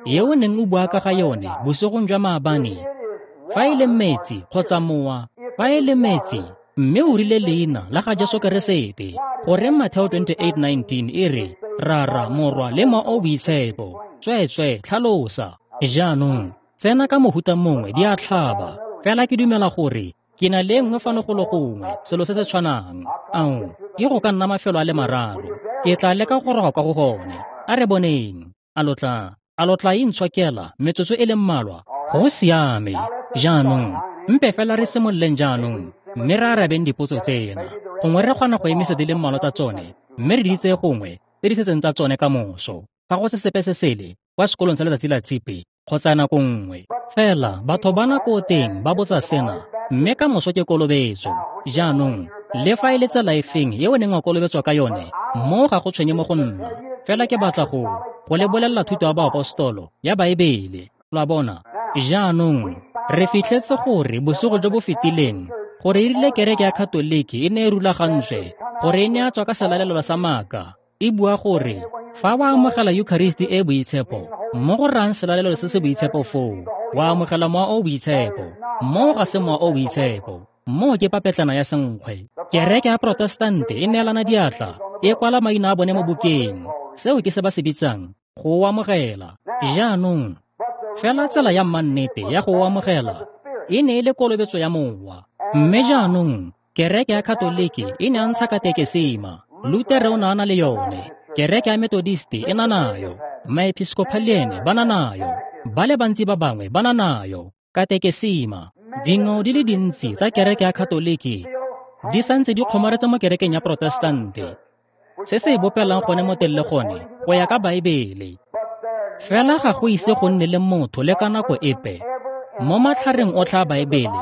e o neng o bua ka ga yone bosigong jwa maabane? Fa e le metsi kgotsa mowa, fa e le metsi, mme o rile leina la ga Jesu Keresete, goreng Mateo twenty-eight nineteen e re, Rara, Morwa le Mowa o o Boitshepo? Tsweetswee tlhalosa. Jaanong, tsena ka mohuta mongwe di a tlhaba, fela ke dumela gore ke na le nngwe fano golo gongwe, selo se se tshwanang. Ao, ke go ka nna mafelo a le mararo. Ke tla leka go goroga kwa go gone. A re boneng. A lo tla, a lo tla intshokela metsotso e le mmalwa? Go siame. Jaanong, mpe fela re simololeng jaanong, mme re arabeng dipotso tsena. Gongwe re kgona go emisa di le mmalwa tsa tsone, mme re di tseye gongwe tse di setseng tsa tsone ka moso. Fa go se sepe se sele kwa sekolong sa letsatsi la tshipi kgotsa nako nngwe. Fela batho ba nako teng ba botsa sena, mme ka moso ke kolobetso. Jaanong, le fa e le tsela efeng e o neng wa kolobetswa ka yone, mo ga go tshwenye mo go nna. Fela ke batla go go le bolelela thuto ya baapostolo ya Baebele. Lo a bona? Jaanong, re fitlhetse gore bosigo jo bo fetileng gore e rile kereke ya Katoliki e ne e rulagantswe gore e ne ya tswa ka selalelo sa maaka, e bua gore fa wa amogela Eucharisti e boitshepo, mo go rayang selalelo se se boitshepo foo, wa amogela mowa o boitshepo. Mo ga se mowa o boitshepo, mo ke papetlana ya senkgwe. Kereke ya Protestante e neelana diatla, e kwala maina a bone mo bukeng. Seo ke se ba se bitsang go o amogela. Jaanong, fela tsela ya mannete ya go o amogela e ne e le kolobetso ya mowa. Mme jaanong, kereke ya Katoliki e ne a ntsha katekesima. Lutere o ne a na le yone. Kereke ya Methodist e na nayo. Maepiskopaliene ba na nayo. Ba le bantsi ba bangwe ba na nayo. Katekesima. Dingwao di le dintsi tsa kereke ya Katoliki di santse di kgomaretse mo kerekeng ya Protestante. Se se e bopelang gone mo teng le gone go ya ka Baebele. Fela ga go ise go nne le motho le ka nako epe mo matlhareng otlhe a Baebele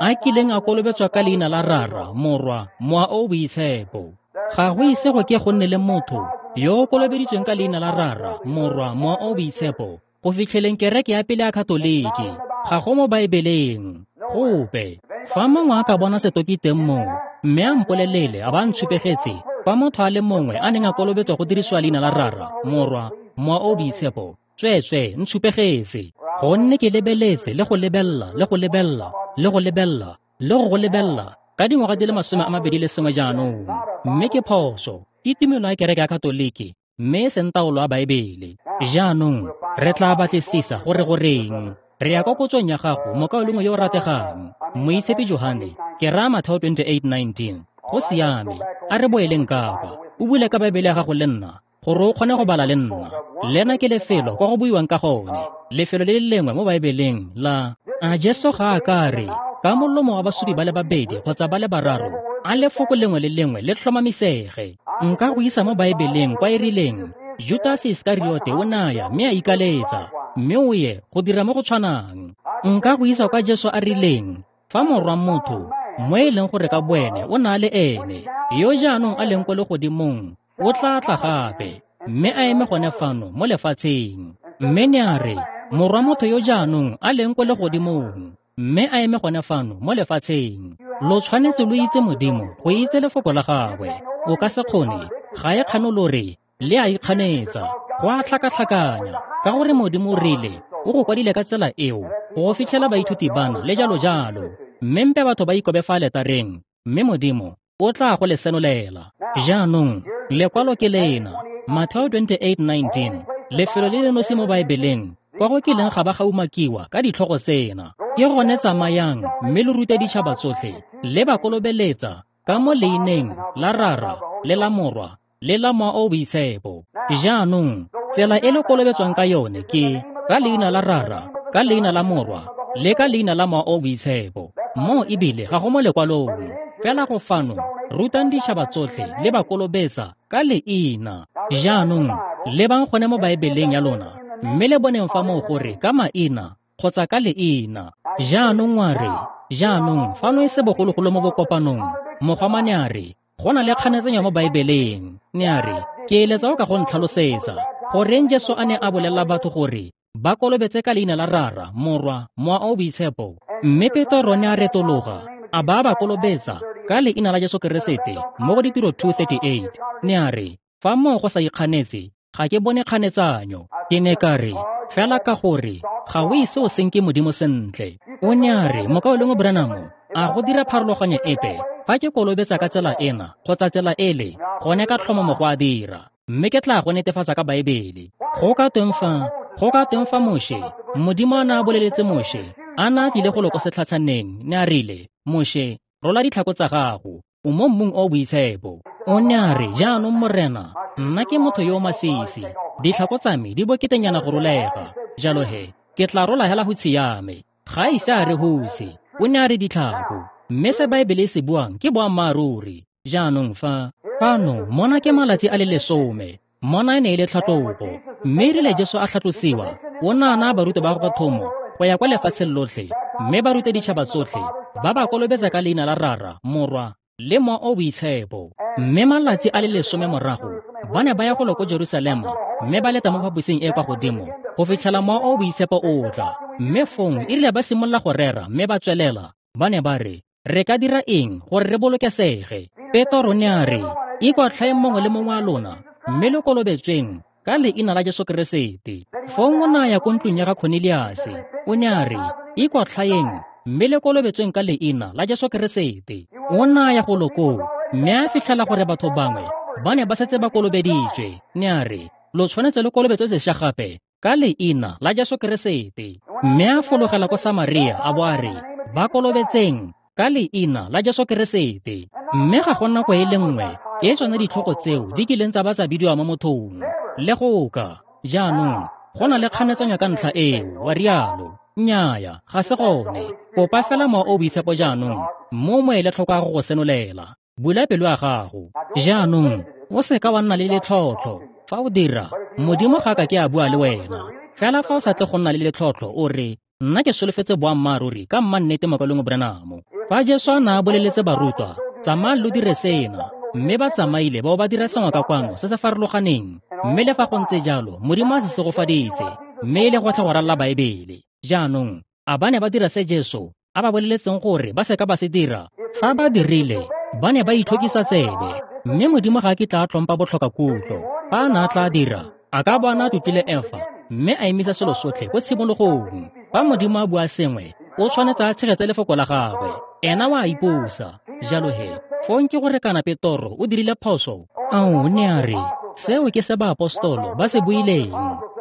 a kileng a kolobetswa ka leina la Rara, Morwa, Mowa o Boitshepo. Ga go ise go ke go nne le motho yo o kolobeditsweng ka leina la Rara, Morwa, Mowa o Boitshepo go fitlheleng kereke ya pele ya Katoliki. Ga go mo Baebeleng gope. Fa mongwe a ka bona setoki teng moo, mme a mpolelele a ba ntshupegetse fa motho a le mongwe a neng a kolobetswa go dirisiwa leina la Rara, Morwa, Mowa o Boitshepo, tsweetswe ntshupegetse. Gonne ke lebeletse le go lebella le go lebella le go lebella le go go lebella ka dingwaga di le masome a mabedi le sengwe jaanong. Mme ke phoso, ke tumelo ya kereke ya Katoliki, mme e seng taolo ya Baebele. Jaanong re tla batlisisa gore goreng. Re ya kwa kotsong ya gago, mokaulengwe yo o rategang, Moitshepi Johane, ke raya Matheo twenty-eight nineteen. Go siame, a re boeleng ka kwa. O bule ka Baebele ya gago le nna, gore o kgone go bala le nna. Lena ke lefelo kwa go buiwang ka gone, lefelo le le lengwe mo Baebeleng la a Jesu ga a ka re ka molomo wa basupi ba le babedi kgotsa ba le bararo, a lefoko lengwe le lengwe le tlhomamisege. Nka go isa mo Baebeleng kwa e rileng Judas Iskariote o naya mme a ikaletsa, mme o ye go dira mo go tshwanang. Nka go isa kwa Jesu a rileng fa morwa motho, mo e leng gore ka boene o na le ene, yo jaanong a leng ko legodimong, o tla tla gape, mme a eme gone fano mo lefatsheng. Mme ne a re, morwa motho yo jaanong a leng ko legodimong, mme a eme gone fano mo lefatsheng. Lo tshwanetse lo itse Modimo go itse lefoko la gagwe. O ka se kgone, ga e kgano re le a ikganetsa, go a tlhakatlhakanya, ka gore Modimo o rile o go kwadile ka tsela eo go fitlhela baithuti bana le jalo jalo. Mme mpe batho ba ikobe fa letareng, mme Modimo o tla go le senolela. Jaanong, lekwalo ke lena, Matheo twenty-eight nineteen, lefelo le le nosi mo Baebeleng kwa go kileng ga ba ga umakiwa ka ditlhogo tsena. Ke gone tsamayang mme lo rute ditšhaba tsotlhe, le ba kolobeletsa ka mo leineng la Rara le la Morwa le la Mowa o Boitshepo. Jaanong, tsela e le kolobetswang ka yone ke ka leina la Rara, ka leina la Morwa le ka leina la Mowa o Boitshepo. Mo ebile ga go mo lekwalong. Fela go fano, rutang ditšhaba tsotlhe le ba kolobetsa ka leina. Jaanong, lebang gone mo Baebeleng ya lona, mme le boneng fa moo gore ka maina kgotsa ka leina. Jaanong wa re, jaanong fano e se bogologolo mo bokopanong, mogomane a re, go na le kganetsanyo mo Baebeleng. Ne a re, ke eletsa o ka go ntlhalosetsa goreng Jesu a ne a bolelela batho gore ba kolobetse ka leina la Rara, Morwa, Mowa o Boitshepo. Mme Petro ne a retologa a ba ba kolobetsa ka leina la Jesu Keresete mo go Ditiro two thirty-eight. Ne a re, fa moo go sa ikganetse, ga ke bone kganetsanyo. Ke ne ka re, fela ka gore ga o ise o senke Modimo sentle. O ne a re, mokaulengwe Branham, a go dira pharologanyo epe fa ke kolobetsa ka tsela ena kgotsa tsela ele, gone ka tlhomamo go a dira, mme ke tla go netefatsa ka Baebele. Go ka tweng fa, go ka tweng fa Moshe, Modimo a ne a boleletse Moshe, a ne a tlile go lo ko setlhatshaneng, ne a rile, Moshe, rola ditlhako tsa gago, o mo mmung o boitshepo. O ne a re, jaanong Morena, Nna ke motho yo o masisi. Ditlhako tsa me di boketenyana go rolega. Jalo he, ke tla rola hela hutshe ya me. Ga a ise a re hutshe, o ne a re ditlhako. Mme se Baebele e se buang ke boammaaruri. Jaanong fa, fano, mona ke malatsi a le lesome. Mona e ne e le tlhatlogo. Mme erile Jesu a tlhatlosiwa, o ne a naya barutwa ba gagwe thomo go ya kwa lefatsheng lotlhe, mme ba rute ditšhaba tsotlhe, ba ba kolobetsa ka leina la Rara, Morwa le Mowa o Boitshepo. Mme malatsi a le lesome morago, ba ne ba ya golo ko Jerusalema, mme ba leta mo phaposing e kwa godimo go fitlhela Mowa o Boitshepo o tla. Mme fong erile ba simolola go rera mme ba tswelela, ba ne ba re, re ka dira eng gore re bolokesege? Petro ne a re, ikwatlhaeng mongwe le mongwe wa lona, mme lo kolobetsweng ka leina la Jesu Keresete. Fong o ne a ya ko ntlong ya ga Cornelius, o ne a re, ikwatlhaeng mme le kolobetsweng ka leina la Jesu Keresete. O ne a ya golo koo, mme a fitlhela gore batho bangwe ba ne ba setse ba kolobeditswe. Ne a re, lo tshwanetse lo kolobetswe sešwa gape ka leina la Jesu Keresete. Mme a fologela ko Samaria a bo a re, ba kolobetseng ka leina la Jesu Keresete. Mme ga go nako e le nngwe e tsone ditlhogo tseo di kileng tsa ba tsa bidiwa mo mothong. Le go ka, jaanong, go na le kganetsanyo ka ntlha eo, wa rialo. Nnyaya, ga se gone. Kopa fela Mowa o Boitshepo jaanong, mo mo ele tlhoko ya go go senolela. Bula pelo ya gago. Jaanong, o seka wa nna le letlhotlho. Fa o dira, Modimo ga ka ke a bua le wena. Fela fa o sa tle go nna le letlhotlho, o re, nna ke solofetse boammaaruri ka mma nnete mokaulengwe Branham. Fa Jesu a ne a boleletse barutwa, tsamayang lo dire sena, mme ba tsamaile ba bo ba dira sengwe ka kwano se se farologaneng. Mme le fa go ntse jalo, Modimo a se segofaditse, mme e le gotlhe go ralala Baebele. Jaanong, a ba ne ba dira se Jesu a ba boleletseng gore ba seka ba se dira? Fa ba dirile, ba ne ba itlhokisa tsebe, mme Modimo ga a kitla a tlhompa botlhokakutlo. Fa a ne a tla dira, a ka bo a ne a tlotlile Efa, mme a emisa selo sotlhe ko tshimologong. Fa Modimo a bua sengwe, o tshwanetse a tshegetse lefoko la gagwe. Ena wa ipusa. Jalo he, fong ke gore kana Petoro o dirile phoso. Ao, ne a re, seo ke se baapostolo ba se buileng.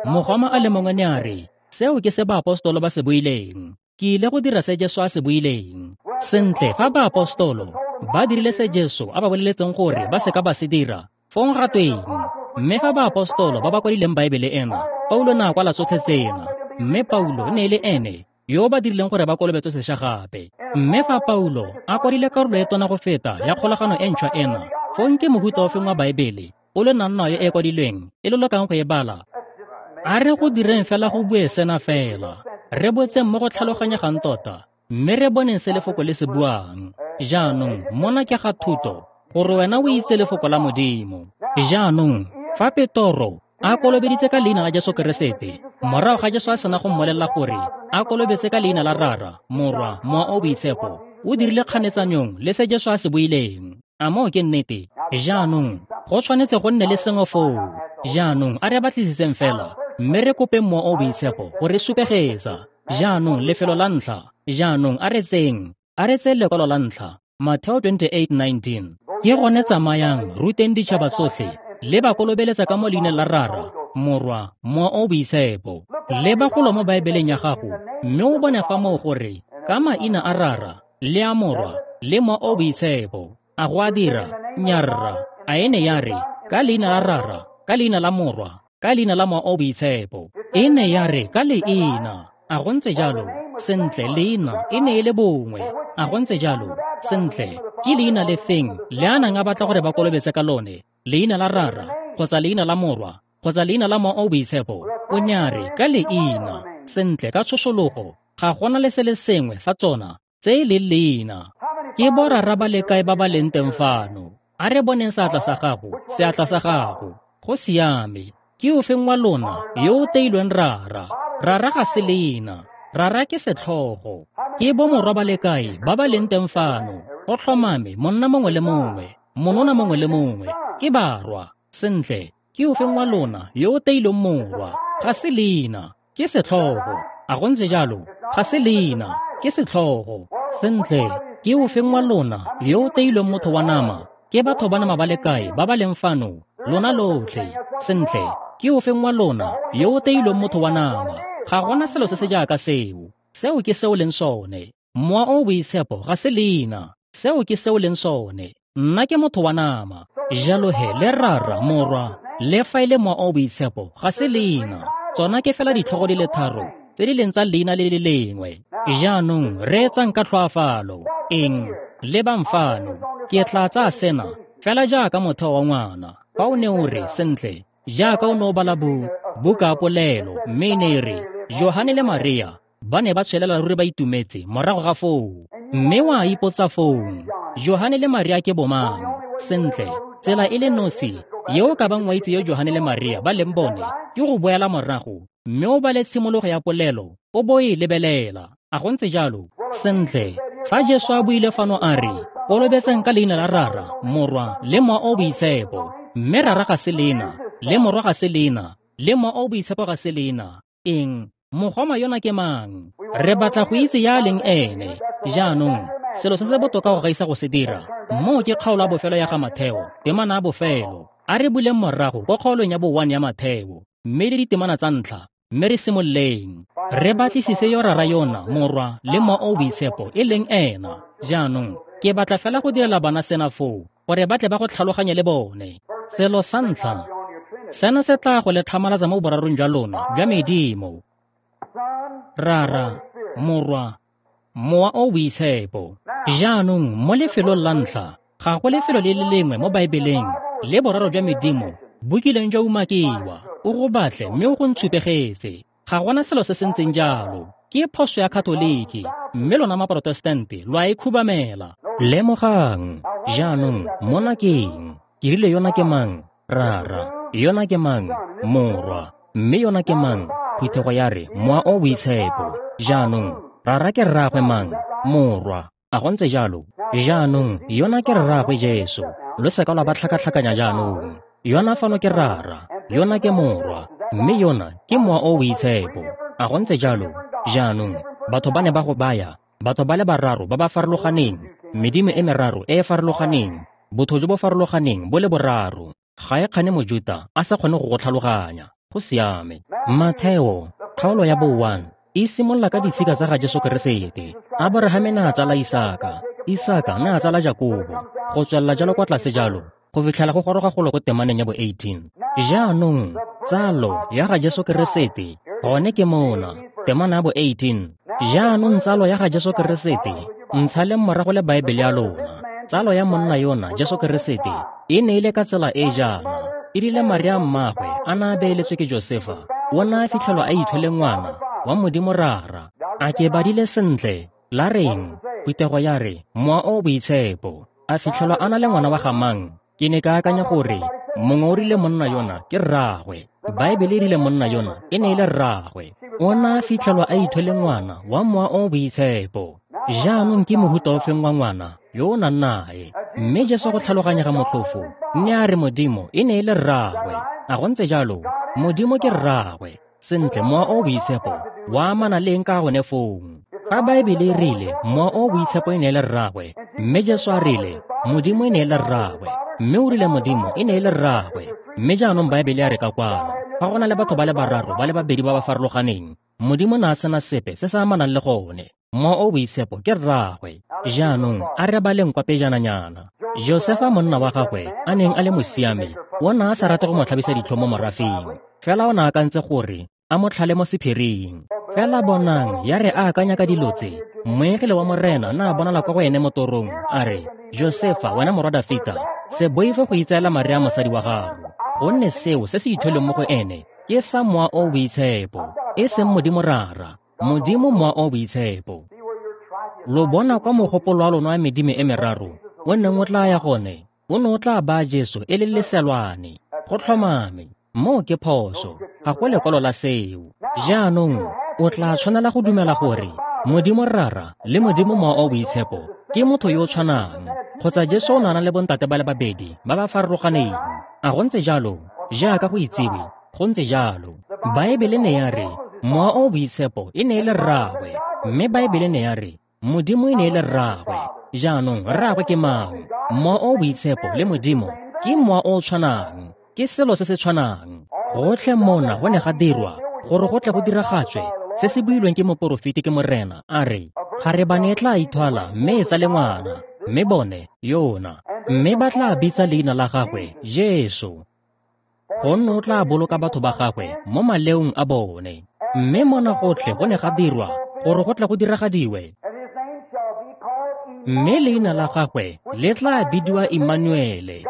Mogoma a le mongwe ne a re, seo ke se baapostolo ba se buileng. Ke ile go dira se Jesu a se buileng. Sentle, fa baapostolo ba dirile se Jesu a ba boleletseng gore ba seka ba se dira, fong ga tweng? Mme fa baapostolo ba ba kwadileng Baebele ena, Paulo ne a kwala tsotlhe tsena, mme Paulo ne e le ene yo ba dirileng gore ba kolobetswe sešwa gape. Mme fa Paulo a kwadile karolo e tona go feta ya kgolagano e ntšhwa ena, fong ke mohuta ofeng wa Baebele o le nang nayo e kwadilweng e lo lokang go e bala? A re go direng fela go bue sena fela, re botseng mo go tlhaloganyegang tota, mme re boneng se lefoko le se buang. Jaanong, mona ke ga thuto, gore wena o itse lefoko la Modimo. Jaanong, fa Petoro a kolobeditse ka leina la Jesu Keresete, morago ga Jesu a sena go mmolelela gore a kolobetse ka leina la Rara, Morwa, Mowa o Boitshepo, o dirile kganetsanyong le se Jesu a se buileng. A moo ke nnete? Jaanong, go tshwanetse go nne le sengwe foo. Jaanong, a re batlisiseng fela, mme re kopeng Mowa o Boitshepo go re supegetsa. Jaanong, lefelo la ntlha. Jaanong, a re tseng, a re tseng lekwalo la ntlha, Mateo twenty-eight nineteen. Ke gone tsamayang, ruteng ditšhaba tsotlhe, le ba kolobeletsa ka mo leineng la Rara, Morwa, Mowa o Boitshepo. Leba golo mo Baebeleng ya gago, mme o bone fa moo gore ka maina a Rara, le a Morwa, le Mowa o Boitshepo. A go a dira? Nyarra. A e ne ya re, ka leina la Rara, ka leina la Morwa, ka leina la Mowa o Boitshepo. E ne ya re, ka leina. A go ntse jalo? Sentle, leina e ne e le bongwe. A go ntse jalo? Sentle, ke leina le feng le a nang a batla gore ba kolobetse ka lone? Leina la Rara, kgotsa leina la Morwa, kgotsa leina la Mowa o Boitshepo? O ne a re, ka leina. Sentle, ka tshosologo, ga gona le se le sengwe sa tsona tse e leng leina. Ke borara ba le kae ba ba leng teng fano? A re boneng seatla sa gago, seatla sa gago. Go siame. Ke ofeng wa lona yo o teilweng Rara? Rara ga se leina. Rara ke setlhogo. Ke bomorwa ba le kae ba ba leng teng fano? Go tlhomame monna mongwe le mongwe, monona mongwe le mongwe, ke barwa. Sentle, ke ofeng wa lona yo o teilweng morwa? Ga se leina, ke setlhogo. A go ntse jalo? Ga se leina, ke setlhogo. Sentle, ke ofeng wa lona yo o teilweng motho wa nama? Ke batho ba nama ba le kae ba ba leng fano? Lona lotlhe. Sentle, ke ofeng wa lona yo o teilweng motho wa nama? Ga gona selo se se jaaka seo. Seo ke seo leng sone. Mowa o Boitshepo ga se leina. Seo ke seo leng sone. Nna ke motho wa nama. Jalo he le Rara, Morwa, le fa e le Mowa o o Boitshepo ga se leina. Tsona ke fela ditlhogo di le tharo tse di leng tsa leina le le lengwe. Jaanong reetsang ka tlhoafalo. Eng? Lebang fano. Ke tla tsaya sena fela jaaka motheo wa ngwana. Fa o ne o re, sentle, jaaka o ne o bala bo, buka ya polelo, mme e ne e re, Johane le Maria ba ne ba tswelela ruri ba itumetse morago ga foo. Mme wa ipotsa foo, Johane le Maria ke bomang? Sentle, tsela e le nosi ye o ka bang wa itse yo Johane le Maria ba leng bone ke go boela morago mme o bale tshimologo ya polelo o bo e lebelela. A go ntse jalo? Sentle, fa Jesu a buile fano a re, kolobetseng ka leina la Rara, Morwa le Mowa o o Boitshepo, mme Rara ga se leina, le Morwa ga se leina, le Mowa o o Boitshepo ga se leina. Eng? Mogoma yona ke mang? Re batla go itse ya leng ene. Jaanong, selo se se botoka go gaisa go se dira, moo ke kgaolo ya bofelo ya ga Matheo, temana ya bofelo. A re buleng morago kwa kgaolong ya bo one ya Matheo, mme le ditemana tsa ntlha, mme re simololeng. Re batlisise yo Rara yona, Morwa le Mowa o o Boitshepo e leng ena. Jaanong, ke batla fela go direla bana sena foo, gore ba tle ba go tlhaloganye le bone. Selo sa ntlha, sena se tla go le tlhamalatsa mo borarong jwa lona jwa medimo. Rara, Morwa, Mowa o o Boitshepo. Jaanong, mo lefelong la ntlha, ga go lefelo le le lengwe mo Baebeleng le boraro jwa medimo bo kileng jwa umakiwa. O go batle mme o go ntshupegetse. Ga gona selo se se ntseng jalo. Ke phoso ya Katoliki, mme lona Maprotestante lo a e khubamela. Lemogang, jaanong, mona ke eng? Ke rile yona ke mang? Rara. Yona ke mang? Morwa. Mme yona ke mang? Phuthego ya re, Mowa o o Boitshepo. Jaanong, Rara ke rraagwe mang? Morwa. A go ntse jalo? Jaanong, yona ke rraagwe Jesu. Lo seka lwa ba tlhakatlhakanya jaanong. Yona fano ke Rara, yona ke Morwa, mme yona ke Mowa o o Boitshepo. A go ntse jalo? Jaanong, batho ba ne ba go baya, batho ba le bararo ba ba farologaneng, medimo e meraro e e farologaneng, botho jo bo farologaneng bo le boraro. Ga e kgane Mojuta a sa kgone go go tlhaloganya. Go siame. Matheo, kgaolo ya bo one, e simolola ka ditshika tsa ga Jesu Keresete. Aborahame ne a tsala Isaka, Isaka ne a tsala Jakobo, go tswelela jalo kwa tlase jalo, go fitlhela go goroga golo ko temaneng ya bo eighteen. Jaanong, tsalo ya ga Jesu Keresete, gone ke mona, temana ya bo eighteen. Jaanong tsalo ya ga Jesu Keresete, ntshaleng morago le Baebele ya lona. Tsalo ya monna yona, Jesu Keresete, e ne e le ka tsela e jaana. E rile Maria mmagwe a na a beeletswe ke Josefa, o ne a fitlhelwa a ithwele ngwana wa Modimo Rara. A ke badile sentle? La reng? Phuthego ya re, Mowa o o Boitshepo. A fitlhelwa a na le ngwana wa ga mang? Ke ne ka akanya gore mongwe o rile monna yona ke rraagwe. Baebele e rile monna yona e ne e le rraagwe. O ne a fitlhelwa a ithwele ngwana wa Mowa o o Boitshepo. Jaanong ke mohuta ofeng wa ngwana yo o nang nae? Mme Jesu go tlhaloganyega motlhofo, ne a re Modimo e ne e le rraagwe. A go ntse jalo? Modimo ke rraagwe. Sentle, Mowa o o Boitshepo wa amana le eng ka gone foo? Fa Baebele e rile Mowa o o Boitshepo e ne e le rraagwe, mme Jesu a rile Modimo e ne e le rraagwe, mme o rile Modimo e ne e le rraagwe, mme jaanong Baebele ya re ka kwano, fa go na le batho ba le bararo ba le babedi ba ba farologaneng, Modimo ne a sena sepe se se amanang le gone. Mowa o o Boitshepo ke rraagwe. Jaanong a re baleng kwa pejananyana. Josefa monna wa gagwe a neng a le mosiami, o ne a sa rate go mo tlhabisa ditlhong mo morafeng, fela o ne a akantse gore a mo tlhale mo sephiring. Fela bonang, ya re a akanya ka dilo tse, moengele wa Morena na a bonala kwa go ene mo torong, a re, Josefa, wena morwa Dafita, se boife go itseela Maria mosadi wa gago, gonne seo se se ithweleng mo go ene ke sa Mowa o o Boitshepo, e seng Modimo Rara, Modimo Mowa o o Boitshepo. Lo bona kwa mogopolo wa lona wa medimo e meraro o neng o tla ya gone, o ne o tla baya Jesu e le leselwane. Go tlhomame, moo ke phoso, ga go lekwalo la seo. Jaanong, o tla tshwanela go dumela gore Modimo Rara le Modimo Mowa o o Boitshepo ke motho yo o tshwanang, kgotsa Jesu o ne a na le bontate ba le babedi ba ba farologaneng. A go ntse jalo? Jaaka go itsiwe, go ntse jalo. Baebele ne ya re Mowa o o Boitshepo e ne e le rraagwe, mme Baebele ne ya re Modimo e ne e le rraagwe. Jaanong, rraagwe ke mang? Mowa o o Boitshepo le Modimo ke mowa o o tshwanang, ke selo se se tshwanang. Gotlhe mona go ne ga dirwa gore go tle go diragatswe se se builweng ke moporofeti ke Morena, a re, Kgarebane e tla ithwala mme e tsale ngwana, Mme bone, yona. Mme ba tla bitsa leina la gagwe Jesu, gonne o tla boloka batho ba gagwe mo maleong a bone. Mme mona gotlhe go ne ga dirwa gore go tle go diragadiwe. Mme leina la gagwe le tla bidiwa Immanuele,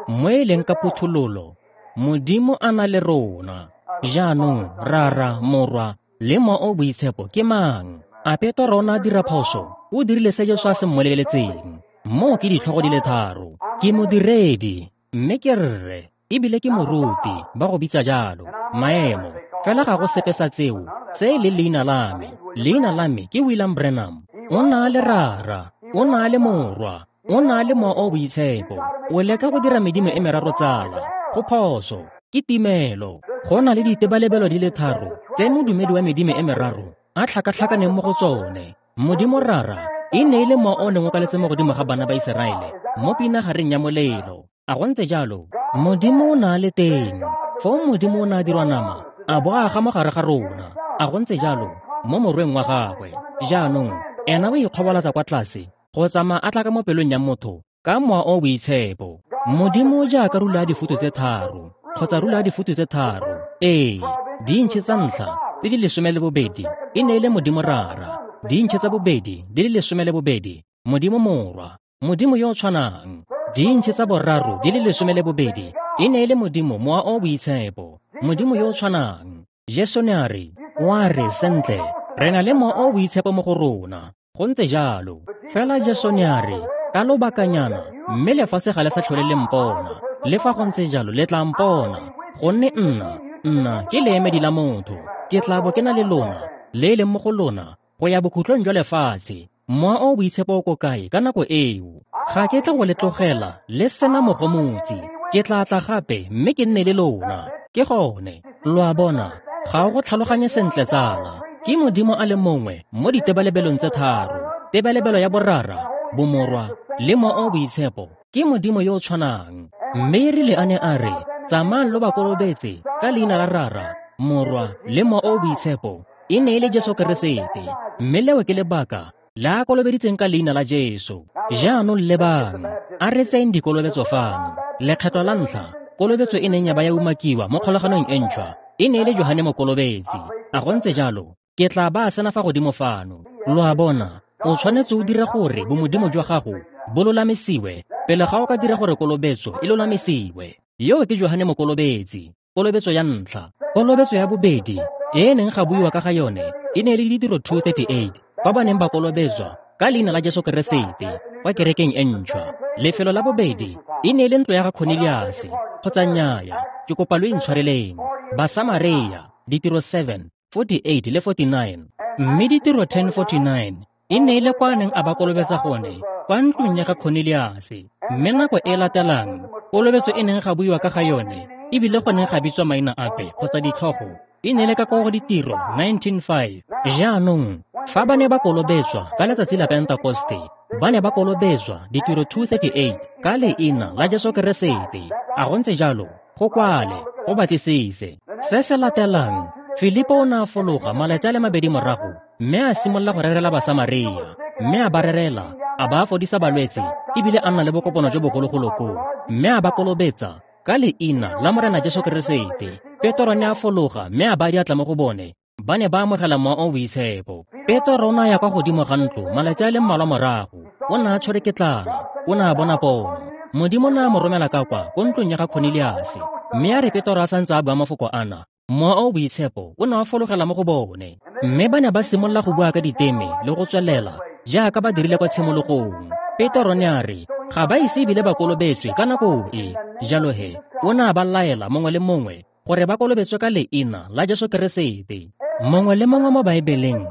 mo e leng ka phuthololo, Modimo a na le rona. Jaanong, Rara, Morwa le Mowa o Boitshepo ke mang? A Petoro o ne a dira phoso? O dirile se Jesu a se mmoleletseng. Moo ke ditlhogo di le tharo. Ke modiredi, mme ke rre, ebile ke moruti, ba go bitsa jalo. Maemo, fela ga go sepe sa tseo se e leng leina la me. Leina la me ke William Branham. O na le Rara, o na le Morwa, o na le Mowa o Boitshepo. O leka go dira medimo e meraro tsala. Go phoso, ke timelo. Go na le ditebalebelo di le tharo tse modumedi wa medimo e meraro a tlhakatlhakaneng mo go tsone. Modimo Rara e ne e le mowa o neng o kaletse mo godimo ga bana ba Iseraele mo pinagareng ya molelo. A go ntse jalo? Modimo o na le teng. Foo Modimo o ne a dirwa nama, a bo a aga mo gare ga rona. A go ntse jalo? Mo morweng wa gagwe. Jaanong, ena o ikgobalatsa kwa tlase go tsamaya a tla ka mo pelong ya motho ka Mowa o Boitshepo. Modimo jaaka rula ya difutu tse tharo, kgotsa rula ya difutu tse tharo. Ee, diintšhe tsa ntlha di le lesome le bobedi e ne e le Modimo Rara. Diintšhe tsa bobedi di le lesome le bobedi, Modimo Morwa, Modimo yo o tshwanang. Diintšhe tsa boraro di le lesome le bobedi e ne e le Modimo Mowa o Boitshepo, Modimo yo o tshwanang. Jesu ne a re, wa re sentle, re na le Mowa o Boitshepo mo go rona. Go ntse jalo. Fela Jesu ne a re, ka lobakanyana, mme lefatshe ga le sa tlhole le mpona. Le fa go ntse jalo le tla mpona, gonne nna, nna ke leemedi la motho. Ke tla bo ke na le lona, le e leng mo go lona, go ya bokhutlong jwa lefatshe. Mowa o Boitshepo o ko kae ka nako eo? Ga ke tle go le tlogela le sena mogomotsi. Ke tla tla gape mme ke nne le lona. Ke gone. Lo a bona, ga o go tlhaloganye sentle tsala. Ke Modimo a le mongwe mo ditebalebelong tse tharo. Tebalebelo ya Borara, Bomorwa le Mowa o Boitshepo ke Modimo yo o tshwanang. Mme erile a ne a re, tsamayang lo ba kolobetse ka leina la Rara, Morwa le Mowa o Boitshepo, e ne e le Jesu Keresete. Mme leo ke lebaka la a kolobeditseng ka leina la Jesu. Jaanong lebang, a re tseyeng dikolobetso fano. Lekgetlo la ntlha, kolobetso e neng ya ba ya umakiwa mo kgolaganong e ntšhwa e ne e le Johane Mokolobetsi. A go ntse jalo? Ke tla ba sena fa godimo fano. Lo a bona, o tshwanetse o dire gore bomodimo jwa gago bo lolamisiwe pele ga o ka dira gore kolobetso e lolamisiwe. Yo ke Johane Mokolobetsi, kolobetso ya ntlha. Kolobetso ya bobedi e e neng ga buiwa ka ga yone e ne e le Ditiro two thirty-eight, kwa ba neng ba kolobetswa ka leina la Jesu Keresete kwa kerekeng e ntšhwa. Lefelo la bobedi e ne e le ntlo ya ga Cornelius, kgotsa nnyaya, ke kopa lo intshwareleng, Basamaria, Ditiro seven forty-eight le forty-nine. Mme Ditiro ten forty-nine e ne e le kwa neng a ba kolobetsa gone kwa ntlong ya ga Cornelius. Mme nako e latelang kolobetso e neng ga buiwa ka ga yone ebile go neng ga bitswa maina ape kgotsa ditlhogo e ne le ka kwa go Ditiro nineteen five. Jaanong fa ba ne ba kolobetswa ka letsatsi la Pentekoste, ba ne ba kolobetswa Ditiro two thirty-eight ka leina la Jesu Keresete. A go ntse jalo? Go kwale, go batlisise. Se se latelang, Filipo o ne a fologa malatsi a le mabedi morago mme a simolola go rerela Basamaria, mme a ba rerela, a ba fodisa balwetse, ebile a nna le bokopano jo bogologolo koo, mme a ba kolobetsa ka leina la Morena Jesu Keresete. Petoro ne a fologa mme a ba diatla mo go bone, ba ne ba amogela Mowa o Boitshepo. Petoro o ne a ya kwa godimo ga ntlo malatsi a le mmalwa morago. O ne a tshwerwe ke tlala, o ne a bona pono. Modimo ne a mo romela ka kwa ko ntlong ya ga Cornelius. Mme a re Petoro a santse a bua mafoko ana, Mowa o Boitshepo o ne wa fologela mo go bone. Mme ba ne ba simolola go bua ka diteme le go tswelela jaaka ba dirile kwa tshimologong. Petoro ne a re ga ba ise ebile ba kolobetswe ka nako e. Jalo he, o ne a ba laela mongwe le mongwe gore ba kolobetswe ka leina la Jesu Keresete. Mongwe le mongwe mo Baebeleng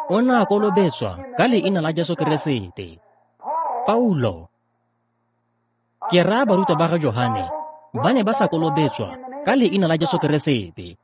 o ne a kolobetswa ka leina la Jesu Keresete. Paulo, ke raya barutwa ba ga Johane, ba ne ba sa kolobetswa ka leina la Jesu Keresete.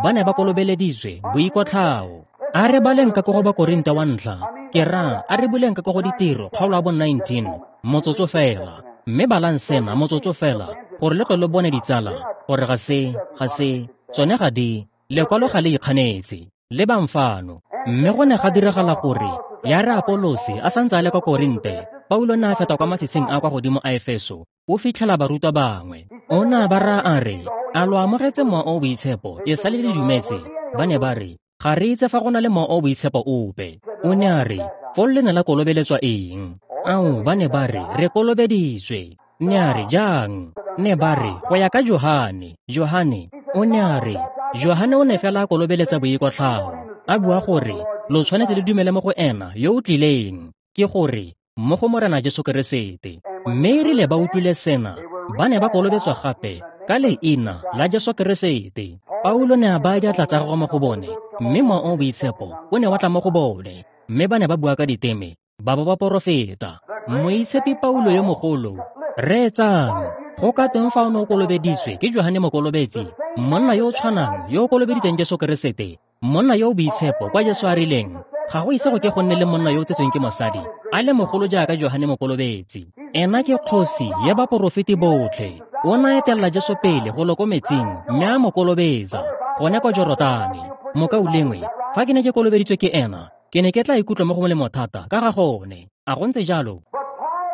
Ba ne ba kolobeleditswe boikotlhao. A re baleng ka ko go Bakorinte wa ntlha, ke raya a re buleng ka ko go Ditiro kgaolo ya bo nineteen, motsotso fela. Mme balang sena motsotso fela gore le tle lo bone ditsala gore ga se, ga se, tsone ga di, lekwalo ga le ikganetse. Lebang fano. Mme go ne ga diragala gore ya re Apolose a santse a le kwa Korinte, Paulo ne a feta kwa matshitshing a kwa godimo a Efeso, o fitlhela barutwa bangwe. O ne a ba raya a re, "A lo amogetse Mowa o o Boitshepo e sale le dumetse?" Ba ne ba re, "Ga re itse fa go na le Mowa o o Boitshepo ope." O ne a re, "Foo le ne la kolobeletswa eng?" Ao, ba ne ba re, "Re kolobeditswe." Ne a re, "Jang?" Ne ba re, "Go ya ka Johane." Johane, o ne a re, Johane o ne fela a kolobeletsa boikotlhao, a bua gore lo tshwanetse le dumele mo go ena yo o tlileng, ke gore mo go Morena Jesu Keresete. Mme erile ba utlwile sena, ba ne ba kolobetswa gape ka leina la Jesu Keresete. Paulo ne a baya diatla tsa gagwe mo go bone, mme Mowa o o Boitshepo o ne wa tla mo go bone, mme ba ne ba bua ka diteme, ba bo ba porofeta. Moitshepi Paulo yo mogolo, reetsang, go ka tweng fa o ne o kolobeditswe ke Johane Mokolobetsi, monna yo o tshwanang yo o kolobeditseng Jesu Keresete, monna yo o boitshepo kwa Jesu a rileng, ga go ise go ke go nne le monna yo o tsetsweng ke mosadi a le mogolo jaaka Johane Mokolobetsi. Ena ke kgosi ya baporofeti botlhe. O ne a etelela Jesu pele go lo ko metsing mme a mo kolobetsa gone kwa Jorotane. Mokaulengwe, fa ke ne ke kolobeditswe ke ena, ke ne ke tla ikutlwa mo go molemo thata ka ga gone. A go ntse jalo?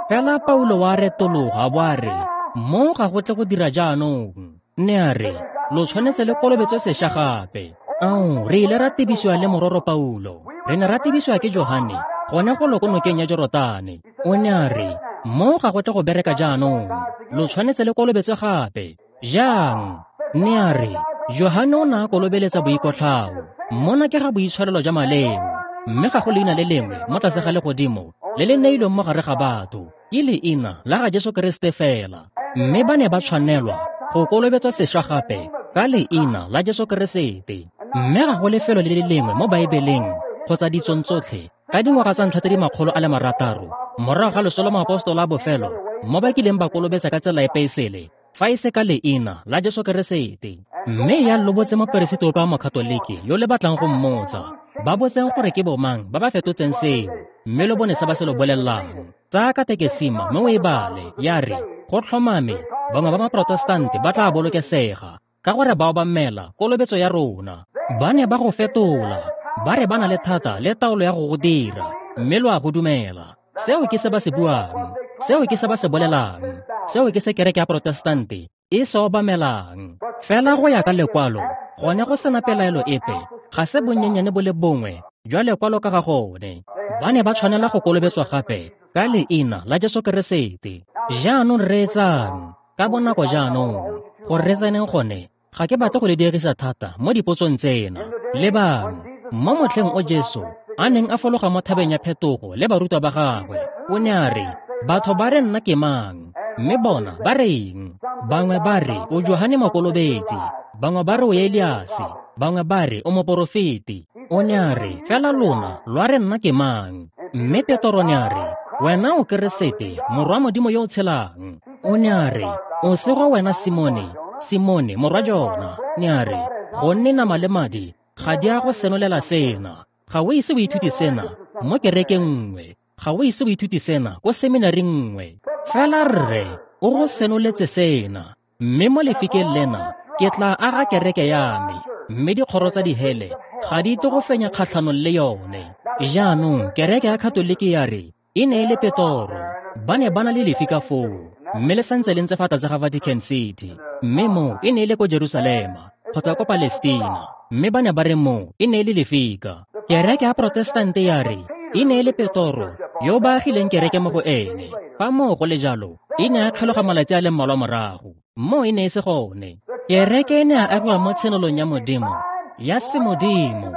Fela Paulo wa retologa a bo a re, "Mo ga go tle go dira jaanong." Ne a re, "Lo tshwanetse le kolobetswe sešwa gape." Ao, re ile ra tebisiwa le mororo Paulo. Re ne ra tebisiwa ke Johane gone go lo ko nokeng ya Jorotane. O ne a re, "Mo ga go tle go bereka jaanong. Lo tshwanetse le kolobetswe gape." Jang? Ne a re, Johane o ne a kolobeletsa boikotlhao. Mona ke ga boitshwarelo jwa maleo, mme ga go leina le lengwe mo tlase ga legodimo le le neilweng mo gare ga batho, ke leina la ga Jesu Keresete fela. Mme ba ne ba tshwanelwa go kolobetswa sešwa gape ka leina la Jesu Keresete. Mme ga go lefelo le le lengwe mo Baebeleng kgotsa ditsong tsotlhe ka dingwaga tsa ntlha tse di makgolo a le marataro morago ga loso lwa moapostola a bofelo mo ba kileng ba kolobetsa ka tsela epe e sele fa e se ka leina la Jesu Keresete. Mme ya lo botse moperesiti ope wa Mokatoliki yo le batlang go mmotsa, ba botseng gore ke bomang ba ba fetotseng seo, mme lo bone se ba se lo bolelelang. Tsaya katekesima mme o e bale, ya re, go tlhomame bangwe ba Maprotestante ba tla bolokesega ka gore ba obamela kolobetso ya rona. Ba ne ba go fetola, ba re ba na le thata le taolo ya go go dira, mme lo a go dumela. Seo ke se ba se buang, seo ke se ba se bolelang, seo ke se kereke ya Protestante e se obamelang. Fela go ya ka lekwalo, gone go sena pelaelo epe, ga se bonyenyane bo le bongwe jwa lekwalo ka ga gone. Ba ne ba tshwanela go kolobetswa gape ka leina la Jesu Keresete. Jaanong reetsang ka bonako jaanong, gore re tseneng gone, ga ke batle go le dirisa thata mo dipotsong tsena. Lebang, mo motlheng o Jesu a neng a fologa mo thabeng ya phetogo le barutwa ba gagwe, o ne a re, "Batho ba re nna ke mang? Mme bona ba reng?" Bangwe ba re o Johane Mokolobetsi, bangwe ba re o Eliase, bangwe ba re o moporofeti. O ne a re, "Fela lona lwa re nna ke mang?" Mme Petro ne a re, "Wena o Keresete, morwa Modimo yo o tshelang." O ne a re, "O sego wena Simone, Simone morwa Jona." Ne a re, "Gonne nama le madi ga di a go senolela sena. Ga o ise o ithute sena mo kerekeng nngwe, ga o ise o ithute sena ko seminaring nngwe. Fela Rre o go senoletse sena, mme mo lefikeng lena ke tla aga kereke ya me, mme dikgoro tsa dihele ga di tle go fenya kgatlhanong le yone." Jaanong kereke ya Katoliki ya re e ne e le Petoro. Ba ne ba na le lefika foo, mme le santse le ntse fa tlase ga Vatican City. Mme mo e ne e le ko Jerusalema kgotsa ko Palestina, mme ba ne ba re mo e ne e le lefika. Kereke ya Protestante ya re e ne e le Petoro yo ba agileng kereke mo go ene. Fa moo go le jalo, e ne a kgeloga malatsi a le mmalwa morago. Mo e ne e se gone. Kereke e ne a agiwa mo tshenolong ya Modimo, ya semodimo.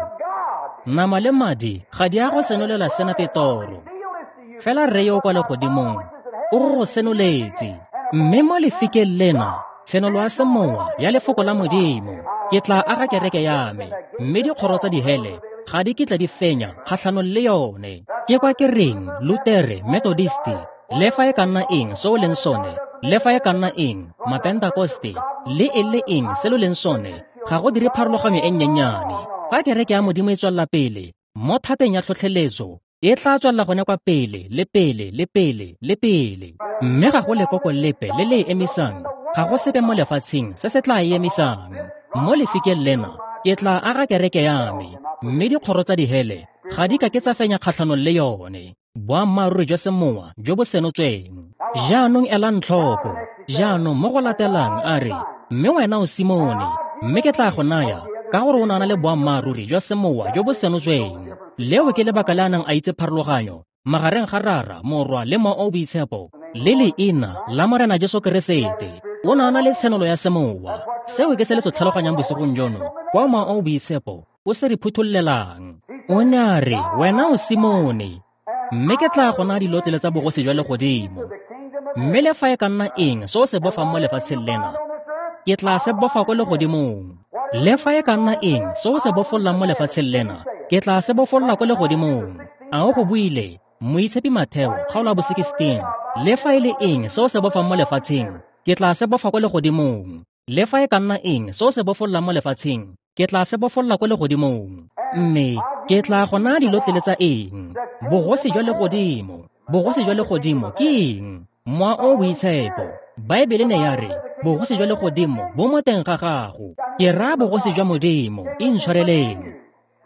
Nama le madi ga di a go senolela sena Petoro, fela Rre yo o kwa legodimong o go go senoletse. Mme mo lefikeng lena, tshenolo ya semowa ya lefoko la Modimo, ke tla aga kereke ya me, mme dikgoro tsa dihele ga di kitla di fenya kgatlhanong le yone. Ke kwa ke reng Lutere, Methodisti, le fa e ka nna eng se o leng sone, le fa e ka nna eng Mapentakoste, le e le eng se lo leng sone, ga go dire pharologanyo e nnyenyane. Fa kereke ya Modimo e tswelela pele mo thateng ya tlhotlheletso, e tla tswelela gone kwa pele le pele le pele le pele. Mme ga go lekoko lepe le le e emisang, ga go sepe mo lefatsheng se se tla e emisang. Mo lefikeng lena ke tla aga kereke ya me, mme dikgoro tsa dihele ga di ka ke tsa fenya kgatlhanong le yone. Boammaaruri jwa semowa jo bo senotsweng. Jaanong elang tlhoko. Jaanong mo go latelang a re, mme wena o Simone, mme ke tla go naya, ka gore o na le boammaaruri jwa semowa jo bo senotsweng. Leo ke lebaka le a neng a itse pharologanyo magareng ga Rara, Morwa le Mowa o o Boitshepo, le leina la Morena Jesu Keresete. O ne a na le tshenolo ya semowa. Seo ke se le se tlhaloganyang bosigong jono, kwa Mowa o o Boitshepo o se re phuthollelang. O ne a re, wena o Simone, mme ke tla go naya dilotlele tsa bogosi jwa legodimo. Mme le fa e ka nna eng se o se bofang mo lefatsheng lena, ke tla se bofa ko legodimong. Le fa e ka nna eng se o se bofollang mo lefatsheng lena, ke tla se bofolla ko legodimong. A o go buile, Moitshepi Matheo, kgaolo ya bo sixteen. Le fa e le eng se o se bofang mo lefatsheng, ke tla se bofa ko legodimong. Le fa e ka nna eng se o se bofollang mo lefatsheng, ke tla se bofolla ko legodimong. Mme ke tla go naya dilotlele tsa eng? Bogosi jwa legodimo. Bogosi jwa legodimo ke eng? Mowa o o Boitshepo. Baebele ne ya re, bogosi jwa legodimo bo mo teng ga gago. Ke raya bogosi jwa Modimo, intshwareleng.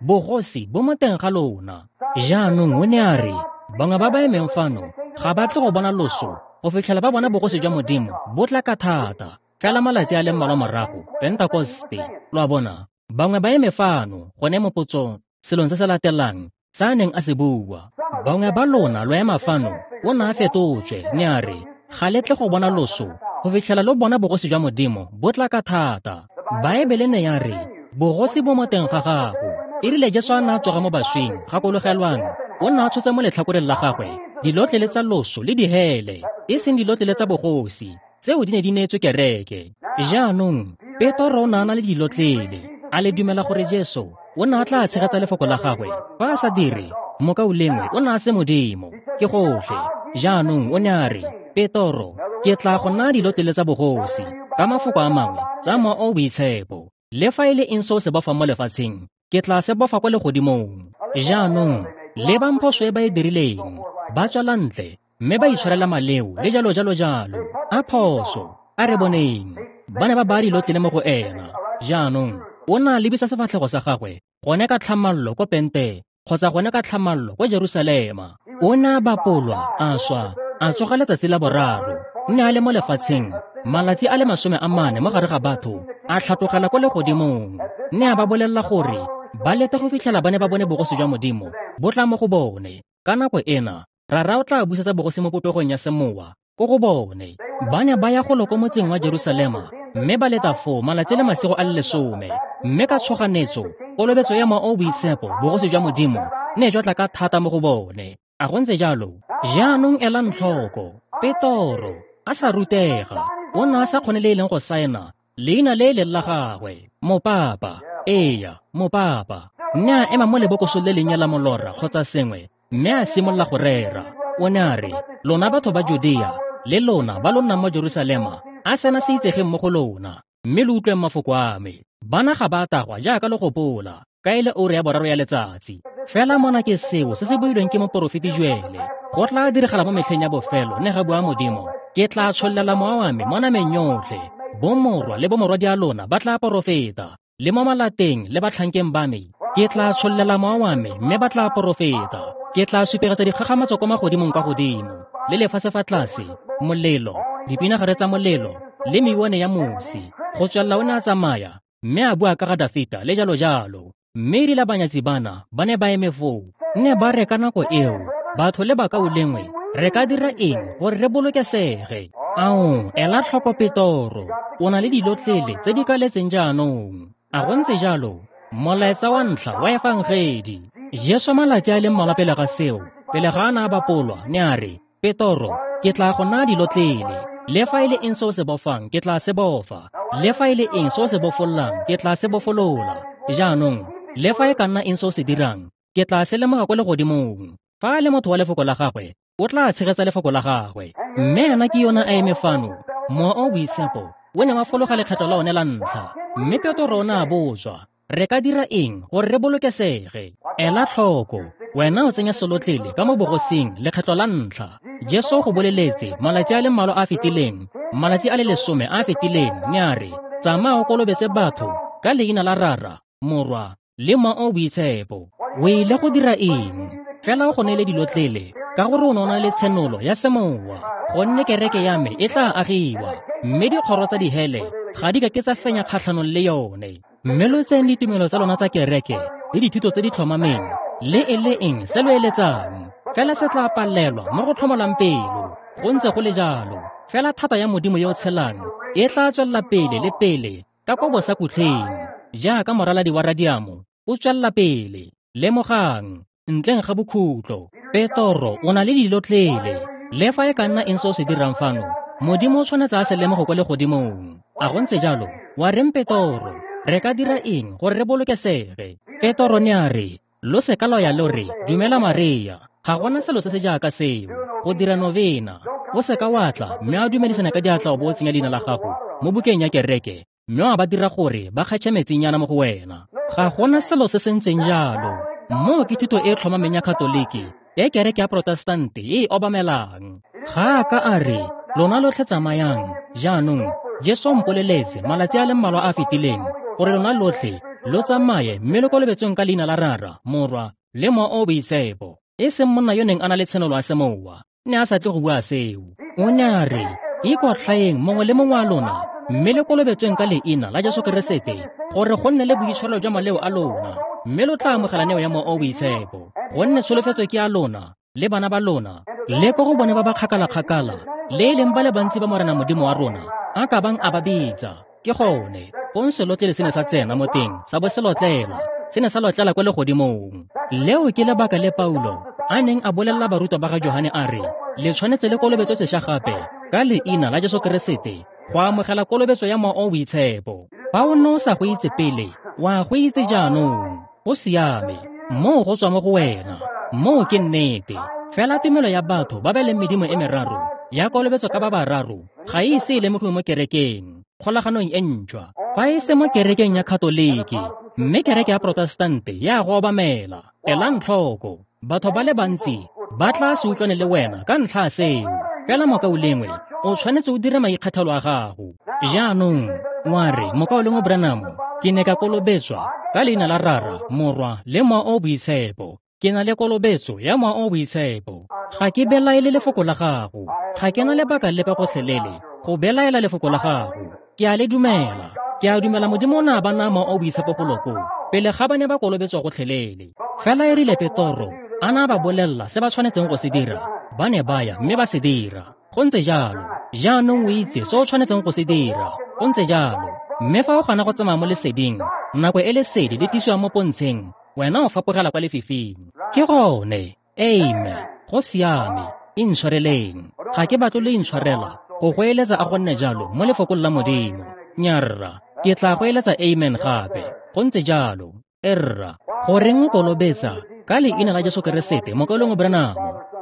Bogosi bo mo teng ga lona. Jaanong o ne a re, bangwe ba ba emeng fano ga ba tle go bona loso go fitlhela ba bona bogosi jwa Modimo bo tla ka thata. Fela malatsi a le mmalwa morago, Pentekoste, lo a bona, bangwe ba eme fano gone mo potsong, selong se se latelang sa a neng a se bua. Bangwe ba lona lo ema fano, o ne a fetotswe, ne a re, ga le tle go bona loso go fitlhela lo bona bogosi jwa Modimo bo tla ka thata. Baebele ne ya re, bogosi bo mo teng ga gago. E rile Jesu a ne a tsoga mo baswing, gakologelwang, o ne a tshotse mo letlhakoreng la gagwe dilotlele tsa loso le dihele, e seng dilotlele tsa bogosi, tseo di ne di neetswe kereke. Jaanong Petoro o ne a na le dilotlele. A le dumela gore Jesu o ne a tla tshegetsa lefoko la gagwe? Fa a sa dire, mokaulengwe o ne a se Modimo. Ke gotlhe. Jaanong o ne a re, Petoro, ke tla go naya dilotlele tsa bogosi, ka mafoko a mangwe, tsa Mowa o o Boitshepo. Le fa e le eng se o se bofang mo lefatsheng, ke tla se bofa ko legodimong. Jaanong lebang phoso e ba e dirileng. Ba tswela ntle mme ba itshwarela maleo le jalo jalo jalo. A phoso, a re boneng. Ba ne ba baya dilotlele mo go ena. Jaanong o ne a lebisa sefatlhego sa gagwe gone ka tlhamallo ko Pente, kgotsa gone ka tlhamallo ko Jerusalema. O ne a bapolwa, a swa, a tsoga letsatsi la boraro. Ne a le mo lefatsheng malatsi a le masome a mane mo gare ga batho, a tlhatlogela ko legodimong. Ne a ba bolelela gore ba lete go fitlhela ba ne ba bone bogosi jwa Modimo bo tla mo go bone. Ka nako ena, Rara o tla busetsa bogosi mo popegong ya semowa ko go bone. Ba ne ba ya golo ko motseng wa Jerusalema, mme ba leta foo malatsi le masigo a le lesome. Mme ka tshoganetso, kolobetso ya Mowa o o Boitshepo, bogosi jwa Modimo, ne jwa tla ka thata mo go bone. A go ntse jalo? Jaanong elang tlhoko, Petoro a sa rutega, o ne a sa kgone le e leng go saena leina le e leng la gagwe, mopapa. Eya, mopapa. Mme a ema mo lebokosong le lennye la molora kgotsa sengwe, mme a simolola go rera. O ne a re, lona batho ba Judea le lona ba lo nnang mo Jerusalema, a sena se itsegeng mo go lona, mme lo utlweng mafoko a me. Bana ga ba tagwa jaaka lo gopola, ka e le ura ya boraro ya letsatsi. Fela mona ke seo se se builweng ke moporofeti Joele. Go tla diragala mo metlheng ya bofelo, ne ga bua Modimo, ke tla tshollela mowa wa me mo nameng yotlhe. Bomorwa le bomorwadia lona ba tla porofeta, le mo malateng le batlhankeng ba me ke tla tshollela mowa wa me, mme ba tla porofeta. Ke tla supegetsa dikgakgamatso ko magodimong kwa godimo le lefatshe fa tlase, molelo, dipinagare tsa molelo le meuwane ya mosi. Go tswelela o ne a tsamaya mme a bua ka ga Dafita le jalo jalo. Mme erile banyatsi bana ba ne ba eme foo, ne ba re ka nako eo, batho le bakaulengwe, re ka dira eng gore re bolokesege? Ao, ela tlhoko Petoro, o na le dilotlele tse di kaletseng jaanong. A go ntse jalo? Molaetsa wa ntlha wa efangedi. Jesu malatsi a le mmalwa pele ga seo, pele ga a ne a bapolwa, ne a re, Petoro, ke tla go naya dilotlele. Le fa e le eng se o se bofang, ke tla se bofa. Le fa e le eng se o se bofollang, ke tla se bofolola. Jaanong, le fa e ka nna eng se o se dirang, ke tla se lemoga ko legodimong. Fa a le motho wa lefoko la gagwe, o tla tshegetsa lefoko la gagwe. Mme ena ke yona a eme fano, Mowa o o Boitshepo o ne wa fologa lekgetlo la one la ntlha. Mme Petoro o ne a botswa, re ka dira eng gore re bolokesege? Ela tlhoko, wena o tsenya selotlele ka mo bogosing lekgetlo la ntlha. Jesu go boleletse malatsi a le mmalwa a fetileng, malatsi a le lesome a fetileng, ne a re, tsamaya o kolobetse batho ka leina la Rara, Morwa le Mowa o o Boitshepo. O ile go dira eng? Fela o go neele dilotlele ka gore o ne o na le tshenolo ya semowa, gonne kereke ya me e tla agiwa, mme dikgoro tsa dihele ga di ka ke tsa fenya kgatlhanong le yone. Mme lo tseyeng ditumelo tsa lona tsa kereke le dithuto tse di tlhomameng, le e le eng se lo eletsang, fela se tla palelwa mo go tlhomolang pelo. Go ntse go le jalo, fela thata ya Modimo yo o tshelang e tla tswelela pele le pele ka kwa bosakutleng, jaaka moraladi wa radiamo o tswelela pele. Lemogang, ntleng ga bokhutlo, Petoro o na le dilotlele. Le fa e ka nna eng se o se dirang fano, Modimo o tshwanetse a se lemoge kwa legodimong. A go ntse jalo? Wa reng Petoro? Re ka dira eng gore re bolokesege? Petoro ne a re, lo se ka lwa ya lo re, dumela Maria. Ga gona selo se se jaaka seo, go dira novena. O se ka wa tla mme a dumedisana ka diatla o bo o tsenya leina la gago mo bukeng ya kereke, mme wa ba dira gore ba kgetšhe metsinyana mo go wena. Ga gona selo se se ntseng jalo. Moo ke thuto e tlhomameng ya Katoliki e kereke ya Protestante e e obamelang. Ga a ka a re, lona lotlhe tsamayang. Jaanong, Jesu o mpoleletse malatsi a le mmalwa a a fetileng gore lona lotlhe lo tsamaye mme lo kolobetsweng ka leina la Rara, Morwa le Mowa o o Boitshepo. E seng monna yo neng a na le tshenolo ya semowa, ne a sa tle go bua seo. O ne a re, ikotlhaeng mongwe le mongwe wa lona, mme le kolobetsweng ka leina la Jesu Keresete gore go nne le boitshwarelo jwa maleo a lona, mme lo tla amogela neo ya Mowa o o Boitshepo. Gonne tsholofetso ke ya lona le bana ba lona, le ko go bone ba ba kgakala-kgakala, le e leng ba le bantsi ba Morena Modimo wa rona a ka bang a ba bitsa. Ke gone fong selotlele se ne sa tsena mo teng, sa bo se lotlela, se ne sa lotlela kwa legodimong. Leo ke lebaka le Paulo a neng a bolelela barutwa ba ga Johane a re, le tshwanetse le kolobetswe sešwa gape ka leina la Jesu Keresete go amogela kolobetso ya Mowa o o Boitshepo. Fa o ne o sa go itse pele, wa go itse jaanong. Go siame, moo go tswa mo go wena. Moo ke nnete. Fela tumelo ya batho ba ba leng medimo e meraro ya kolobetso ka ba bararo ga e ise e lemogiwe mo kerekeng, kgolaganong e ntšhwa, fa e se mo kerekeng ya Katoliki, mme kereke ya Protestante ya go obamela. Elang tlhoko, batho ba le bantsi ba tla se utlwane le wena ka ntlha ya seo. Fela mokaulengwe, o tshwanetse o dire maikgethelo a gago. Jaanong, wa re, mokaulengwe Branham, ke ne ka kolobetswa ka leina la Rara, Morwa le Mowa o o Boitshepo. Ke na le kolobetso ya Mowa o o Boitshepo. Ga ke belaele lefoko la gago. Ga ke na lebaka lepe gotlhelele go belaela lefoko la gago. Ke a le dumela. Ke a dumela Modimo o ne a ba naya Mowa o o Boitshepo golo koo pele ga ba ne ba kolobetswa gotlhelele. Fela e rile Petoro a na ba bolelela se ba tshwanetseng go se dira, ba ne ba ya mme ba se dira. Go ntse jalo. Jaanong o itse se o tshwanetseng go se dira. Go ntse jalo. Mme fa o gana go tsamaya mo leseding, nako e lesedi le tlisiwa mo pontsheng, wena o fapogela kwa lefifing. Ke gone. Amen. Go siame. Intshwareleng. Ga ke batle lo intshwarela go goeletsa a go nne jalo mo lefokong la Modimo. Nyarra, ke tla goeletsa amen gape. Go ntse jalo. Erra, goreng o kolobetsa ka leina la Jesu Keresete, mokaulengwe Branham?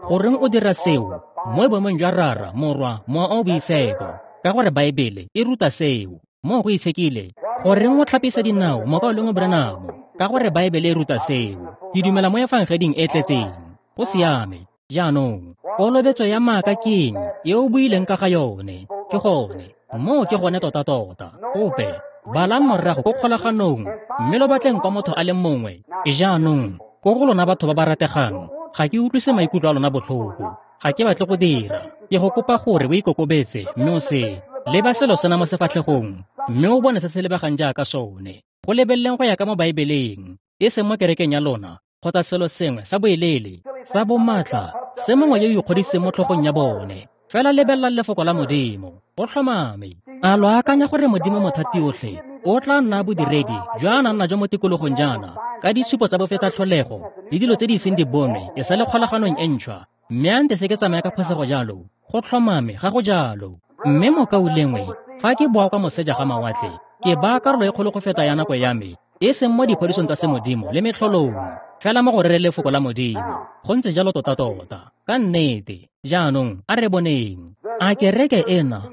Goreng o dira seo mo boemong jwa Rara, Morwa, Mowa o o Boitshepo? Ka gore Baebele e ruta seo. Moo go itshekile. Goreng o tlhapisa dinao, mokaulengwe Branham? Ka gore Baebele e ruta seo. Ke dumela mo efangeding e tletseng. Go siame. Jaanong, kolobetso ya maaka ke eng e o buileng ka ga yone? Ke gone. Moo ke gone tota-tota. Ope, balang morago ko kgolaganong, mme lo batleng kwa motho a le mongwe. Jaanong, ko go lona batho ba ba rategang, ga ke utlwise maikutlo a lona botlhoko. Ga ke batle go dira. Ke go kopa gore o ikokobetse mme o se leba selo sena mo sefatlhegong, mme o bone se se lebegang jaaka sone. Go lebeleleng go ya ka mo Baebeleng, e seng mo kerekeng ya lona, kgotsa selo sengwe sa boelele, sa bomatla, se mongwe yo o ikgodisitseng mo tlhogong ya bone. Fela lebelela lefoko la Modimo. Go tlhomame. A lo akanya gore Modimo Mothatiotlhe o tla nna bodiredi jwa a nang najo mo tikologong jaana ka ditshupo tsa bofetatlholego le dilo tse di iseng di bonwe e sa le kgolaganong e ntšhwa, mme a nte se ke tsamaya ka phosego jalo? Go tlhomame ga go jalo. Mme mokaulengwe, fa ke boa kwa moseja ga mawatle, ke baya karolo e kgolo go feta ya nako ya me, e seng mo diphodisong tsa semodimo le metlholong, fela mo go rere lefoko la Modimo. Go ntse jalo tota-tota. Ka nnete. Jaanong, a re boneng. A kereke ena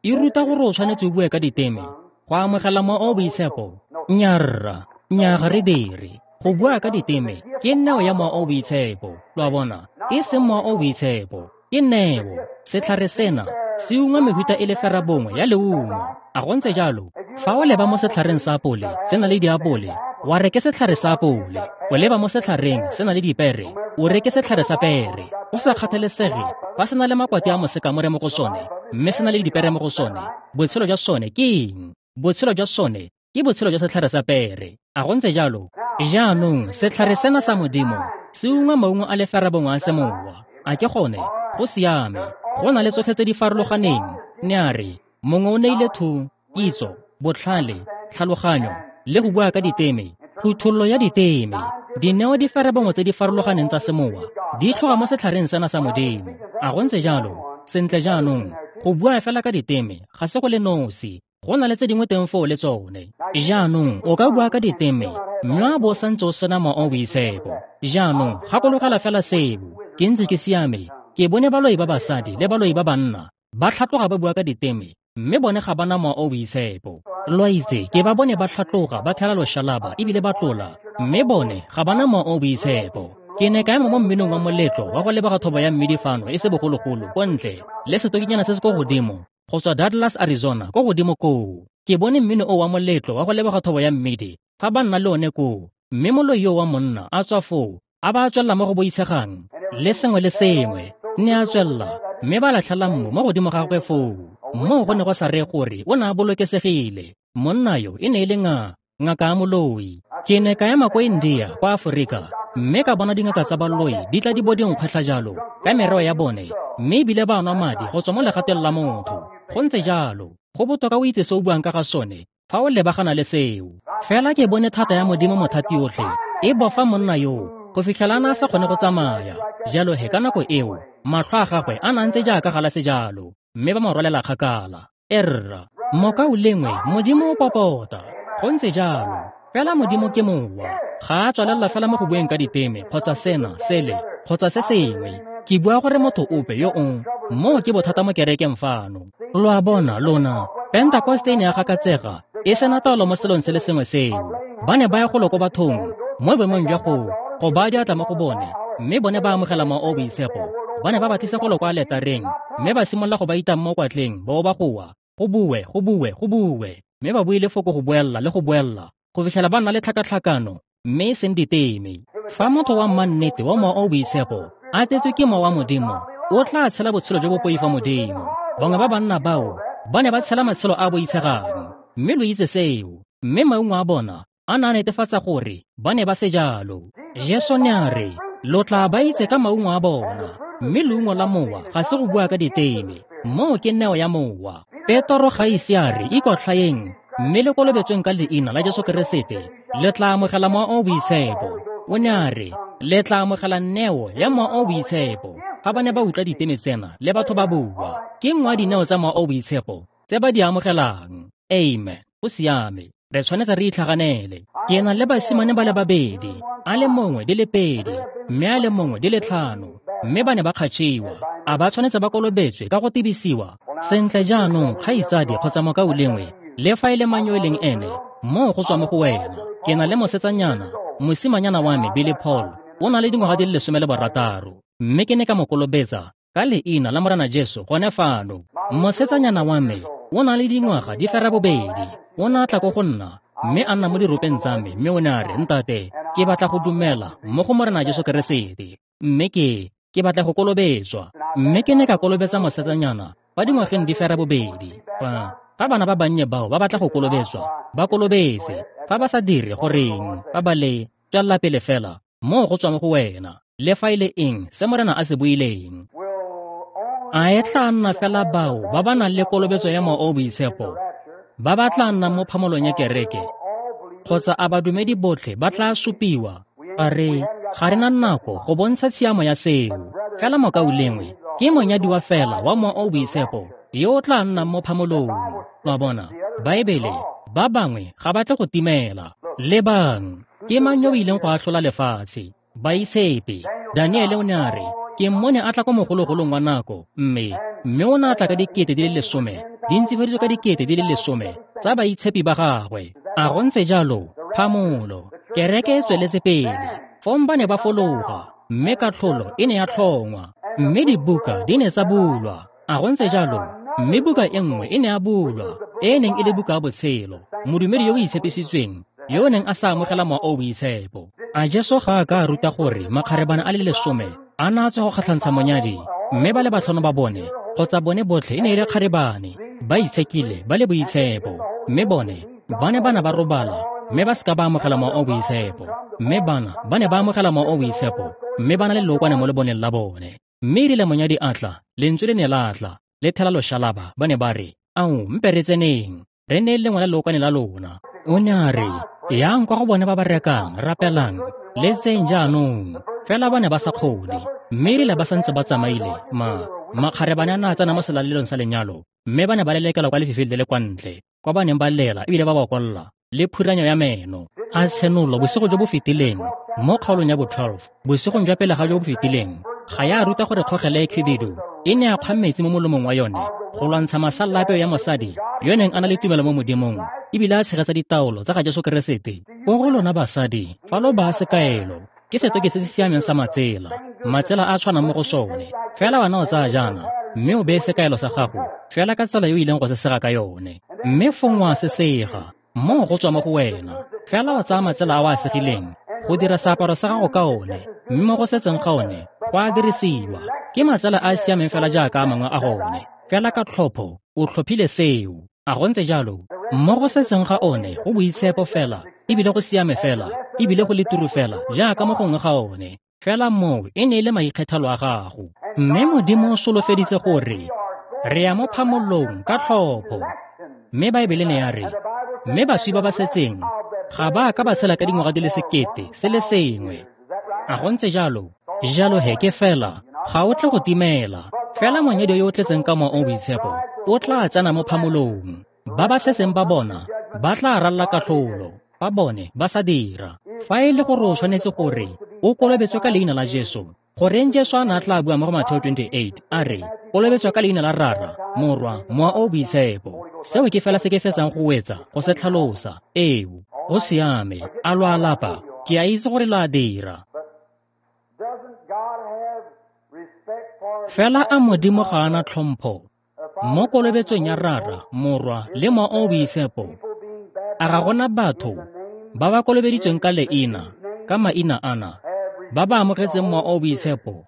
e ruta gore o tshwanetse o bue ka diteme go amogela Mowa o o Boitshepo? Nyarra, nnyaa ga re dire. Go bua ka diteme ke neo ya Mowa o o Boitshepo. Lo a bona? E seng Mowa o o Boitshepo, ke neo. Setlhare sena se ungwa mehuta e le ferabongwe ya leungo. A go ntse jalo? Fa o leba mo setlhareng sa apole, se na le diapole. Wa re ke setlhare sa apole, o leba mo setlhareng se na le dipere, o re ke setlhare sa pere. Go sa kgathalesege fa se na le makwati a mosekamore mo go sone, mme se na le dipere mo go sone, botshelo jwa sone ke eng? Botshelo jwa sone ke botshelo jwa setlhare sa pere. A go ntse jalo? Jaanong setlhare sena sa Modimo se ungwa maungo a le ferabongwe a semowa. A ke gone? Go siame. Go na le tsotlhe tse di farologaneng. Ne a re, mongwe o neile thu, kitso, botlhale, tlhaloganyo, le go bua ka diteme, phuthololo ya diteme. Dineo di ferabongwe tse di farologaneng tsa semowa di tlhoga mo setlhareng sena sa Modimo. A go ntse jalo? Sentle jaanong, go bua fela ka diteme ga se go le nosi. Go na le tse dingwe teng foo le tsone. Jaanong o ka bua ka diteme mme a bo o santse o sena Mowa o o Boitshepo. Jaanong gakologela fela seo. Ke ntse ke siame. Ke bone baloi ba basadi le baloi ba banna ba tlhatloga ba bua ka diteme, mme bone ga ba na Mowa o o Boitshepo. Lo a itse, ke ba bone ba tlhatloga ba thela loshalaba ebile ba tlola, mme bone ga ba na Mowa o o Boitshepo. Ke ne ka ema mo mminong wa moletlo wa go leboga thobo ya mmidi fano e se bogologolo ko ntle le setokinyana se se ko godimo go tswa Douglas, Arizona, ko godimo koo. Ke bone mmino o wa moletlo wa go leboga thobo ya mmidi fa ba nna le one koo, mme moloi yo wa monna a tswa foo a ba a tswelela mo go boitshegang le sengwe le sengwe. Ne a tswelela mme ba latlhela mmu mo godimo ga gagwe foo. Moo go ne go sa reye gore o ne a bolokesegile. Monna yo e ne e le nga ngaka ya moloi. Ke ne ka ema ko India, kwa Aforika, mme ka bona dingaka tsa baloi di tla di bo di nkgwetlha jalo ka mereo ya bone, mme ebile ba nwa madi go tswa mo legateng la motho. Go ntse jalo. Go botoka o itse se o buang ka ga sone fa o lebagana le seo. Fela ke bone thata ya Modimo mothati otlhe e bofa monna yo go fitlhela a na a sa kgone go tsamaya. Jalo he ka nako eo matlho a gagwe a na ntse jaaka galase jalo, mme ba mo rwalela kgakala. Erra, mokaulengwe, Modimo o popota. Go ntse jalo. Fela Modimo ke mowa. Ga a tswelela fela mo go bueng ka diteme kgotsa sena, sele, kgotsa se sengwe. Ke bua gore motho ope yo o moo ke bothata mo kerekeng fano. Lo a bona lona, Pentekoste e ne ya gakatsega e sena taolo mo selong se le sengwe seo. Ba ne ba ya golo ko bathong mo boemong jwa go go baya diatla mo go bone, mme bone ba amogela Mowa o o Boitshepo. Ba ne ba ba tlisa golo kwa aletareng mme ba simolola go ba itang mo kwatleng, ba ba goa, go bue, go bue, go bue, mme ba buile foko go boella le go boella go fitlhela ba nna le tlhakatlhakano, mme e seng diteme. Fa motho wa mmannete wa Mowa o o Boitshepo a tletswe ke Mowa wa Modimo, o tla tshela botshelo jo bo poifa Modimo. Bangwe ba banna bao ba ne ba tshela matshelo a a boitshegang, mme lo itse seo, mme maungo a bona a ne a netefatsa gore ba ne ba se jalo. Jesu ne a re, lo tla ba itse ka maungo a bona, mme leungo la mowa ga se go bua ka diteme. Moo ke neo ya mowa. Petoro ga ise a re ikotlhaeng mme le kolobetsweng ka leina la Jesu Keresete le tla amogela Mowa o o Boitshepo. O ne a re le tla amogela neo ya Mowa o o Boitshepo. Fa ba ne ba utlwa diteme tsena le batho ba bua, ke nngwe ya dineo tsa Mowa o o Boitshepo tse ba di amogelang. Amen. Go siame. Re tshwanetse re itlhaganele. Ke na le basimane ba le babedi, a le mongwe di le pedi, mme a le mongwe di le tlhano, mme ba ne ba kgatšhiwa. A ba tshwanetse ba kolobetswe ka go tibisiwa? Sentle jaanong, kgaitsadi kgotsa mokaulengwe, le fa e le mang yo e leng ene, moo go tswa mo go wena. Ke na le mosetsanyana, mosimanyana wa me Billy Paul, o na le dingwaga di le lesome le borataro, mme ke ne ka mo kolobetsa ka leina la Morena Jesu gone fano. Mosetsanyana wa me o na le dingwaga di fera bobedi, o ne a tla ko go nna mme a nna mo diropeng tsa me, mme o ne a re, ntate, ke batla go dumela mo go Morena Jesu Keresete, mme ke ke batla go kolobetswa. Mme ke ne ka kolobetsa mosetsanyana fa dingwageng di fera bobedi. Fa fa bana ba bannye bao ba batla go kolobetswa, ba kolobetse. Fa ba sa dire goreng, fa ba le tswelela pele fela, moo go tswa mo go wena, le fa e le eng se Morena a se buileng. A e tla nna fela bao ba ba nang le kolobetso ya Mowa o o Boitshepo ba ba tla nnang mo phamolong ya kereke, kgotsa a badumedi botlhe ba tla supiwa? Ga re ga re na nako go bontsha tshiamo ya seo. Fela mokaulengwe ke monyadiwa fela wa Mowa o o Boitshepo yo o tla nnang mo phamolong. Lo a bona, Baebele, ba bangwe ga ba tle go timela. Lebang, ke mang yo o ileng go atlhola lefatshe? Baitshepi. Daniele o ne a re, ke mmone a tla ko mogologolong wa nako, mme mme o ne a tla ka dikete di le lesome, di ntsifaditswe ka dikete di le lesome tsa baitshepi ba gagwe. A go ntse jalo? Phamolo. Kereke e tsweletse pele. Fong ba ne ba fologa, mme katlholo e ne ya tlhongwa, mme dibuka di ne tsa bulwa. A go ntse jalo? Mme buka e nngwe e ne ya bulwa, e e neng e le buka ya botshelo. Modumedi yo o itshepisitsweng yo o neng a sa amogela Mowa o o Boitshepo. A Jesu ga a ka a ruta gore makgarebana a le lesome a na a tswa go kgatlhantsha monyadi, mme ba le batlhano ba bone kgotsa bone botlhe e ne e le kgarebane, ba itshekile, ba le boitshepo, mme bone ba ne ba na ba robala mme ba seka ba amogela Mowa o o Boitshepo, mme bana ba ne ba amogela Mowa o o Boitshepo mme ba na le lookwane mo leboneng la bone. Mme erile monyadi a tla, lentswe le ne la tla le thela loshalaba, ba ne ba re, "Ao, mpe re tseneng, re ne lengwe la lookwane la lona." O ne a re, "Yang kwa go bone ba ba rekang, rapelang, le tseng jaanong." Fela ba ne ba sa kgone. Mme erile ba santse ba tsamaile, ma makgarebane a ne a tsena mo selalelong sa lenyalo, mme ba ne ba lelekelwa kwa lefifing le le kwa ntle, kwa ba neng ba lela ebile ba bokolla le phuranyo ya meno. A tshenolo bosigo jo bo fetileng mo kgaolong ya bo twelve, bosigong jwa pele ga jo bo fetileng, ga ya ruta gore kgogela e khibidu e ne ya kgwa metsi mo molomong wa yone go lwantsha masalela a peo ya mosadi yo neng a na le tumelo mo Modimong ebile a tshegetsa ditaolo tsa ga Jesu Keresete. Ko go lona basadi, fa lo baya sekaelo, ke setoki se se siameng sa matsela, matsela a tshwanang mo go sone. Fela wena o tsaya jaana, mme o beye sekaelo sa gago fela ka tsela yo o ileng go se sega ka yone, mme fong wa se sega, moo go tswa mo go wena. Fela o tsaya matsela a o a segileng go dira seaparo sa gago ka one, mme mo go setseng ga one go a dirisiwa. Ke matsela a a siameng fela jaaka a mangwe a gone, fela ka tlhopho o tlhophile seo. A go ntse jalo? Mo go setseng ga one go boitshepo fela, ebile go siame fela, ebile go le turu fela jaaka mo gongwe ga one. Fela moo e ne e le maikgethelo a gago. Mme Modimo o solofeditse gore re ya mo phamolong ka tlhopho. Mme Baebele ne ya re, mme baswi ba ba setseng ga ba ka ba tshela ka dingwaga di le sekete se le sengwe. A go ntse jalo? Jalo he ke fela, ga o tle go timela. Fela monyadi yo o tletseng ka Mowa o o Boitshepo o tla tsena mo phamolong. Ba ba setseng ba bona ba tla ralla katlholo, ba bone ba sa dira. Fa e le gore o tshwanetse gore o kolobetswe ka leina la Jesu, goreng Jesu a ne a tla bua mo go Mateo twenty-eight a re, kolobetswa ka leina la Rara, Morwa, Mowa o o Boitshepo. Seo ke fela se ke fetsang go wetsa go se tlhalosa. Eo, go siame. A lo a lapa? Ke a itse gore lo a dira. Fela a Modimo ga a na tlhompho mo kolobetsong ya Rara, Morwa le Mowa o o Boitshepo? A ga gona batho ba ba kolobeditsweng ka leina, ka maina ana, ba ba amogetseng Mowa o o Boitshepo?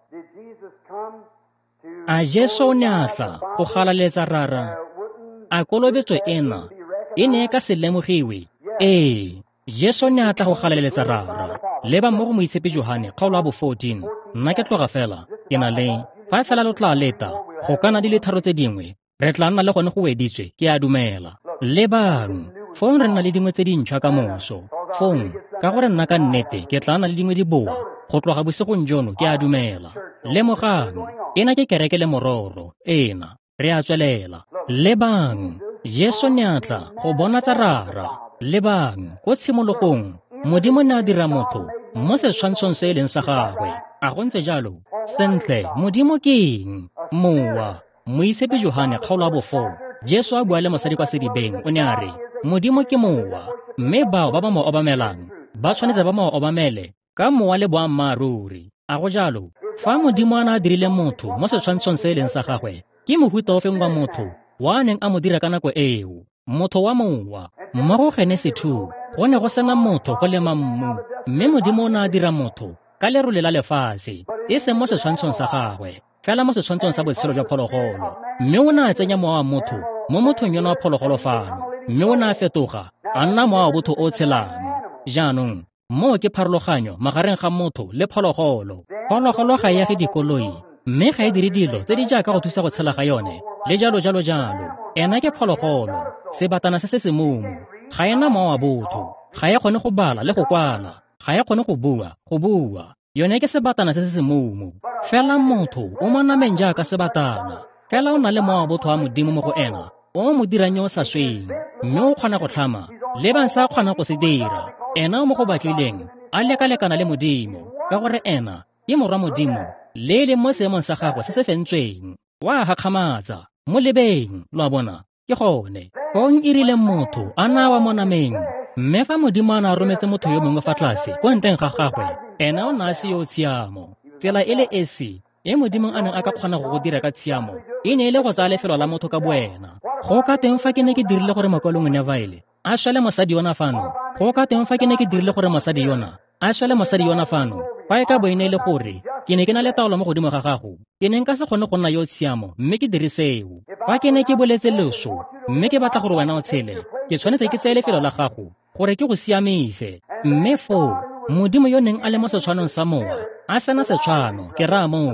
A Jesu o ne a tla go galaletsa Rara? A kolobetso ena e ne e ka se lemogiwe? Ee, Jesu ne a tla go galaletsa Rara. Leba mo go Moitshepi Johane kgaolo ya bo fourteen. Nna ke tloga fela, ke na le fa fela lo tla leta go kana di le tharo tse dingwe, re tla nna le gone go weditswe, ke a dumela. Lebang, fong re nna le dingwe tse dintšhwa ka moso. Fong, ka gore nna ka nnete ke tla nna le dingwe di boa go tloga bosigong jono, ke a dumela. Lemogang, ena ke kereke le mororo, ena re a tswelela. Lebang, Jesu ne a tla go bonatsa Rara. Lebang, ko tshimologong Modimo ne a dira motho mo setshwantshong se e leng sa gagwe. A go ntse jalo? Sentle, Modimo ke eng? Mowa. Moitshepi Johane kgaolo ya bo four, Jesu a bua le mosadi kwa sedibeng, o ne a re, Modimo ke mowa, mme bao ba ba mo obamelang ba tshwanetse ba mo obamele ka mowa le boammaaruri. A go jalo? Fa Modimo a ne a dirile motho mo setshwantshong se e leng sa gagwe, ke mohuta ofeng wa motho wa a neng a mo dira ka nako eo? Motho wa mowa. Mo go Genesi two, go ne go sena motho go lema mmu, mme Modimo o ne a dira motho ka lerole la lefatshe, e seng mo setshwantshong sa gagwe, fela mo setshwantshong sa botshelo jwa phologolo. Mme o ne a tsenya mowa wa motho mo mothong yono wa phologolo fano, mme o ne a fetoga a nna mowa wa botho o tshelang. Jaanong, moo ke pharologanyo magareng ga motho le phologolo. Phologolo ga e age dikoloi, mme ga e dire dilo tse di jaaka go thusa go tshela ga yone, le jalo jalo jalo. Ena ke phologolo, sebatana se se semumu. Ga ena mowa wa botho, ga e kgone go bala le go kwala, ga e kgone go bua, go bua. Yone ke sebatana se se semumu. Fela motho o mo nameng jaaka sebatana, fela o na le mowa wa botho wa Modimo mo go ena, o mo dirang yo o sa sweng, mme o kgona go tlhama, lebang sa kgona go se dira. Ena o mo go batlileng a lekalekana le Modimo, ka gore ena ke morwa Modimo, le e leng mo seemong sa gagwe se se fentsweng. Wa gakgamatsa, mo lebeng, lo a bona, ke gone. Fong e rile motho a na wa mo nameng, mme fa Modimo a na rometse motho yo mongwe fa tlase ko ntleng ga gagwe, ena o na a se yo tshiamo. Tsela e le esi e Modimo a neng a ka kgona go go dira ka tshiamo e ne e le go tsaya lefelo la motho ka boena. Go ka teng fa ke ne ke dirile gore Mokaulengwe Neville a swele mosadi yona fano? Go ka teng fa ke ne ke dirile gore mosadi yona a swele mosadi yona fano, fa e ka bo e ne e le gore ke ne ke na le taolo mo godimo ga gago, ke ne nka se kgone go nna yo tshiamo mme ke dire seo. Fa ke ne ke boletse loso mme ke batla gore wena o tshele, ke tshwanetse ke tseye lefelo la gago gore ke go siamise. Mme foo Modimo yo neng a le mo setshwanong sa mowa, a sena setshwano, ke raya moo.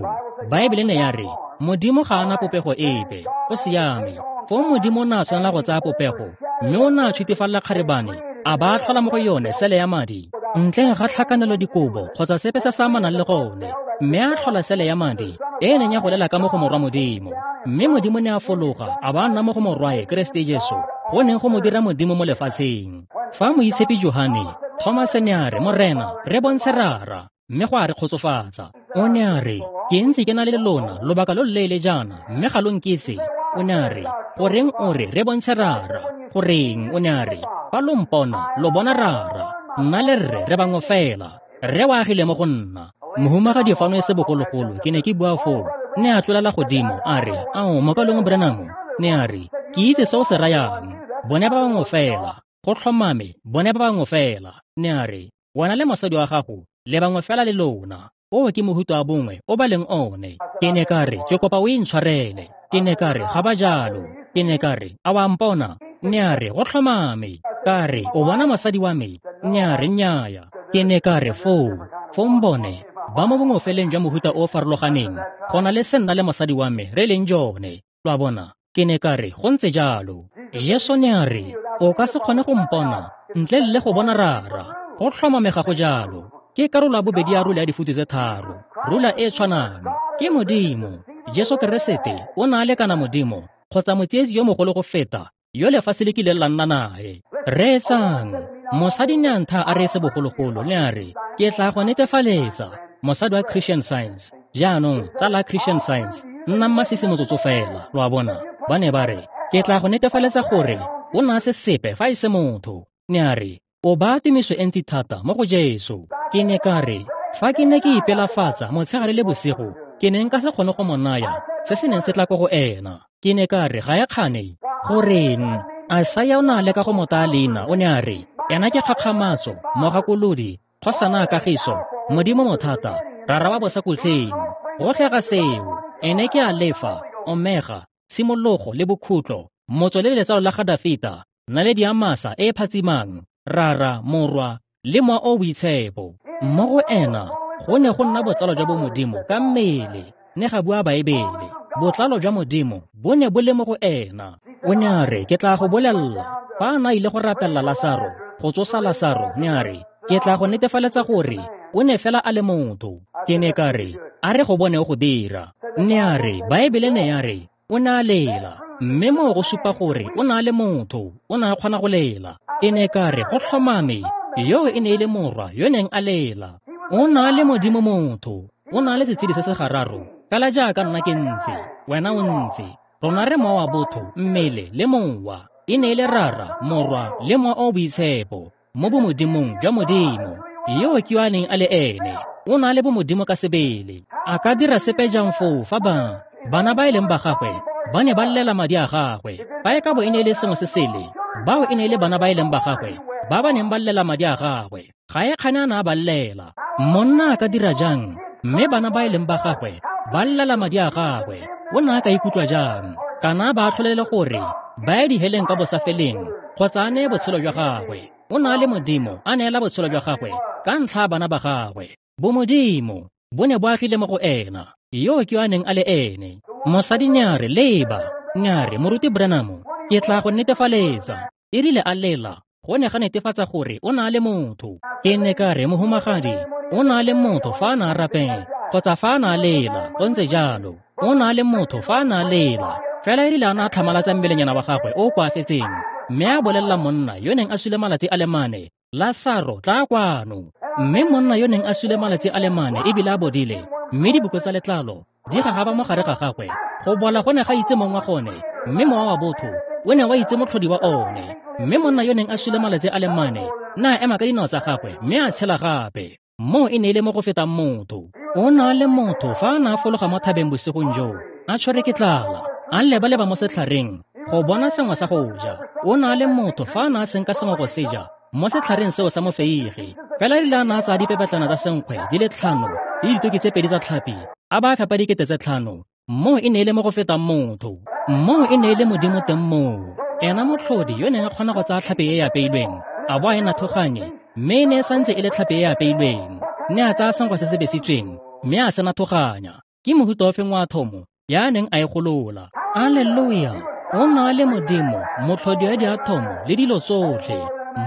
Baebele ne ya re Modimo ga a na popego epe, o siame. Foo Modimo o ne a tshwanela go tsaya popego, mme o ne a tshwitifalela kgarebane, a ba a tlhola mo go yone sele ya madi, ntleng ga tlhakanelo dikobo kgotsa sepe se se amanang le gone, mme a tlhola sele ya madi e e neng ya golela ka mo go morwa Modimo. Mme Modimo ne a fologa a ba a nna mo go morwae Keresete Jesu, go neng go mo dira Modimo mo lefatsheng. Fa Moitshepi Johane, Thomas ne a re, Morena, re bontshe Rara, mme go a re kgotsofatsa. O ne a re, ke ntse ke na le lona lobaka lo loleele jaana, mme ga lo nkitse. O ne a re, goreng o re re bontshe Rara? Goreng? O ne a re, fa lo mpona, lo bona Rara. Nna le rre re bangwe fela, rre o agile mo go nna. Mohumagadi fano e se bogologolo, ke ne ke bua foo, ne a tlolela godimo, a re, ao, mokalong Branham, ne a re, ke itse se o se rayang, bone ba bangwe fela, go tlhomame, bone ba bangwe fela. Ne a re, wena le mosadi wa gago, le bangwe fela le lona, oo ke mohuta wa bongwe o ba leng one. Ke ne ka re, ke kopa o intshwarele. Ke ne ka re, ga ba jalo. Ke ne ka re, a wa mpona? Ne a re, go tlhomame. Ka re, o bona mosadi wa me? Ne a re, nnyaya. Ke ne ka re, foo, foo mbone, ba mo bongwefeleng jwa mohuta o o farologaneng, go na le se nna le mosadi wa me re leng jone. Lo a bona? Ke ne ka re, go ntse jalo. Jesu ne a re, o ka se kgone go mpona ntle le go bona Rara. Go tlhomame ga go jalo. Ke karolo ya bobedi ya rula ya difutu tse tharo, rula e tshwanang. Ke Modimo. Jesu Keresete o ne a lekana Modimo kgotsa motsietsi yo mogolo go feta yo lefatshe le kileng la nna nae. Reetsang, mosadi ne a ntha a re se bogologolo, ne a re, ke tla go netefaletsa, mosadi wa Christian Science. Jaanong, tsala Christian Science, nna mmasisi motsotso fela, lo a bona. Ba ne ba re, ke tla go netefaletsa gore o ne a se sepe fa e se motho. Ne a re, o baya tumiso e ntsi thata mo go Jesu. Ke ne ka re, fa ke ne ke ipelafatsa motshegare le bosigo, ke ne nka se kgone go mo naya se se neng se tla ko go ena. Ke ne ka re, ga e kgane. Goreng? Isaiah o ne a leka go mo taya leina, o ne a re, ena ke kgakgamatso, mogakolodi, kgosana a kagiso, Modimo mothata, Rara wa bosakhutleng. Gotlhe ga seo, ene ke Alefa, Omega, tshimologo le bokhutlo, motswe le letsalo la ga Dafita, naledi ya masa e e phatsimang, Rara, Morwa, le Mowa o Boitshepo. Mo go ena, go ne go nna botlalo jwa bomodimo ka mmele, ne ga bua Baebele. Botlalo jwa Modimo bo ne bo le mo go ena. O ne a re, ke tla go bolella, fa a na ile go rapella Lasaro, go tsosa Lasaro, ne a re, ke tla go netefaletsa gore o ne fela a le motho. Ke ne ka re, a re go bone o go dira. Ne a re, Baebele ne ya re, o ne a lela, mme moo go supa gore o ne a le motho, o ne a kgona go lela. Ke ne ka re, go tlhomame, yo e ne e le morwa yo neng a lela. O ne a le Modimo motho, o ne a le setshedi se se gararo, fela jaaka nna ke ntse, wena o ntse. Rona re mowa wa botho, mmele le mowa. E ne e le Rara, Morwa le Mowa o Boitshepo, mo bomodimong jwa Modimo. Yo ke yo a neng a le ene, o ne a le bomodimo ka sebele. A ka dira sepe jang foo fa ba bana ba e leng ba gagwe ba ne ba llela madi a gagwe? Fa e ka bo e ne e le sengwe se sele, bao e ne e le bana ba e leng ba gagwe ba ba neng ba llela madi a gagwe. Ga e kgane a ne a ba llela. Monna a ka dira jang mme bana ba e leng ba gagwe ba llela madi a gagwe? O ne a ka ikutlwa jang? Kana ba atlholele gore ba ye diheleng ka bosafeleng kgotsa a neye botshelo jwa gagwe. O ne a le Modimo, a neela botshelo jwa gagwe ka ntlha ya bana ba gagwe. Bomodimo bo ne bo agile mo go ena, yo ke yo a neng a le ene. Mosadi ne a re, leba, ne a re, Moruti Branham, ke tla go netefaletsa. E rile a lela, go ne ga netefatsa gore o ne a le motho. Ke ne ka re, mohumagadi, o ne a le motho fa a ne a rapela kgotsa fa a ne a lela, go ntse jalo. O ne a le motho fa a ne a lela, fela e rile a ne a tlhamalatsa mmelenyana wa gagwe o o koafetseng, mme a bolelela monna yo neng a sule malatsi a le mane, Lasaro, tla kwano. Mme monna yo neng a sule malatsi a le mane ebile a bodile, mme diboko tsa letlalo di gagaba mo gare ga gagwe. Go bola go ne ga itse mong wa gone, mme mowa wa botho o ne wa itse motlhodi wa one. Mme monna yo neng a sule malatsi a le mane ne a ema ka dinao tsa gagwe mme a tshela gape. Moo e ne e le mo go fetang motho. O ne a le motho fa a ne a fologa mo thabeng bosigong joo, a tshwere ke tlala, a leba-leba mo setlhareng, go bona sengwe sa go ja. O ne a le motho fa a ne a senka sengwe go se ja mo setlhareng seo sa mofeige. Fela erile a ne a tsaya dipepetlana tsa senkgwe di le tlhano le ditoki tse pedi tsa tlhapi, a ba a fepa dikete tse tlhano. Moo e ne e le mo go fetang motho. Moo e ne e le Modimo teng moo. Ena motlhodi yo neng a kgona go tsaya tlhapi e e apeilweng, a bo a e nathoganye, mme e ne e santse e le tlhapi e e apeilweng. Ne a tsaya senkgwe se se besitsweng, mme a se nathoganya. Ke mohuta ofeng wa athomo ya neng a e golola. Alleluia! O ne a le Modimo, motlhodi wa diathomo le dilo tsotlhe.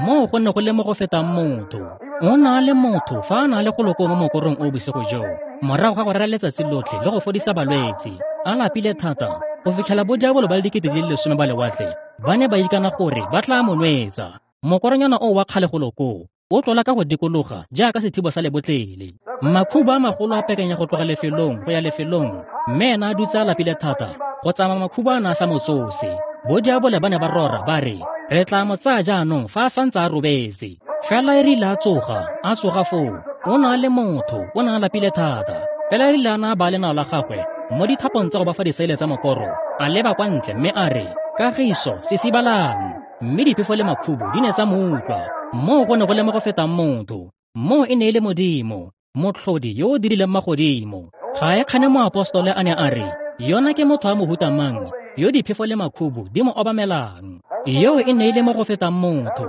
Moo go ne go le mo go fetang motho. O ne a le motho fa a ne a le golo koo mo mokorong o bosigo joo, morago ga go rera letsatsi lotlhe le go fodisa balwetse, a lapile thata go fitlhela bodiabolo ba le dikete di le lesome ba lewatle ba ne ba ikana gore ba tla mo nwetsa. Mokoronyana o wa kgale golo koo o tlola ka go dikologa jaaka sethibo sa lebotlele. Makhubu a magolo a pekenya go tloga lefelong go ya lefelong, mme ena a dutse a lapile thata go tsamaya makhubu a ne a sa mo tsose. Bodiabole ba ne ba rora ba re, re tla mo tsaya jaanong fa a santse a robetse. Fela e rile a tsoga, a tsoga foo, o ne a le motho, o ne a lapile thata. Fela e rile a ne a baya lenao la gagwe mo dithapong tsa go ba fa disaele tsa mokoro, a leba kwa ntle mme a re, kagiso, sisibalang. Mme diphefo le makhubu di ne tsa mo utlwa. Moo go ne go le mo go fetang motho. Moo e ne e le Modimo, motlhodi yo o dirileng magodimo. Ga e kgane moapostole a ne a re, yona ke motho wa mohuta mang yo diphefo le makhubu di mo obamelang. Yo e ne e le mo go fetang motho.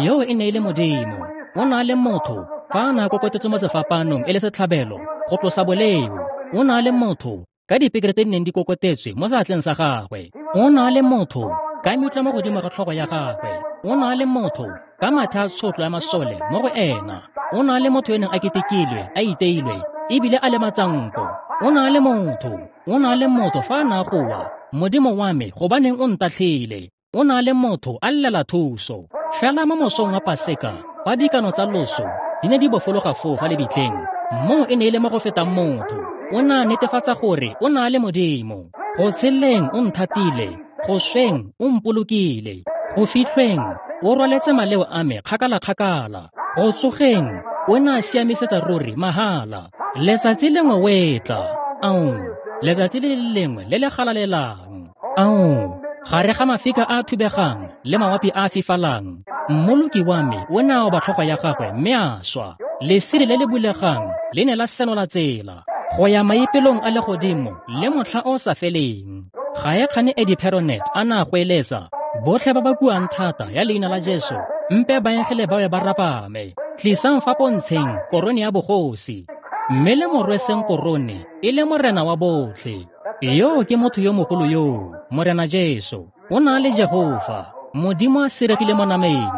Yo e ne e le Modimo. O ne a le motho fa a ne a kokotetswe mo sefapanong e le setlhabelo go tlosa boleo. O ne a le motho ka dipekere tse di neng di kokotetswe mo seatleng sa gagwe. O ne a le motho ka meutla mo godimo ga tlhogo ya gagwe. O ne a le motho ka mathe a tshotlo ya masole mo go ena. O ne a le motho yo neng a ketekilwe, a iteilwe, ebile a le matsanko. O ne a le motho. O ne a le motho fa a ne a goa, Modimo wa me, gobaneng o ntatlhile? O ne a le motho a llela thuso. Fela mo mosong wa Paseka, fa dikano tsa loso di ne di bofologa foo fa lebitleng, moo e ne e le mo go fetang motho. O ne a netefatsa gore o ne a le Modimo. Go tsheleng o nthatile, go sweng o mpolokile, go fitlhweng o rwaletse maleo a me kgakala-kgakala, go tsogeng o ne a siamisetsa ruri mahala. Letsatsi lengwe o etla, ao, letsatsi le le lengwe le le galalelang, ao, gare ga mafika a a thubegang le mawapi a a fifalang, mmoloki wa me o ne a oba tlhogo ya gagwe mme a swa. Lesire le le bulegang le ne la senola tsela go ya maipelong a legodimo le motlha o sa feleng. Ga e kgane Eddie Perronet a ne a goeletsa, botlhe ba ba kuang thata ya leina la Jesu, mpe baengele ba be ba rapame. Tlisang fa pontsheng korone ya bogosi, mme le mo rweseng korone e le morena wa botlhe. Yo ke motho yo mogolo yo, Morena Jesu. O ne a le Jehofa, Modimo a siregile mo nameng.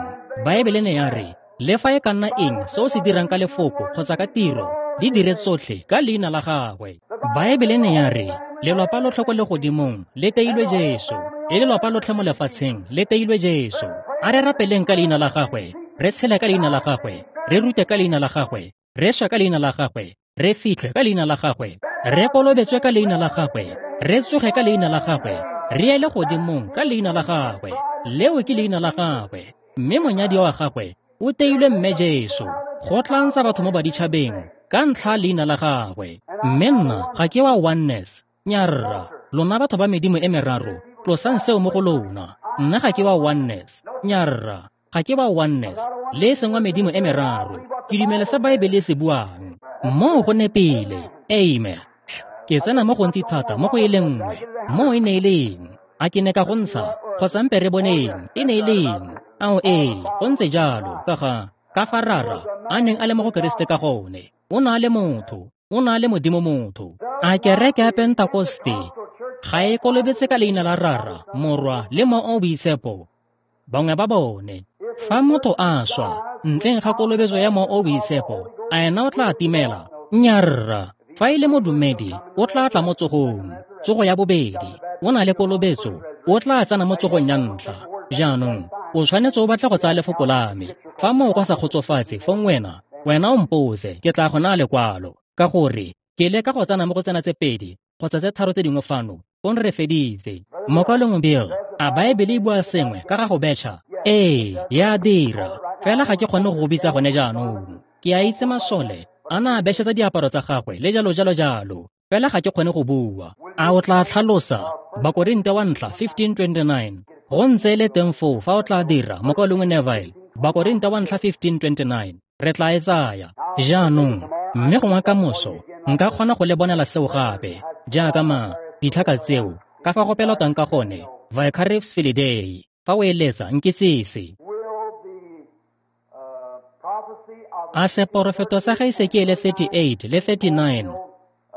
Baebele ne ya re, le fa e ka nna eng se o se dirang ka lefoko kgotsa ka tiro, di dire tsotlhe ka leina la gagwe. Baebele ne ya re, lelwapa lotlhe ko legodimong le teilwe Jesu, le lelwapa lotlhe mo lefatsheng le teilwe Jesu. A re rapeleng ka leina la gagwe, re tshele ka leina la gagwe, re rute ka leina la gagwe, re swe ka leina la gagwe, re fitlhwe ka leina la gagwe, re kolobetswe ka leina la gagwe, re tsoge ka leina la gagwe, re ye legodimong ka leina la gagwe. Leo ke leina la gagwe. Mme monyadi wa gagwe o teilwe mme Jesu, go tla ntsha batho mo baditšhabeng ka ntlha leina la gagwe. Mme nna ga ke wa oneness. Nyarra, lona batho ba medimo e meraro, tlosang seo mo go lona. Nna ga ke wa oneness. Nyarra, ga ke wa oneness, le e seng wa medimo e meraro. Ke dumela se Baebele e se buang. Moo go nepile. Amen. Ke tsena mo gontsi thata mo go e le nngwe. Moo e ne e leng. A ke ne ka go ntsha, kgotsa mpe re boneng, e ne e leng. Ao ee, go ntse jalo, ka ga, ka fa Rara a neng a le mo go Keresete ka gone. O ne a le motho, o ne a le Modimo motho. A kereke ya Pentakoste ga e kolobetse ka leina la Rara, Morwa le Mowa o Boitshepo? Bangwe ba bone. Fa motho a swa ntleng ga kolobetso ya Mowa o Boitshepo, a ena o tla timela? Nyarra. Fa e le modumedi, o tla tla mo tsogong, tsogo ya bobedi. O na le kolobetso, o tla tsena mo tsogong ya ntlha. Jaanong, o tshwanetse o batla go tsaya lefoko la me. Fa moo go sa kgotsofatse, fong wena, wena o mpotse, ke tla go naya lekwalo. Ka gore, ke leka go tsena mo go tsena tse pedi kgotsa tse tharo tse dingwe fano, fong re feditse. Mokaulengwe Bill, a Baebele e bua sengwe ka ga go betšha? Ee, ya dira. Fela ga ke kgone go go bitsa gone jaanong. Ke a itse masole a na a betšhetsa diaparo tsa gagwe le jalo jalo jalo. Fela ga ke kgone go bua. A o tla tlhalosa? Bakorinte wa ntlha fifteen twenty-nine. Go ntse e le teng foo fa o tla dira, Mokaulengwe Neville. Bakorinte wa ntlha fifteen twenty-nine. Re tla e tsaya. Jaanong, mme gongwe ka moso, nka kgona go le bonela seo gape, jaaka ma, ditlhaka tseo, ka fa go pelotang ka gone, Vicarius Filii Dei. Fa o eletsa, nkitsise. A seporofeto sa ga Esekiele thirty-eight le thirty-nine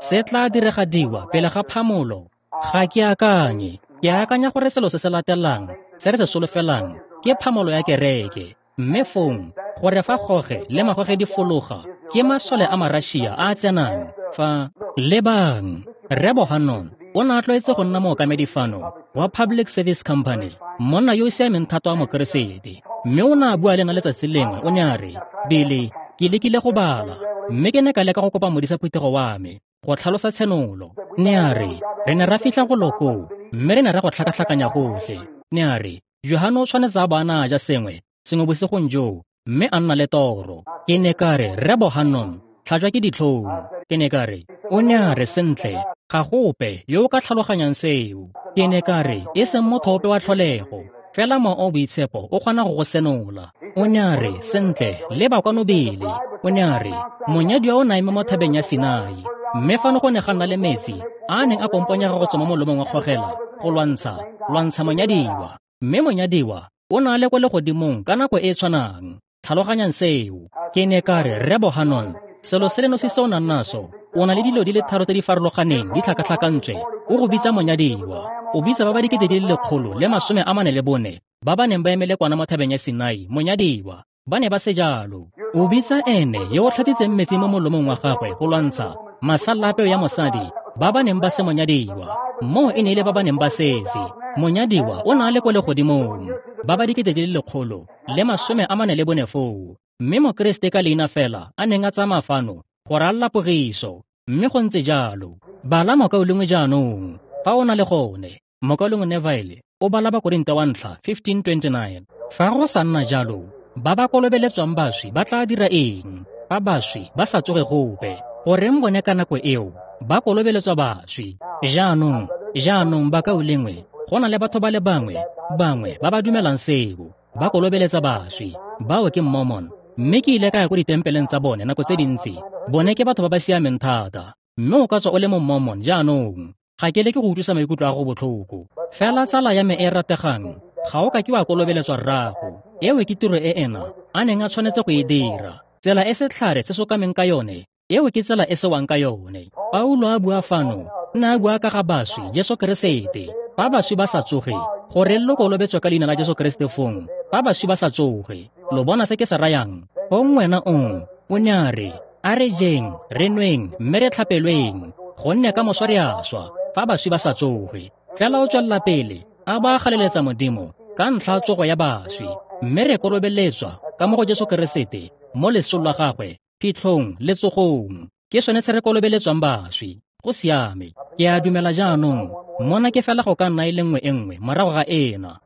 se tla diragadiwa pele ga phamolo? Ga ke akanye. Ke akanya gore selo se se latelang se re se solofelang ke phamolo ya kereke, mme fong gore fa goge le magoge di fologa ke masole a Marašia a a tsenang. Fa lebang, Rre Bohannon o ne a tlwaetse go nna mookamedi fano wa Public Service Company, monna yo o siameng thata wa Mokeresete, mme o ne a bua le nna letsatsi lengwe. O ne a re, Billy, ke lekile go bala, mme ke ne ka leka go kopa modisa phuthego wa me go tlhalosa tshenolo. Ne a re, re ne ra fitlha go lokoo, mme re ne ra go tlhakatlhakanya gotlhe. Ne a re, Johane o tshwanetse a bo a na a ja sengwe, sengwe bosigong joo, mme a nna le toro. Ke ne ka re, Rre Bohannon, tlhajwa ke ditlhong. Ke ne ka re, o ne a re, sentle, ga gope yo o ka tlhaloganyang seo. Ke ne ka re, e seng motho ope wa tlholego, fela Mowa o Boitshepo o kgona go go senola. O ne a re, sentle, leba kwano Billy. O ne a re, monyadiwa o ne a eme mo thabeng ya Sinai, mme fano go ne ga nna le metsi a a neng a pomponyega go tswa mo molomong wa kgogela go lwantsha, lwantsha monyadiwa. Mme monyadiwa o ne a le kwa legodimong ka nako e e tshwanang. Tlhaloganyang seo. Ke ne ka re, Rre Bohannon, selo se le nosi se o nang naso, o na le dilo di le tharo tse di farologaneng di tlhakatlhakantswe. O go bitsa monyadiwa, o bitsa ba ba dikete di le lekgolo le masome a mane le bone ba ba neng ba emele kwana mo thabeng ya Sinai, monyadiwa. Ba ne ba se jalo. O bitsa ene yo o tlhatsitseng metsi mo molomong wa gagwe go lwantsha masalla a peo ya mosadi ba ba neng ba se monyadiwa. Moo e ne e le ba ba neng ba setse. Monyadiwa o ne a le kwa legodimong, ba ba dikete di le lekgolo le masome a mane le bone foo. Mme Mokeresete ka leina fela a neng a tsamaya fano go ralala pogiso, mme go ntse jalo. Bala mokaulengwe jaanong, fa o na le gone. Mokaulengwe Neville o bala Bakorinte wa ntlha fifteen twenty-nine. Fa go sa nna jalo, ba ba kolobeletswang baswi ba tla dira eng? Fa baswi ba sa tsoge gope, goreng bone ka nako eo ba kolobeletswa baswi? Jaanong, jaanong bakaulengwe, go na le batho ba le bangwe, bangwe ba ba dumelang seo, ba kolobeletsa baswi. Bao ke Mormon, mme ke ile ka ya ko ditempeleng tsa bone nako tse dintsi. Bone ke batho ba ba siameng thata, mme o ka tswa o le mo Mormon jaanong. Ga ke leke go utlwisa maikutlo a go botlhoko. Fela tsala ya me e rategang, ga o ka ke wa kolobeletswa rrago. Eo ke tiro e ena a neng a tshwanetse go e dira. Tsela e setlhare se sokameng ka yone, eo ke tsela e sewang ka yone. Paulo a bua fano, ne a bua ka ga baswi, Jesu Keresete. Fa baswi ba sa tsoge, gore lo kolobetswe ka leina la Jesu Keresete fong, fa baswi ba sa tsoge, lo bona se ke se rayang? Fong wena o, o ne a re, a re jeng, re nweng, mme re tlhapelweng, gonne ka moso re a swa, fa baswi ba sa tsoge. Fela o tswelela pele, a ba galeletsa Modimo ka ntlha tsogo ya baswi, mme re kolobeletswa ka mo go Jesu Keresete mo lesong la gagwe, phitlhong le tsogong. Ke sone se re kolobeletswang baswi. Go siame. Ke a dumela jaanong, mona ke fela go ka nna e le nngwe e nngwe morago ga ena.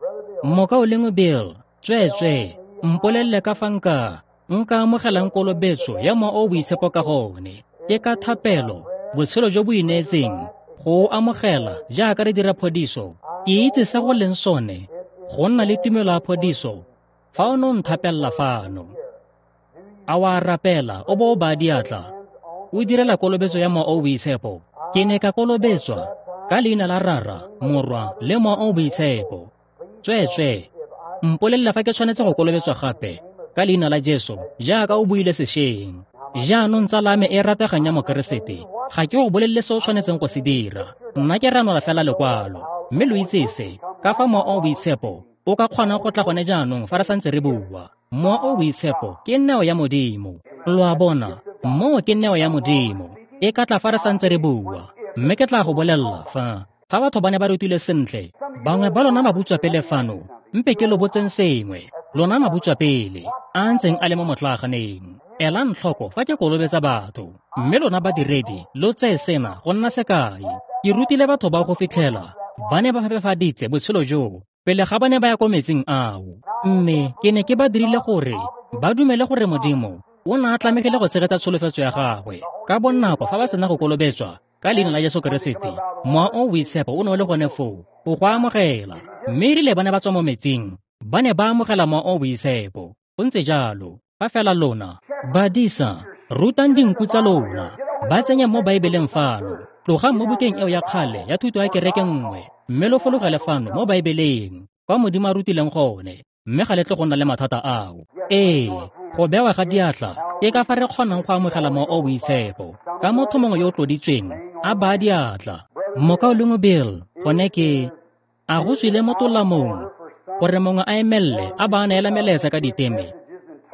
Mokaulengwe Bill, tsweetswe, mpolelele ka fa nka nka amogelang kolobetso ya Mowa o o Boitshepo ka gone. Ke ka thapelo, botshelo jo bo ineetseng, go o amogela jaaka re dira phodiso. Ke itse se go leng sone, go nna le tumelo ya phodiso, fa o ne o nthapella fano. A wa rapela, o bo o baya diatla, o direla kolobetso ya Mowa o o Boitshepo. Ke ne ka kolobetswa ka leina la Rara, Morwa le Mowa o o Boitshepo. Tsweetswe, mpolelele fa ke tshwanetse go kolobetswa gape ka leina la Jesu, jaaka o buile sešweng. Jaanong tsala me e rategang ya Mokeresete, ga ke go bolelele se o tshwanetseng go se dira. Nna ke ranola fela lekwalo, mme lo itse se, ka fa Mowa o o Boitshepo o ka kgonang go tla gone jaanong fa re santse re bua. Mowa o o Boitshepo ke neo ya Modimo. Lo a bona, moo ke neo ya Modimo. E ka tla fa re santse re bua, mme ke tla go bolelela fa fa batho ba ne ba rutile sentle, bangwe ba lona mabutswapele fano, mpe ke lo botseng sengwe, lona mabutswapele a ntseng a le mo motlaaganeng. Elang tlhoko fa ke kolobetsa batho, mme lona badiredi lo tseye sena go nna sekai. Ke rutile batho ba go fitlhela ba ne ba phepafaditse botshelo joo pele ga ba ne ba ya ko metsing ao, mme ke ne ke ba dirile gore ba dumele gore Modimo o ne a tlamegile go tshegetsa tsholofetso ya gagwe ka bonako fa ba sena go kolobetswa ka Leina la Jesu Keresete, Mowa o o Boitshepo o ne o le gone foo go go amogela. Mme erile ba ne ba tswa mo metsing, ba ne ba amogela Mowa o o Boitshepo. Go ntse jalo. Fa fela lona, badisa, rutang dinku tsa lona, ba tsenye mo Baebeleng fano. Tlogang mo bukeng eo ya kgale ya thuto ya kereke nngwe, mme lo fologele fano mo Baebeleng, kwa Modimo a rutileng gone, mme ga le tle go nna le mathata ao. Ee, go bewa ga diatla ke ka fa re kgonang go amogela Mowa o o Boitshepo, ka motho mongwe yo o tloditsweng a baya diatla. Mokaulengwe Bill, gone ke a go tswile mo tolamong gore mongwe a emelele a ba a neela melaetsa ka diteme.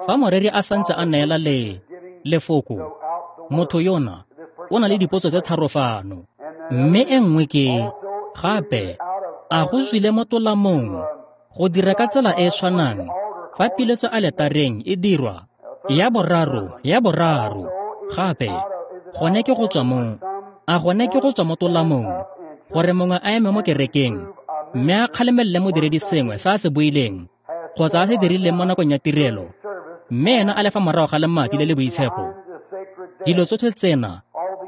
Fa moreri a santse a neela le lefoko, motho yona o na le dipotso tse tharo fano. Mme e nngwe ke gape a go tswile mo tolamong go dira ka tsela e e tshwanang fa piletso aletareng e dirwa ya boraro ya boraro gape gone ke go tswa mo a gone ke go tswa mo tolamong gore mongwe a eme mo kerekeng mme a kgalemelele modiredi sengwe se a se buileng kgotsa a se dirileng mo nakong ya tirelo, mme ena a le fa morago ga lemati le le boitshepo. Dilo tsotlhe tsena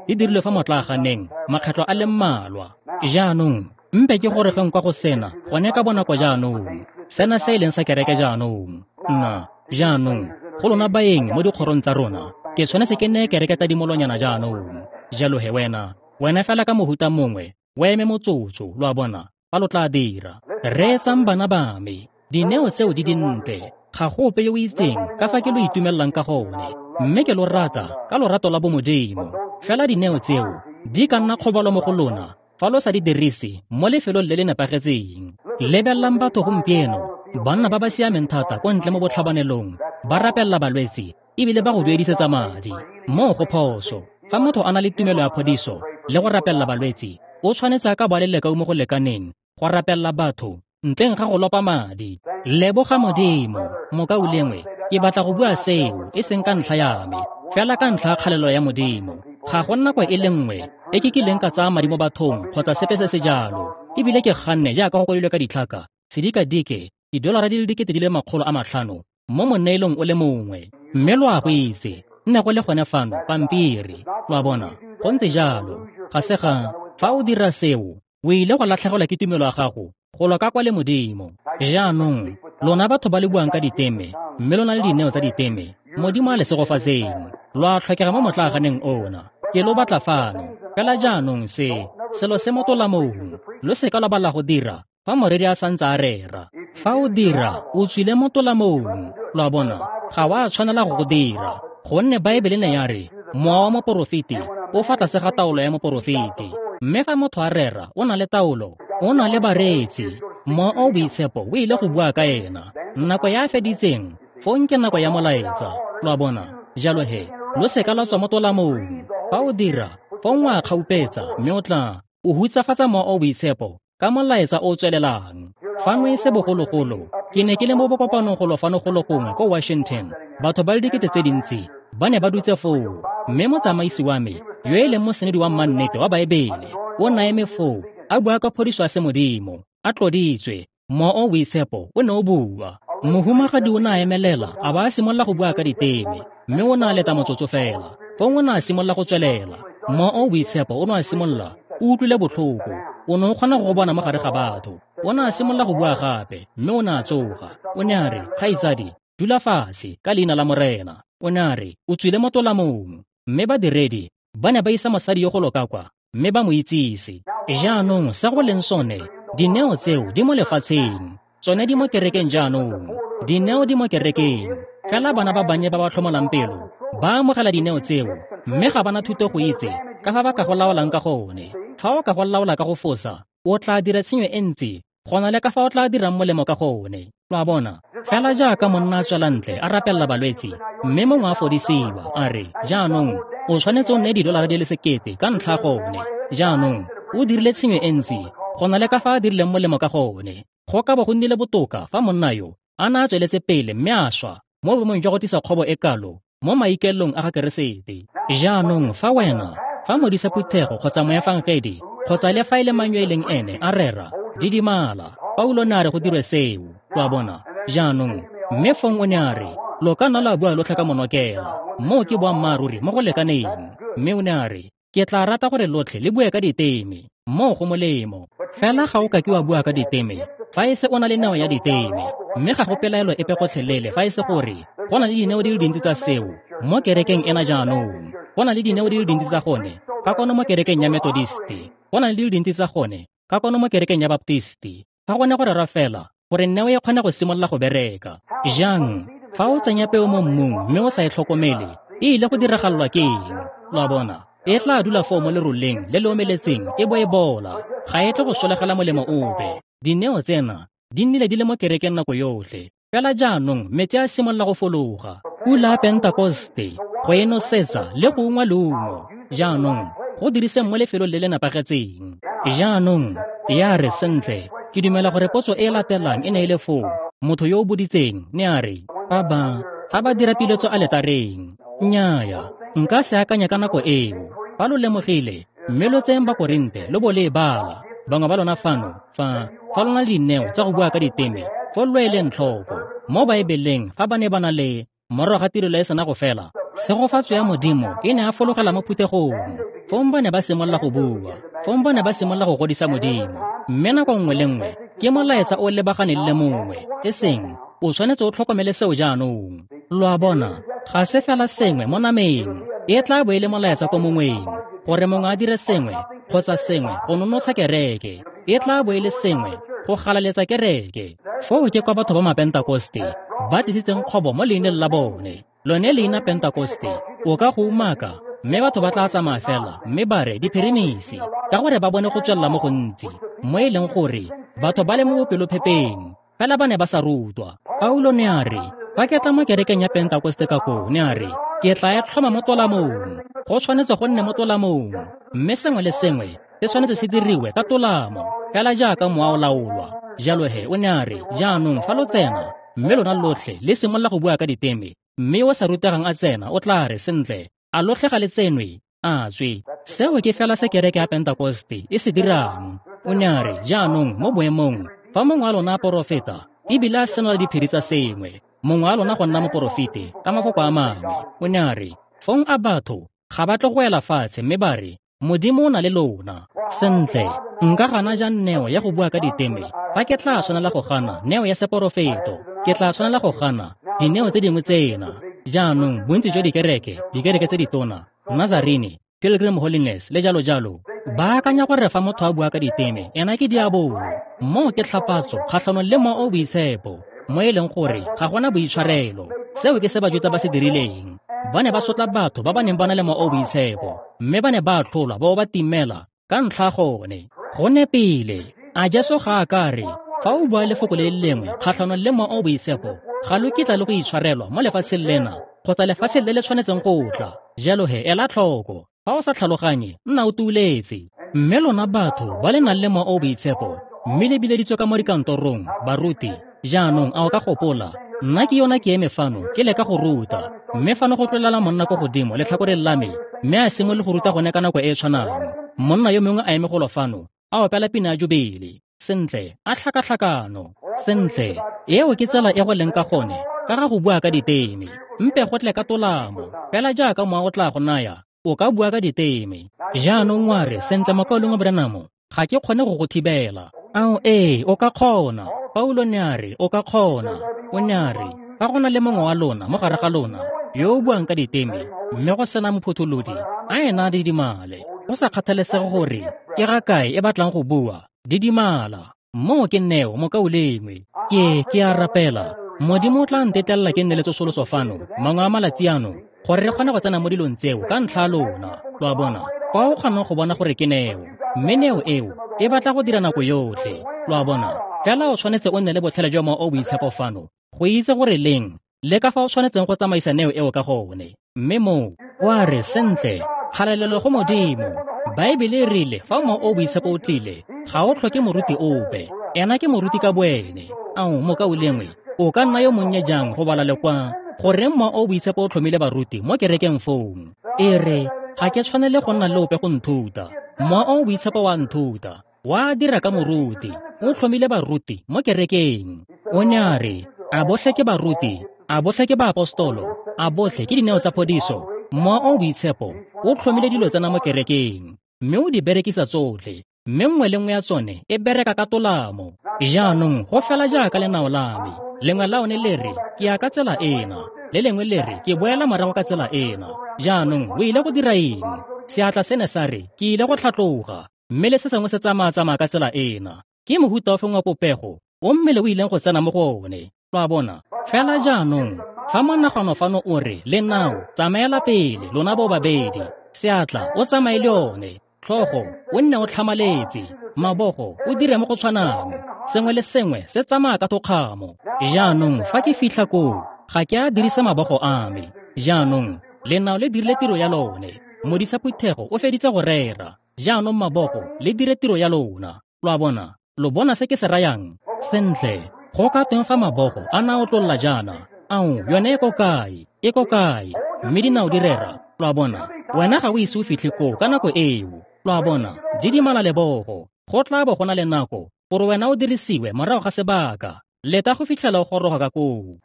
di dirilwe fa motlaaganeng makgetlho a le mmalwa. Jaanong mpe ke gore geng kwa go sena gone ka bonako jaanong, sena se e leng sa kereke jaanong. Nna jaanong go lona baeng mo dikgorong tsa rona, ke tshwanetse ke neye kereke tadimolonyana jaanong. Jalo he wena, wena fela ka mohuta mongwe, o eme motsotso, lo a bona, fa lo tla dira. Reetsang bana ba me, dineo tseo di dintle, ga go ope yo o itseng ka fa ke lo itumelelang ka gone, mme ke lo rata ka lorato la bomodimo. Fela dineo tseo di ka nna kgobalo mo go lona fa lo sa di dirise mo lefelong le le nepagetseng. Lebelelang batho gompieno, banna ba ba siameng thata ko ntle mo botlhabanelong, ba rapelela balwetse ebile ba go duedisetsa madi. Moo go phoso. Fa motho a na le tumelo ya phodiso le go rapelela balwetse, o tshwanetse a ka ba le lekau mo go lekaneng go rapelela batho ntleng ga go lopa madi. Leboga Modimo, mokaulengwe, ke batla go bua seo e seng ka ntlha ya me, fela ka ntlha ya kgalelo ya Modimo. Ga go nako e le nngwe e ke kileng ka tsaya madi mo bathong kgotsa sepe se se jalo, ebile ke ganne jaaka go kwadilwe ka ditlhaka sedikadike didolara di le dikete di le makgolo a matlhano mo moneelong o le mongwe. Mme lo a go itse, nne go le gone fano pampiri, lo a bona. Go ntse jalo. Ga se ga fa o dira seo, o ile go latlhegelwa ke tumelo ya gago go lwa ka kwa le Modimo. Jaanong lona batho ba le buang ka diteme, mme lo na le dineo tsa diteme, Modimo a le segofatseng. Lo a tlhokega mo motlaaganeng ona, ke lo batla fano. Fela jaanong se selo se mo tolamong, lo seka lwa bala go dira fa moreri a santse a rera. Fa o dira, o tswile mo tolamong, lo a bona, ga wa tshwanela go go dira, gonne Baebele ne ya re mowa wa moporofeti o fa tlase ga taolo ya moporofeti. Mme fa motho a rera, o na le taolo, o na le bareetsi. Mowa o o Boitshepo o ile go bua ka ena. Nako ya a feditseng, fong ke nako ya molaetsa, lo a bona. Jalo he, lo seka lwa tswa mo tolamong. Fa o dira, fong wa kgaupetsa, mme o tla o hutsafatsa Mowa o o Boitshepo ka molaetsa o o tswelelang. Fano e se bogologolo, ke ne ke le mo bokopanong golo fano golo gongwe ko Washington. Batho ba le dikete tse dintsi ba ne ba dutse foo, mme motsamaisi wa me, yo e leng mosenedi wa mannete wa Baebele, o na eme foo a bua ka phodiso ya semodimo, a tloditswe, Mowa o o Boitshepo o ne o bua. Mohumagadi o ne a emelela a ba a simolola go bua ka diteme, mme o ne a leta motsotso fela. Fong o ne a simolola go tswelela. Mowa o o Boitshepo o ne a simolola, o utlwile botlhoko, o ne o kgona go go bona mo gare ga batho. O ne a simolola go bua gape, mme o ne a tsoga. O ne a re, "Kgaitsadi, dula fatshe ka leina la Morena." O ne a re, "O tswile mo tolamong." Mme badiredi ba ne ba isa mosadi yo go loka kwa, mme ba mo itsise. Jaanong sa go leng sone, dineo tseo di mo lefatsheng, tsone di mo kerekeng jaanong. Dineo di mo kerekeng. Fela bana ba bannye ba ba tlhomolang pelo ba amogela dineo tseo, mme ga bana thuto go itse ka fa ba ka go laolang ka gone. Fa o ka go laola ka go fosa, o tla dira tshenyo e ntsi go na le ka fa o tla dirang molemo ka gone. Lo a bona? Fela jaaka monna a tswela ntle a rapelela balwetse, mme mongwe a fodisiwa, a re, "Jaanong o tshwanetse o nne didolara di le sekete ka ntlha gone." Jaanong o dirile tshenyo e ntsi go na le ka fa a dirileng molemo ka gone. Go ka bo go nnile botoka fa monna yo a ne a tsweletse pele mme a swa mo boemong jwa go tlisa kgobo e kalo mo maikaelelong a ga Keresete. Jaanong fa wena, fa modisa phuthego kgotsa moefangedi kgotsa le fa e le mang yo e leng ene a rera, didimala. Paulo ne a re go dirwe seo, lo a bona. Jaanong mme fong o ne a re, "Lo ka nna la bua lotlhe ka monokela." Moo ke boammaaruri mo go lekaneng. Mme o ne a re, Ke tla rata gore lotlhe le bue ka diteme, moo go molemo. Fela ga o ka ke wa bua ka diteme fa e se o na le neo ya diteme, mme ga go pelaelo epe gotlhelele fa e se gore go na le dineo di le dintsi tsa seo mo kerekeng ena jaanong. Go na le dineo di le dintsi tsa gone ka kwano mo kerekeng ya Methodisti, go na le di le dintsi tsa gone ka kwano mo kerekeng ya Baptisti. Ga gone go rera fela gore neo e kgone go simolola go bereka. Jang, fa o tsenya peo mo mmung mme o sa e tlhokomele, e ile go diragalelwa ke eng? Lo a bona, e tla dula foo mo leroleng le le omeletseng e bo e bola, ga e tle go solegela molemo ope. Dineo tsena di nnile di le mo kerekeng nako yotlhe, fela jaanong metsi a simolola go fologa. Pula ya Pentekoste go e nosetsa le go ungwa leungo. Jaanong go diriseng mo lefelong le le nepagetseng. Jaanong ya re sentle, ke dumela gore potso e e latelang e ne e le foo. Motho yo o boditseng ne a re, fa ba fa ba dira piletso aletareng. Nnyaya, nka se akanya ka nako eo. Fa lo lemogile, mme lo tseyeng Bakorinte lo bo le e bala. Bangwe ba lona fano, fa fa lona le dineo tsa go bua ka diteme, fo lo eleng tlhoko mo Baebeleng fa ba ne ba na le morago ga tirelo e sena go fela, tshegofatso ya Modimo e ne a fologela mo phuthegong. Fong ba ne ba simolola go bua, fong ba ne ba simolola go godisa Modimo. Mme nako nngwe le nngwe ke molaetsa o lebaganeng le mongwe, e seng o tshwanetse o tlhokomele seo jaanong. Lo a bona, ga se fela sengwe mo nameng, e tla bo e le molaetsa ko mongweng, gore mongwe a dire sengwe kgotsa sengwe go nonotsha kereke, e tla bo e le sengwe go galaletsa kereke. Foo ke kwa batho ba Mapentekoste ba tlisitseng kgobo mo leineng la bone. Lone leina Pentekoste o ka go umaka, mme batho ba tla tsamaya fela mme ba re diphirimisi, ka gore ba bone go tswelela mo gontsi, mo e leng gore batho ba le mo bopelophepeng, fela ba ne ba sa rutwa. Paulo ne a re, fa ke tla mo kerekeng ya Pentekoste ka koo, ne a re, ke tla e tlhoma mo tolamong. Go tshwanetse go nne mo tolamong, mme sengwe le sengwe se tshwanetse se diriwe ka tolamo, fela jaaka mowa o laolwa. Jalo he o ne a re, jaanong fa lo tsena, mme lona lotlhe le simolola go bua ka diteme, mme yo o sa rutegang a tsena o tla re, sentle, a lotlhe ga le tsenwe, a tswe. Seo ke fela se kereke ya Pentekoste e se dirang. O ne a re, jaanong mo boemong, fa mongwe wa lona a porofeta, ebile a senola diphiri tsa sengwe, mongwe wa lona go nna moporofete ka mafoko a mangwe, o ne a re, fong a batho ga ba tle go ela fatshe mme ba re, Modimo o na le lona. Sentle, nka gana jang neo ya go bua ka diteme fa ke tla tshwanela go gana neo ya seporofeto? Ke tla tshwanela go gana dineo tse dingwe tsena. Jaanong bontsi jwa dikereke, dikereke tse ditona, Nazarene, Pilgrim Holiness le jalo jalo, ba akanya gore fa motho a bua ka diteme ena ke diabolo. Moo ke tlhapatso kgatlhanong le Mowa o o Boitshepo, mo e leng gore ga gona boitshwarelo. Seo ke se Bajuta ba se dirileng. Ba ne ba sotla batho ba ba neng ba na le Mowa o o Boitshepo, mme ba ne ba atlholwa ba bo ba timela ka ntlha gone. Go nepile. A Jesu ga a ka re, fa o bua lefoko le le lengwe kgatlhanong le Mowa o o Boitshepo, ga lo kitla le go itshwarelwa mo lefatsheng lena kgotsa lefatsheng le le tshwanetseng go tla. Jalo he ela tlhoko, fa o sa tlhaloganye, nna o tuuletse. Mme lona batho ba le nang le Mowa o o Boitshepo, mme le bileditswe ka mo dikantorong, baruti, jaanong a o ka gopola, nna ke yona ke eme fano ke leka go ruta, mme fano go tlolela monna ko godimo letlhakoreng la me, mme a simolole go ruta gone ka nako e e tshwanang. Monna yo mongwe a eme golo fano, a opela pina ya jubele. Sentle, a tlhakatlhakano. Sentle, eo ke tsela e go leng ka gone ka ga go bua ka diteme. Mpe go tle ka tolamo, fela jaaka mowa o tla go naya, o ka bua ka diteme. Jaanong wa re, sentle mokaulengwe Branham, ga ke kgone go go thibela. Ao ee, o ka kgona. Paulo ne a re, o ka kgona. O ne a re, fa go na le mongwe wa lona mo gare ga lona yo o buang ka diteme, mme go sena mophutholodi, a ena a didimale. Go sa kgathalesege gore ke ga kae e batlang go bua, didimala. Moo ke neo, mokaulengwe. Ke ke a rapela, Modimo o tla ntetlelela ke nne le tsosoloso fano mangwe a malatsi ano, gore re kgone go tsena mo dilong tseo ka ntlha ya lona. Lo a bona, kwa o kgonang go bona gore ke neo, mme neo eo e batla go dira nako yotlhe. Lo a bona, fela o tshwanetse o nne le botlhale jwa Mowa o o Boitshepo fano go itse gore leng le ka fa o tshwanetseng go tsamaisa neo eo ka gone. Mme moo wa re, sentle, kgalalelo go Modimo. Baebele e rile fa Mowa o o Boitshepo o tlile, ga o tlhoke moruti ope, ena ke moruti ka boene. Ao mokaulengwe, o ka nna yo monnye jang go bala le kwa goreng Mowa o o Boitshepo o tlhomile baruti mo kerekeng fong? E re, ga ke tshwanele go nna le ope go nthuta. Mowa o o Boitshepo wa nthuta, wa dira ka moruti. O tlhomile baruti mo kerekeng. O ne a re, a botlhe ke baruti, a botlhe ke baapostolo, a botlhe ke dineo tsa phodiso. Mowa o o Boitshepo o tlhomile dilo tsena mo kerekeng, mme o di berekisa tsotlhe, mme nngwe le nngwe ya tsone e bereka ka tolamo. Jaanong go fela jaaka lenao la me, lengwe la one le re ke ya ka tsela ena, le lengwe le re ke boela morago ka tsela ena. Jaanong o ile go dira eng? Seatla se ne sa re ke ile go tlhatloga, mme le se sengwe se tsamaya-tsamaya ka tsela ena. Ke mohuta ofe wa popego o mmele o ileng go tsena mo go one? Lo a bona? Fela jaanong, fa monagano fano o re lenao tsamaela pele lona bo babedi, seatla o tsamaye le one, tlhogo o nne o tlhamaletse, mabogo o dire mo go tshwanang, sengwe le sengwe se tsamaya ka thokgamo. Jaanong fa ke fitlha koo, ga ke a dirisa mabogo a me. Jaanong lenao le dirile tiro ya lone, modisa phuthego o feditse go rera. Jaanong mabogo le dire tiro ya lona. Lo a bona? Lo bona se ke se rayang? Sentle, go ka tweng fa mabogo a na otlolla jaana? Ao, yone e ko kae? E ko kae? Mme dinao di rera. Lo a bona? Wena ga o ise o fitlhe koo ka nako eo. Lo a bona? Didimala lebogo. Go tla bo go na le nako gore wena o dirisiwe morago ga sebaka. Leta go fitlhela o goroga ka koo.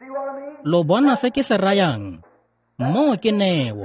Lo bona se ke se rayang? Moo ke neo.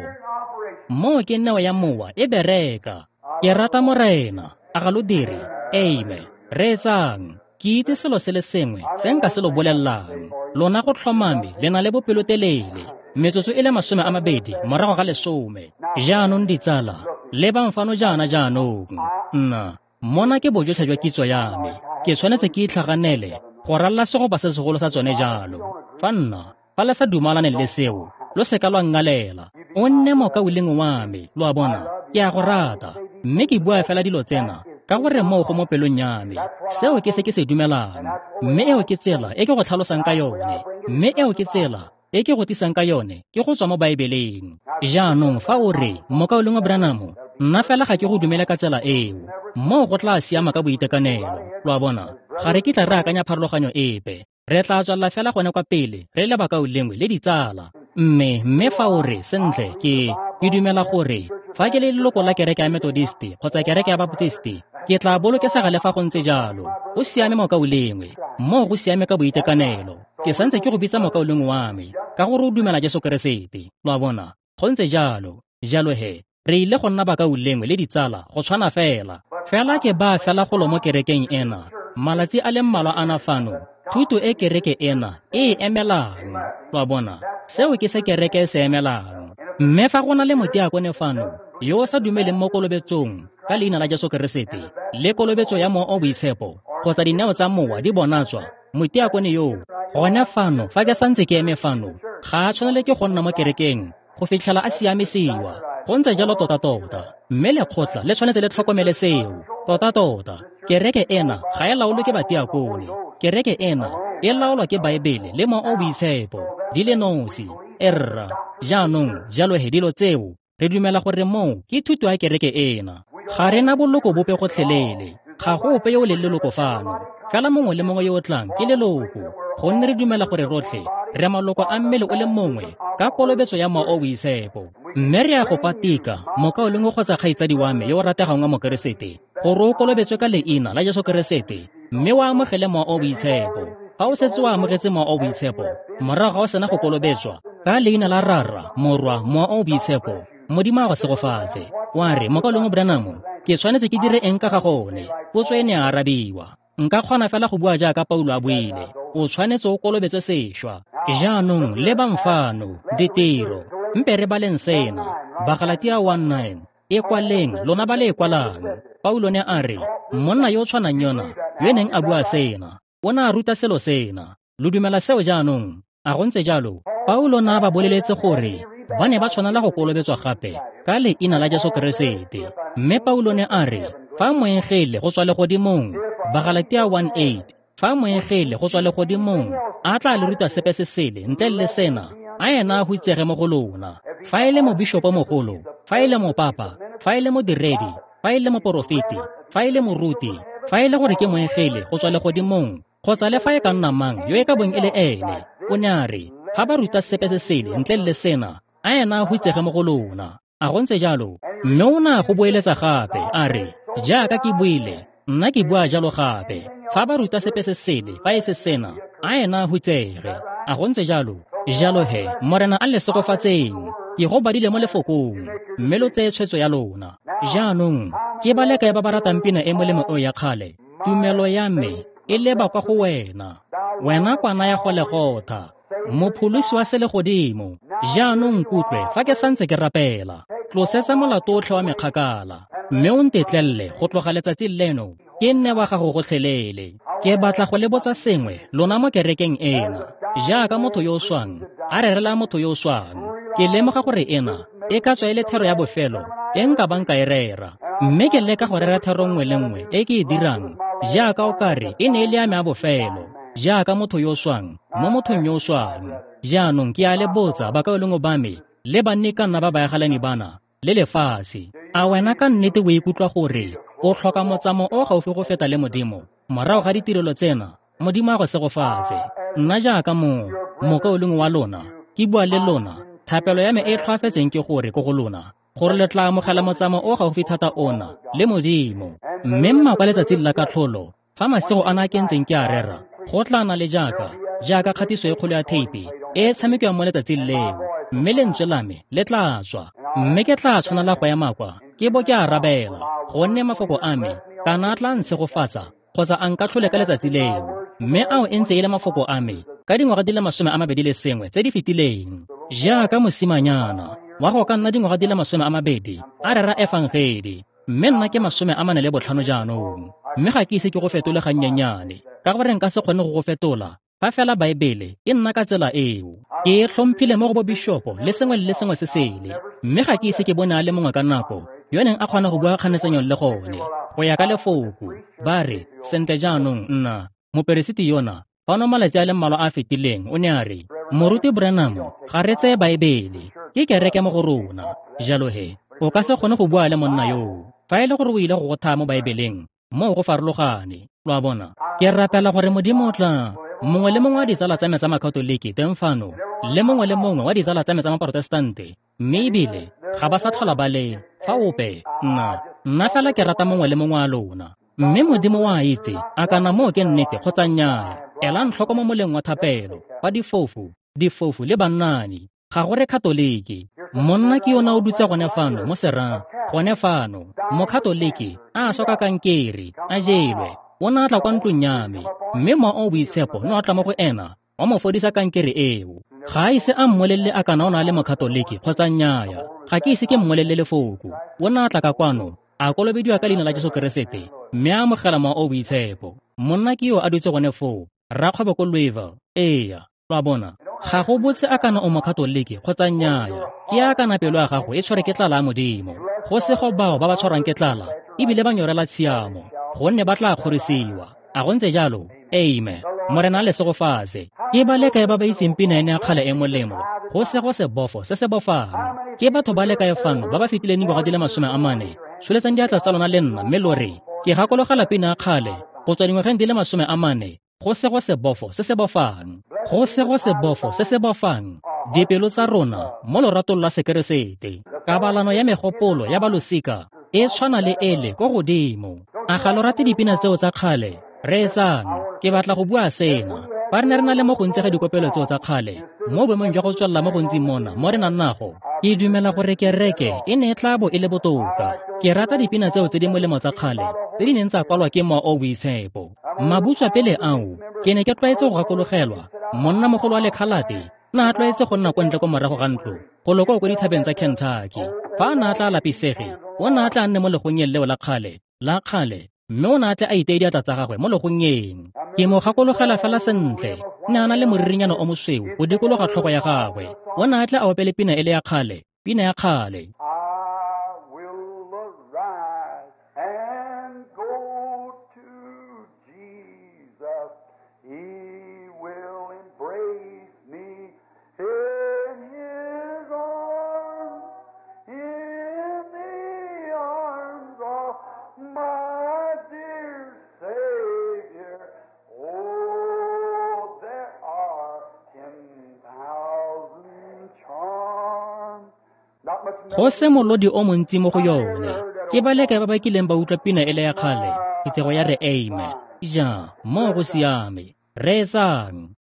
Moo ke neo ya mowa e bereka. Ke rata Morena. A ga lo dire? Amen. Reetsang. Ke itse selo se le sengwe se nka se lo bolellang. Lona go tlhomame le na le bopelotelele. Metsotso e le masome a mabedi morago ga lesome. Jaanong ditsala, lebang fano jaana jaanong. Nna, mona ke bojotlhe jwa kitso ya me. Ke tshwanetse ke itlhaganele go ralla segopa se segolo sa tsone jalo. Fa nna, fa le sa dumalane le seo, lo seka lwa nngalela. O nne mokaulengwe wa me, lo a bona? Ke a go rata, mme ke bua fela dilo tsena ka gore moo go mo pelong ya me. Seo ke se ke se dumelang, mme eo ke tsela e ke go tlhalosang ka yone, mme eo ke tsela e ke go tlisang ka yone, ke go tswa mo Baebeleng. Jaanong fa o re, mokaulengwe Branham, nna fela ga ke go dumele ka tsela eo, moo go tla siama ka boitekanelo. Lo a bona? Ga re kitla re akanya pharologanyo epe. Re tla tswelela fela gone kwa pele re le bakaulengwe le ditsala. Mme mme fa o re, sentle, ke ke dumela gore fa ke le leloko la kereke ya Methodist kgotsa kereke ya Baptist, ke tla bolokesega le fa go ntse jalo. Go siame mokaulengwe, moo go siame ka boitekanelo. Ke santse ke go bitsa mokaulengwe wa me ka gore o dumela Jesu Keresete. Lo a bona? Go ntse jalo. Jalo he, re ile go nna bakaulengwe le ditsala go tshwana fela. Fela ke ba fela golo mo kerekeng ena. Malatsi a le mmalwa ana fano, thuto e kereke ena e e emelang. Lo a bona? Seo ke se kereke e se emelang. Mme fa go na le motiakone fano yo o sa dumeleng mo kolobetsong ka leina la Jesu Keresete le kolobetso ya Mowa o Boitshepo kgotsa dineo tsa mowa di bonatswa, motiakone yoo gone fano fa ke santse ke eme fano ga a tshwanele ke go nna mo kerekeng go fitlhela a siamisiwa. Go ntse jalo tota-tota, mme lekgotla le tshwanetse le tlhokomele seo tota-tota. Kereke ena ga e laolwe ke batiakone. Kereke ena e laolwa ke Baebele le Mowa o Boitshepo di le nosi. Erra, jaanong jalo he dilo tseo re dumela gore moo ke thuto ya kereke ena. Ga re na boloko bope gotlhelele. Ga go ope yo o leng leloko fano. Fela mongwe le mongwe yo o tlang ke leloko, gonne re dumela gore rotlhe re maloko a mmele o le mongwe ka kolobetso ya Mowa o Boitshepo. Mme re a go patika, mokaulengwe kgotsa kgaitsadi wa me yo o rategang wa Mokeresete, gore o kolobetswe ka leina la Jesu Keresete mme o amogele Mowa o Boitshepo. Fa o setse o amogetse Mowa o Boitshepo, morago ga o sena go kolobetswa ka leina la Rara, Morwa, Mowa o Boitshepo, Modimo a go segofatse. Wa re, mokaulengwe Branham, ke tshwanetse ke dire eng ka ga gone? Potso e ne a arabiwa. Nka kgona fela go bua jaaka Paulo a buile. O tshwanetse o kolobetswe sešwa. Jaanong lebang fano, ditiro. Mpe re baleng sena. Bagalatia one nine. E kwaleng, lona ba le e kwalang. Paulo ne a re, monna yo o tshwanang yona, yo neng a bua sena, o ne a ruta selo sena. Lo dumela seo jaanong? A go ntse jalo? Paulo na ba boleletse gore ba ne ba tshwanela go kolobetswa gape ka leina la Jesu Keresete. Mme Paulo ne a re, fa moengele go tswa legodimong, Bagalatia one eight, fa moengele go tswa legodimong a tla le ruta sepe se sele ntle le sena, a ena a hutsege mo go lona. Fa e le mobishopo mogolo, fa e le mopapa, fa e le modiredi, fa e le moporofeti, fa e le moruti, fa e le gore ke moengele go tswa legodimong, kgotsa le fa e ka nna mang yo e ka bong e le ene, o ne a re, fa ba ruta sepe se sele ntle le sena, a ena a hutsege mo go lona. A go ntse jalo? Mme o ne a go boeletsa gape, a re, jaaka ke buile, nna ke bua jalo gape. Fa ba ruta sepe se sele, fa e se sena, a ena a hutsege. A go ntse jalo? Jalo he, Morena a le segofatseng. Ke go badile mo lefokong, mme lo tseye tshwetso ya lona. Jaanong, ke ba le kae ba ba ratang pina e molemo eo ya kgale? Tumelo ya me e leba kwa go wena, wena kwana ya Golegotha, mopholosi wa selegodimo. Jaanong nkutlwe fa ke santse ke rapela. Tlosetsa molato otlhe wa me kgakala, mme o ntetlelele go tloga letsatsi leno ke nne wa gago gotlhelele. Ke batla go le botsa sengwe lona mo kerekeng ena, jaaka motho yo o swang a rerela motho yo o swang. Ke lemoga gore ena e ka tswa e le thero ya bofelo e nka bang ka e rera, mme ke leka go rera thero nngwe le nngwe e ke e dirang jaaka o kare e ne e le ya me ya bofelo, jaaka motho yo o swang mo mothong yo o swang. Jaanong ke a le botsa bakaulengwe ba me le banni ka nna ba baagelani bana le lefatshe, a wena ka nnete o ikutlwa gore o tlhoka motsamao o gaufi go feta le Modimo morago ga ditirelo tsena? Modimo a go segofatse. Nna jaaka mo mokaulengwe wa lona ke bua le lona, thapelo ya me e tlhoafetseng ke gore ko go lona gore le tla amogela motsamao o gaufi thata ona le Modimo. Mme mma kwa letsatsing la katlholo, fa masigo ana a ke ntseng ke a rera, go tla na le jaaka jaaka kgatiso e kgolo ya theipi e e tshamekiwang mo letsatsing leo, mme lentswe la me le tla tswa, mme ke tla tshwanela go ema kwa ke bo ke arabela, gonne mafoko a me kana a tla ntshegofatsa kgotsa a nkatlhole ka letsatsi leo. Mme ao e ntse e le mafoko a me ka dingwaga di le masome a mabedi le sengwe tse di fetileng, jaaka mosimanyana wa go ka nna dingwaga di le masome a mabedi a rera efangedi, mme nna ke masome a mane le botlhano jaanong. Mme ga ke ise ke go fetole gannyenyane, ka gore nka se kgone go go fetola fa fela Baebele e nna ka tsela eo. Ke e tlhomphile mo go bo bishopo le sengwe le sengwe se sele, mme ga ke ise ke bone a le mongwe ka nako yo neng a kgona go bua kganetsanyong le gone go ya ka lefoko. Ba re, sentle jaanong nna moperesiti yona fano malatsi a le mmalwa a fetileng o ne a re, Moruti Branham, ga re tseye Baebele, ke kereke mo go rona. Jalo he, o ka se kgone go bua le monna yoo fa e le gore o ile go go thaya mo Baebeleng, moo go farologane. Lo a bona? Ke rapela gore Modimo o tla mongwe le mongwe wa ditsala tsa me tsa Makatoliki teng fano, le mongwe le mongwe wa ditsala tsa me tsa Maprotestante, mme ebile ga ba sa tlhola ba le fa ope. Nna nna fela ke rata mongwe le mongwe wa lona, mme Modimo wa itse a kana moo ke nnete kgotsa nnyaa. Elang tlhoko mo moleng wa thapelo fa difofu, difofu le bannani, ga go re Katoliki. Monna ke yona o dutse gone fano mo serang, gone fano, Mokatoliki a swa ka kankere, a jelwe. O ne a tla kwa ntlong ya me, mme mowa o boitshepo ne wa tla mo go ena wa mo fodisa kankere eo. Ga a ise a mmolelele a kana o na le Mokatoliki kgotsa nnyaa, ga ke ise ke mmolelele lefoko. O ne a tla ka kwano, a kolobediwa ka leina la Jesu Keresete, mme a amogela mowa o boitshepo. Monna ke yo a dutse gone foo, rakgwebo ko Louisville. Eya, lo a bona? Ga go botse a kana o Mokatoliki kgotsa nnyaa, ke a kana pelo ya gago e tshware ke tlala ya Modimo. Go sego bao ba ba tshwarwang ke tlala ebile ba nyorela tshiamo, gonne ba tla kgorisiwa. A go ntse jalo? Amen. Morena a le segofatse. Ke ba le kae ba ba itseng pina ene ya kgale e molemo, go sego sebofo se se bofang? Ke batho ba le kae fano ba ba fetileng dingwaga di le masome a mane? Tsholetsang diatla tsa lona le nna mme lo re, ke gakologela pina ya kgale go tswa dingwageng di le masome a mane, go sego sebofo se se bofang, go sego sebofo se se bofang dipelo tsa rona mo loratong lwa Sekeresete. Kabalano ya megopolo ya balosika e tshwana le ele ko godimo. A ga lo rate dipina tseo tsa kgale? Reetsang, ke batla go bua sena. Fa re ne re na le mo gontsi ga dikopelo tseo tsa kgale, mo boemong jwa go tswelela mo gontsi mona mo re nang nago, ke dumela gore kereke e ne e tla bo e le botoka. Ke rata dipina tseo tse di molemo tsa kgale tse di neng tsa kwalwa ke mowa o boitshepo. Mabutswa pele ao, ke ne ke tlwaetse go gakologelwa monnamogolo wa lekhalate na a tlwaetse go nna kwa ntle ko morago ga ntlo go loko ko dithabeng tsa Kentucky. Fa a ne a tla lapisege, o ne a tla nne mo legonyeng leo la kgale la kgale, mme o ne a tle a iteye diatla tsa gagwe mo legonyeng. Ke mo gakologela fela sentle, ne a na le moririnyana o mosweu go dikologa tlhogo ya gagwe. O ne a tle a opele pina e le ya kgale, pina ya kgale. Go se molodi o montsi mo go yone. Ke ba le kae ba ba kileng ba utlwa pina e le ya kgale? Phuthego ya re amen. Ja, moo go siame. Reetsang.